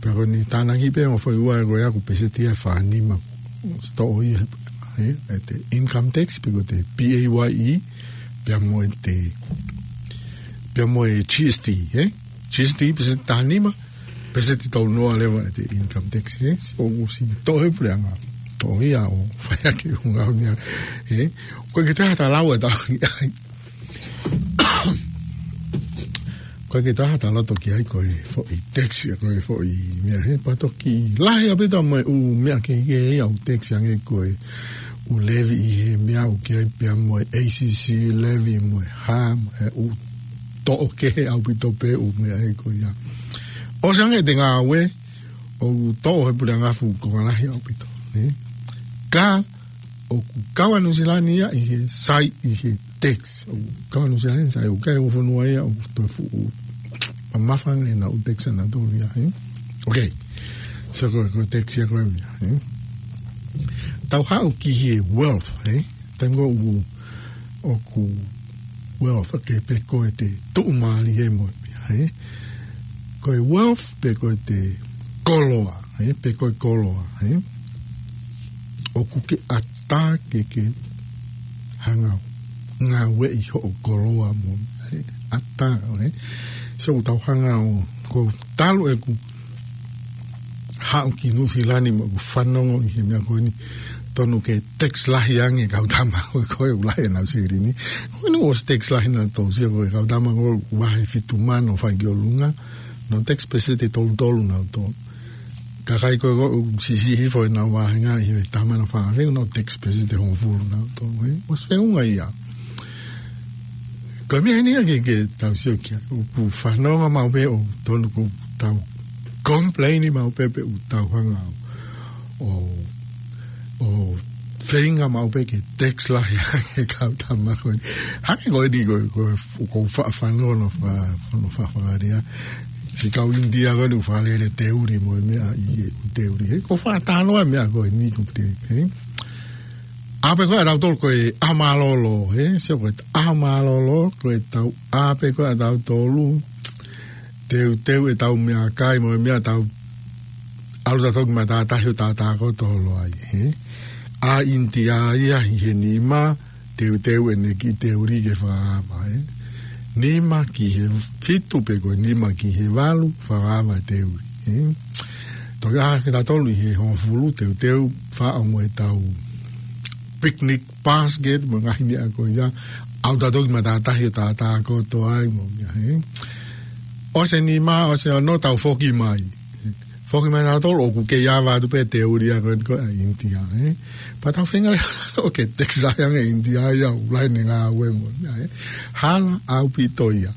Pea ko ʻene tānaki pē ongo foʻi ua ko ē ʻoku peseti ia fā nima. Toʻo ia he, ē? ʻEte income tax pe ko ʻete P A Y E, pea mo ʻete, pea mo e G S T, ē? G S T peseti taha nima, peseti tolu noa leva ʻete income tax, ē? Sio ʻoku ʻosi toʻo he puleʻanga. Toʻo ia ʻo fai ʻaki ʻū ngāue mo e meʻa, ē? ʻOku ʻikai ke toe ʻi ai ha talanoa ʻe taha ki ai. ʻOku ʻikai ke toe ʻi ai ha talanoa ki ai ko e foʻi tax, ko e foʻi meʻa, ē? Pea toki lahi ʻaupito mo e ʻū meʻa kehekehe ia ʻoku tax ange, ko e ʻū levy ʻi he meʻa ʻoku ʻi ai pea mo e A C C levy mo e hā, mo e ʻū toʻo kehe ʻaupito pē ʻū meʻa ē ko ia. ʻOsi ange ʻete ngāue, ʻoku toʻo he puleʻanga fuʻu konga lahi ʻaupito, ē? Ka ʻoku kau ʻa Nuʻusila ni ia ʻi he sai ʻi he tax. ʻOku kau ʻa Nuʻusila ni sai, ʻoku ʻikai ko e fonua ia ʻoku toe fuʻu mamafa ange ʻenau tax ʻanautolu ia, ē? Ok. So ko, ko e tax ia ko e meʻa, ē? Tau haʻu ki he wealth, ē? Taimi ko ē ʻoku, ʻoku wealth, ok, pe ko ʻete tuʻumālie mo e meʻa, ē? Ko e wealth pe ko ʻete koloa, ē? Pe ko e koloa, ē? ʻOku ke ʻatā ke ke hanga ʻo ngāueʻi hoʻo koloa mo, ē? ʻAtā, ē? So tau hanga ʻo, ko talu ʻeku haʻu ki Nuʻusila ni mo ʻeku fanongo ʻi he meʻa ko eni, tonu ke tax lahi ange e kau tama ko ē, ko e ʻū lahi ʻenau silini. Ko eni ʻoku ʻosi tax lahi nautolu, sio ko e kau tama ko ē ʻoku vahe fitu mano ʻo fai ki ʻolunga, nau tax peseti tolu tolu nautolu. Kakai ko ē ʻoku siʻisiʻi hifo ʻenau vāhenga ʻi he taha mano fā afe, nau tax peseti hongofulu nautolu, ē? ʻOsi feʻunga ia. Ko e meʻa eni ia ke, ke tau sio ki ai, ʻoku fanongo maʻu pē ʻoku tonu ʻoku tau complain maʻu pē pe ʻoku tau hanga ʻo, ʻo feinga maʻu pē ke tax lahi ange e kau tama ko eni. Hangē ko eni ko, ko, ko fa-, fanongo fa-, fanongo fa-, fakalea. Siʻi kau ʻInitia ko eni ʻoku fakalele teuli mo e meʻa ʻi he ʻū teuli. He ʻoku fakatalanoa e meʻa ko eni ʻoku te, ē? ʻAve ko ē ʻa tautolu ko e ʻaho mālōlō, ē? Sio ko e ʻaho mālōlō, ko e tau ʻave ko ē ʻa tautolu, teuteu ʻetau meʻakai mo e meʻa, tau ʻalu tautolu ki matātahi ʻo tātākoto holo ai, ē? ʻA ʻInitia ia ʻi he nima, teuteu ʻene kiʻi teuli ke fakaava, ē? Nima ki he fitu pe ko e nima ki he valu, fakaava e teuli, ē? Toki ʻā kitautolu ʻi he hongofulu, teuteu, faʻo mo ʻetau picnic basket mo e ngaahi meʻa ko ia, ʻalu tautolu ki matātahi ʻo tātākoto ai mo e meʻa, ē? ʻOsi e nima, ʻosi e ono, tau foki mai. Foki mai nautolu ʻoku kei ava atu pē teuli ia ko ē ʻa ʻInitia, ē? Pea tau feinga leva ʻo ke tax lahi ange ʻInitia ia ʻoku lahi ʻene ngāue mo e meʻa, ē? Hala ʻaupito ia.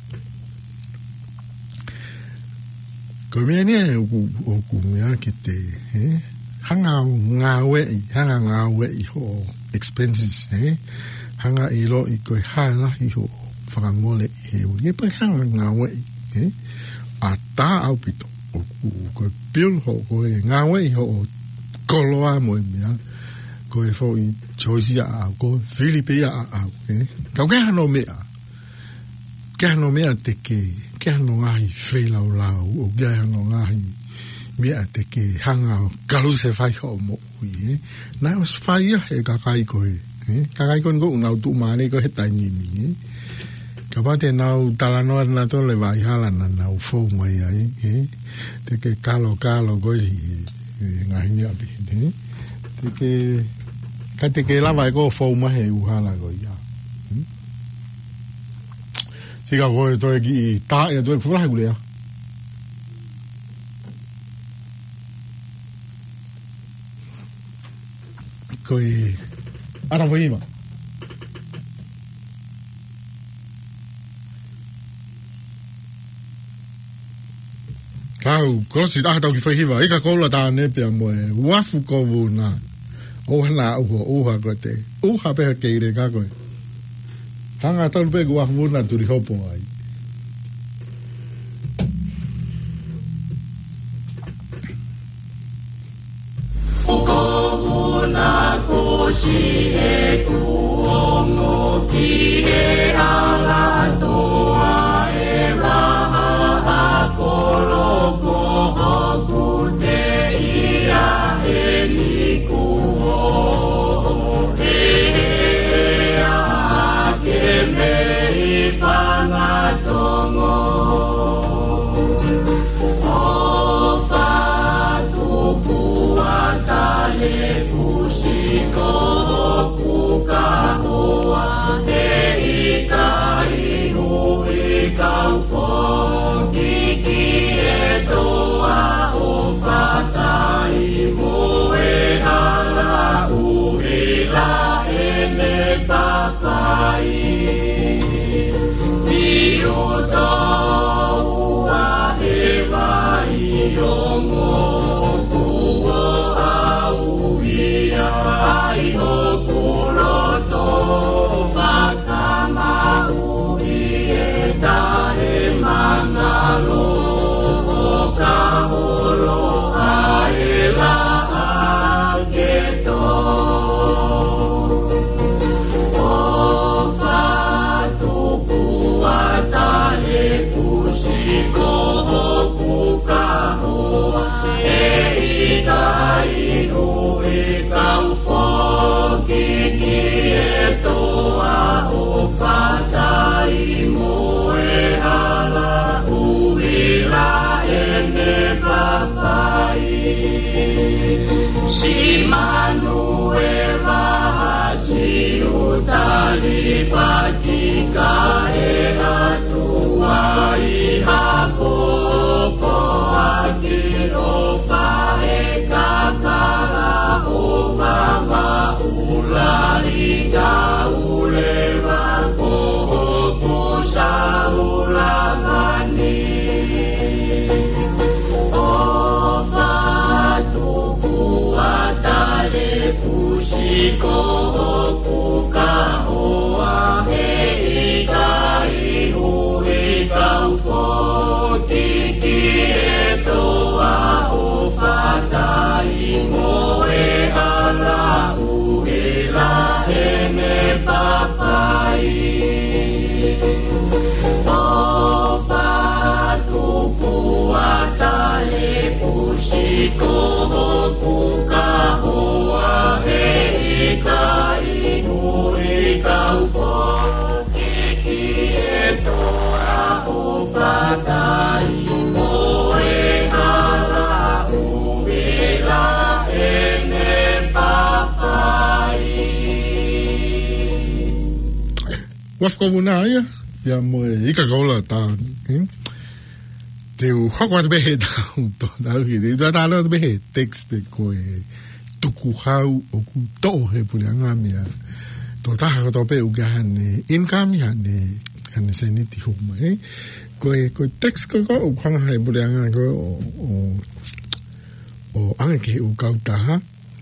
Ko e meʻa eni ia ʻoku, ʻoku meʻa ke te, ē? Hanga ʻo ngāueʻi, hanga ʻo ngāueʻi hoʻo expenses, ē? Hanga ʻo ʻiloʻi ko e hā e lahi hoʻo fakamole ʻi he ʻuli. Ē, pea hanga ʻo ngāueʻi, ʻatā ʻaupito. ʻOku, ko e pili hoʻo, ko e ngāueʻi hoʻo koloa mo e meʻa, ko e foʻi choice ia ʻaʻau, ko e fili pē ia ʻaʻau, ē? Ka ʻoku ʻi ai hano meʻa, ʻoku ʻi ai hano meʻa te ke, ʻoku ʻi ai hano ngaahi feilaulau, ʻoku ʻi ai hano ngaahi meʻa te ke hanga ʻo kalusefai hoʻo moʻui, ē? Naʻe ʻosi fai ia ʻe he kakai ko ē, ē? Kakai ko eni ʻoku nau tuʻumālie ko ē he taimi ni, ē? Kapau te nau talanoa nautolu ʻi he vaʻa hala naʻa nau fou mai ai, ē? Te ke kalokalo ko ē he, he ngaahi meʻa pē, ē? Te ke, ka te ke lava ʻe koe ʻo fou mai he ʻū hala ko ia. Ē? Sika ko e toe kiʻi tā ʻe toe fulahi kulea. Ko e ʻata foʻi hiva. Kau, kolosi taha tau ki foʻi hiva, ʻIka Koula Tāne pea mo e Uafu ko Vuna. ʻOua naʻa ʻuha, ʻuha ko te. ʻUha pē ha kei leka ko ē. Hanga talu pē ko Uafu Vuna tuli hopo ai. Ko Vuna ko siʻeku ongo ki he ʻAlatoa ʻe vahaʻa koloko hoku teʻia ʻeni kuo ʻohehehea ke mei Fangatongo. ʻOfa tuku ʻa Tale Fusi ko hoku kahoa, heʻikai hui kau foki ki he toa ʻo Fatai mo e hala ʻuhila ʻene papai. Io tau a e vai o mo kuo au ia ai hoku loto fakamau i e tae mangalo o ka olo a e la a ke to. ʻOfa tuku ʻa Tale Fusi ko hoku kahoa, heʻikai hui kau foki ki he toa ʻo Fatai mo e hala ʻuhila ʻene papai. Siʻi Manuela Siutali Fatika e atu ai ha popo ʻaki ʻo faʻekakala ʻo mamaʻu lali kau leva ko hoku saulamani. ʻOfa tuku ʻa Tale Fusi ko hoku kahoa, heʻikai hui kau foki ki he toa ʻo Fatai mo e hala ʻuhila ʻene papai. ʻOfa tuku ʻa Tale Fusi ko hoku kahoa, heʻikai hui kau foki ki he toa ʻo Fatai mo e hala ʻuhila ʻene papai. Uafu ko Vuna ia, ia mo e ʻIka Koula Tāne, ē? Te u hoko atu pē he tau, tō tau ki, te u tau atu pē he text pē ko e tukuhau ʻoku toʻo he puleʻanga mei he tokotaha kotoa pē ʻoku ʻi ai haʻane income, haʻane, haʻane sēniti homa, ē? Ko e, ko e text ko ē ʻoku hanga he puleʻanga ko ē ʻo, ʻo, ʻo ʻange ki he ʻū kautaha,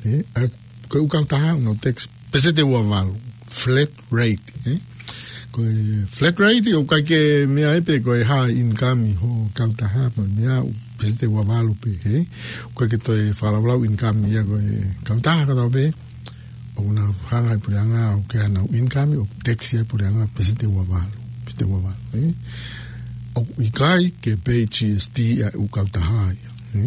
ē? ʻA, ko e ʻū kautaha ʻoku nau tax peseti ua valu, flat rate, ē? Ko e flat rate, ʻoku ʻikai ke meʻa ai pē ko e hā e income hoʻo kautaha, ko e meʻa ʻoku peseti ua valu pē, hē? ʻOku ʻikai ke toe fakalaulau income ia ko e kautaha kotoa pē. ʻOku nau hanga ʻe he puleʻanga ʻo ʻoange honau income, ʻo tax ʻe he puleʻanga peseti ua valu, peseti ua valu, hē? ʻOku ʻikai ke pay G S T ʻa e ʻū kautaha ia, hē?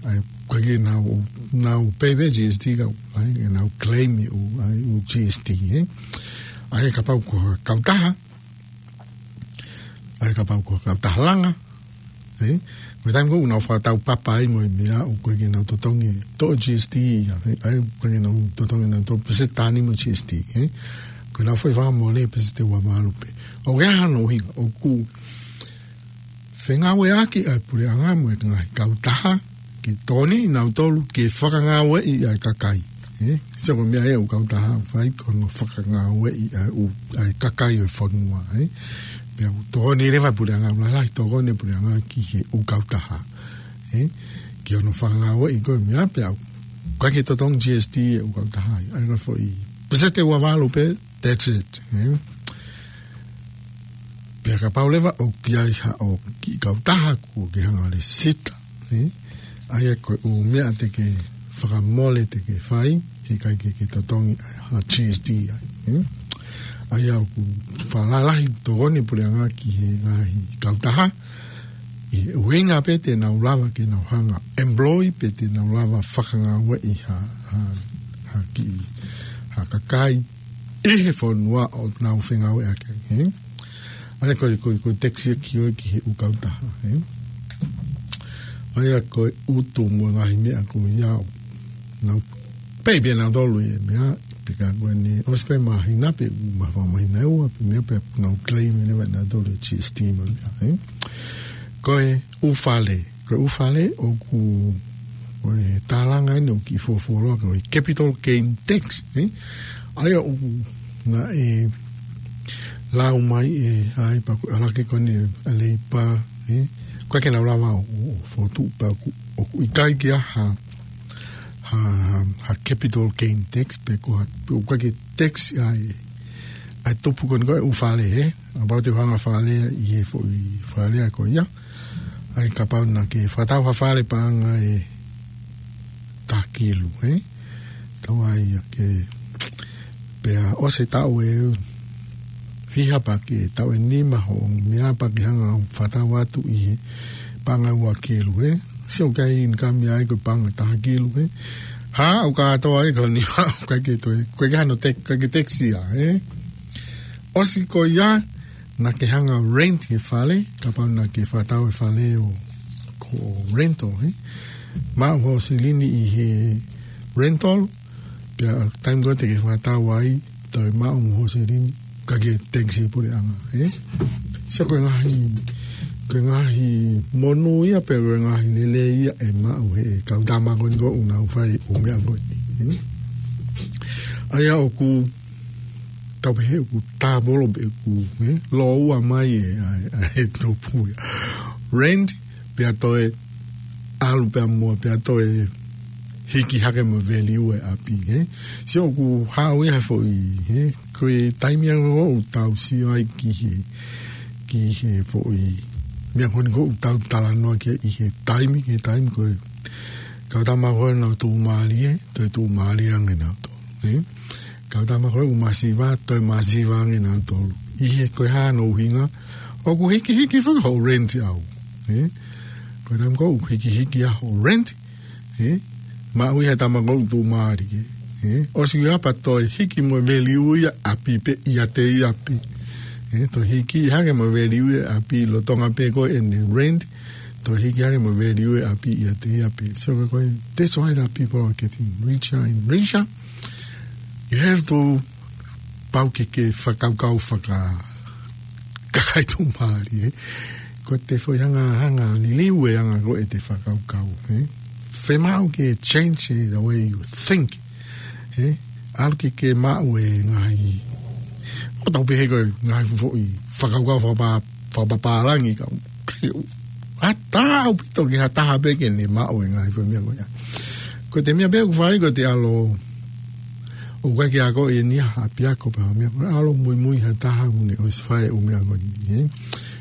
ʻA ia ʻoku ʻikai ke nau, nau pay pē G S T ka, ʻa ia ke nau claim ʻa e ʻū, ʻa e ʻū G S T, hē? ʻA ia kapau ko ha kautaha, ʻa ia kapau ko ha kautaha langa, hē? Ko e taimi ko ē ʻoku nau fakataupapa ai mo e meʻa ʻoku ʻikai ke nau totongi toʻo G S T ia, hē? ʻA ia ʻoku ʻikai ke nau totongi nau toʻo peseti ʻe nima G S T, hē? Ko ʻenau foʻi fakamole peseti ua valu pē. ʻOku ʻi ai hano ʻuhinga, ʻoku fengāueʻaki ʻa e puleʻanga mo e ngaahi kautaha ke tokoniʻi nautolu ke fakangāueʻi ʻa e kakai, hē? Sio ko e meʻa ia ʻoku kautaha ʻoku fai ko hono fakangāueʻi ʻa e ʻū, ʻa e kakai ʻo e fonua, hē? Pea ʻoku tokoni leva e puleʻanga, ʻoku lahi e tokoni e puleʻanga ki he ʻū kautaha, hē? Ki hono fakangāueʻi ko e meʻa pea ʻoku ʻikai ke totongi G S T e ʻū kautaha ia. ʻA ia ko e foʻi peseti ua valu pē, that's it, hē? Pea kapau leva ʻoku ʻi ai haʻo kiʻi kautaha kuo ke hanga ʻo lēsisita, hē? ʻA ia ko e ʻū meʻa te ke fakamole te ke fai, heʻikai ke ke totongi ʻa e ha G S T ai, hē? ʻA ia ʻoku fakalalahi tokoni e puleʻanga ki he ngaahi kautaha, ʻi he ʻuhinga pē te nau lava ke nau hanga employ pe te nau lava fakangāueʻi ha, ha, ha kiʻi, ha kakai ʻi he fonua ʻoku nau fengāueʻaki ai, hē? ʻA ia ko e, ko e, ko e tax ia ki ʻo e ki he ʻū kautaha, hē? ʻA ia ko e ʻutu mo e ngaahi meʻa ko ia ʻoku nau pay pē nautolu e meʻa, pea ka ko eni, ʻosi ko e māhina pe, ma fa māhina ʻe ua, pe meʻa pea nau claim leva ʻe nautolu e G S T mo e meʻa, hē? Ko e ʻū fale, ko e ʻū fale ʻoku, ko e tālanga eni ʻoku kiʻi fuofuoloa ko e capital gain tax, hē? ʻA ia ʻoku naʻe lau mai ʻe, ʻa e pea ko e ʻalu hake ko eni ʻa e Leipa, hē? ʻOku ʻikai ke nau lava ʻo, ʻo, ʻo fokotuʻu pea ʻoku, ʻoku ʻikai ke ʻi ai ha, ha, ha, ha capital gain tax pe ko ha, pe ʻoku ʻikai ke tax ʻa e, ʻa e tupu ko eni ko e ʻū fale, hē? Kapau te u hanga fale ʻi he foʻi fale ko ia. ʻA ia kapau naʻa ke fakatau ha fale paʻanga ʻe taha kilu, hē? Tau ai ia ke pea ʻosi e taʻu ʻe fiha pea ke taʻu ʻe nima hoʻo meʻa pea ke hanga ʻo fakatau atu ʻi he paʻanga ua kilu, hē? Sio ʻoku ʻikai ke income ia ai ko e paʻanga taha kilu, hē? Hā, ʻoku kātoa ai ko e nima, ʻoku ʻikai ke toe, ʻoku ʻikai ke hano tax, ʻikai ke tax ia, hē? ʻOsi ko ia, naʻa ke hanga rent he fale, kapau naʻa ke fakatau e fale ʻo, ko e rental, hē? Maʻu hoʻo silini ʻi he rental, pea taimi ko ē te ke fakatau ai, toe maʻu hoʻo silini, ʻikai ke tax e puleʻanga, hē? Sio ko e ngaahi, ko e ngaahi monū ia, pe ko e ngaahi lelei ia ʻe maʻu ʻe he kau tama ko eni ʻoku nau fai e ʻū meʻa ko eni, hē? ʻA ia ʻoku tau pehē ʻoku tāpolo pe ʻoku, hē? Lōua mai e, ʻa e, ʻa e tupu ia. Rent, pea toe ʻalu pea mo, pea toe hiki hake mo e value e ʻapi, hē? Sio ʻoku haʻu ia he foʻi, hē? Ko e taimi ia ʻoku tau sio ai ki he, ki he foʻi meʻa ko eni ʻoku tau talanoa ki ai ʻi he taimi, ki he taimi ko e kau tama ko ē naʻa nau tuʻumālie, toe tuʻumālie ange nautolu, hē? Kau tama ko ē ʻoku masiva, toe masiva ange nautolu. ʻI he ko e hā hono ʻuhinga, ʻoku hikihiki foki hoʻo rent ʻau, hē? Ko e taimi ko ē ʻoku hikihiki ai hoʻo rent, hē? Maʻu ia he tama ko ē ʻoku tuʻumālie, hē? ʻOsi ia pea toe hiki mo e value ia ʻapi pē ʻiate ia pē, hē? Toe hiki hake mo e value ia ʻapi lolotonga pē ko ē ʻene rent, toe hiki hake mo e value ia ʻapi ʻiate ia pē. So ko e, that's why the people are getting richer and richer. You have to pau ke ke fakakaukau faka-, kakai tuʻumālie, hē? Ko e te foʻi hanga, hanga liliu e anga ko ē ʻete fakakaukau, hē? Fiemaʻu ke change the way you think, hē? ʻAlu ke ke maʻu e ngaahi, ʻoku tau pehē ko e ngaahi foʻi fakakaukau fakapa-, fakapapālangi ka, ʻatā ʻaupito ke ha taha pē ke ne maʻu e ngaahi foʻi meʻa ko ia. Ko ʻete meʻa pē ʻoku fai ko ʻete ʻalu ʻOku ʻikai ke akoʻi eni ha ʻapiako pe ha meʻa, ʻalu muimui ha taha ʻoku ne ʻosi fai e ʻū meʻa ko eni, ē.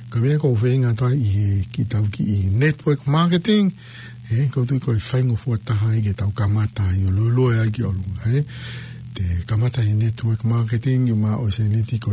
Ko e meʻa ʻoku ou feinga atu ai ʻi he kiʻi tau kiʻi network marketing, ē, ʻoku ou tui ko e faingofua taha ia ke tau kamata ai ʻo lue lue ai ki ʻolunga, ē. Te kamata ʻi he network marketing, ʻi he maʻu ʻo e sēniti ko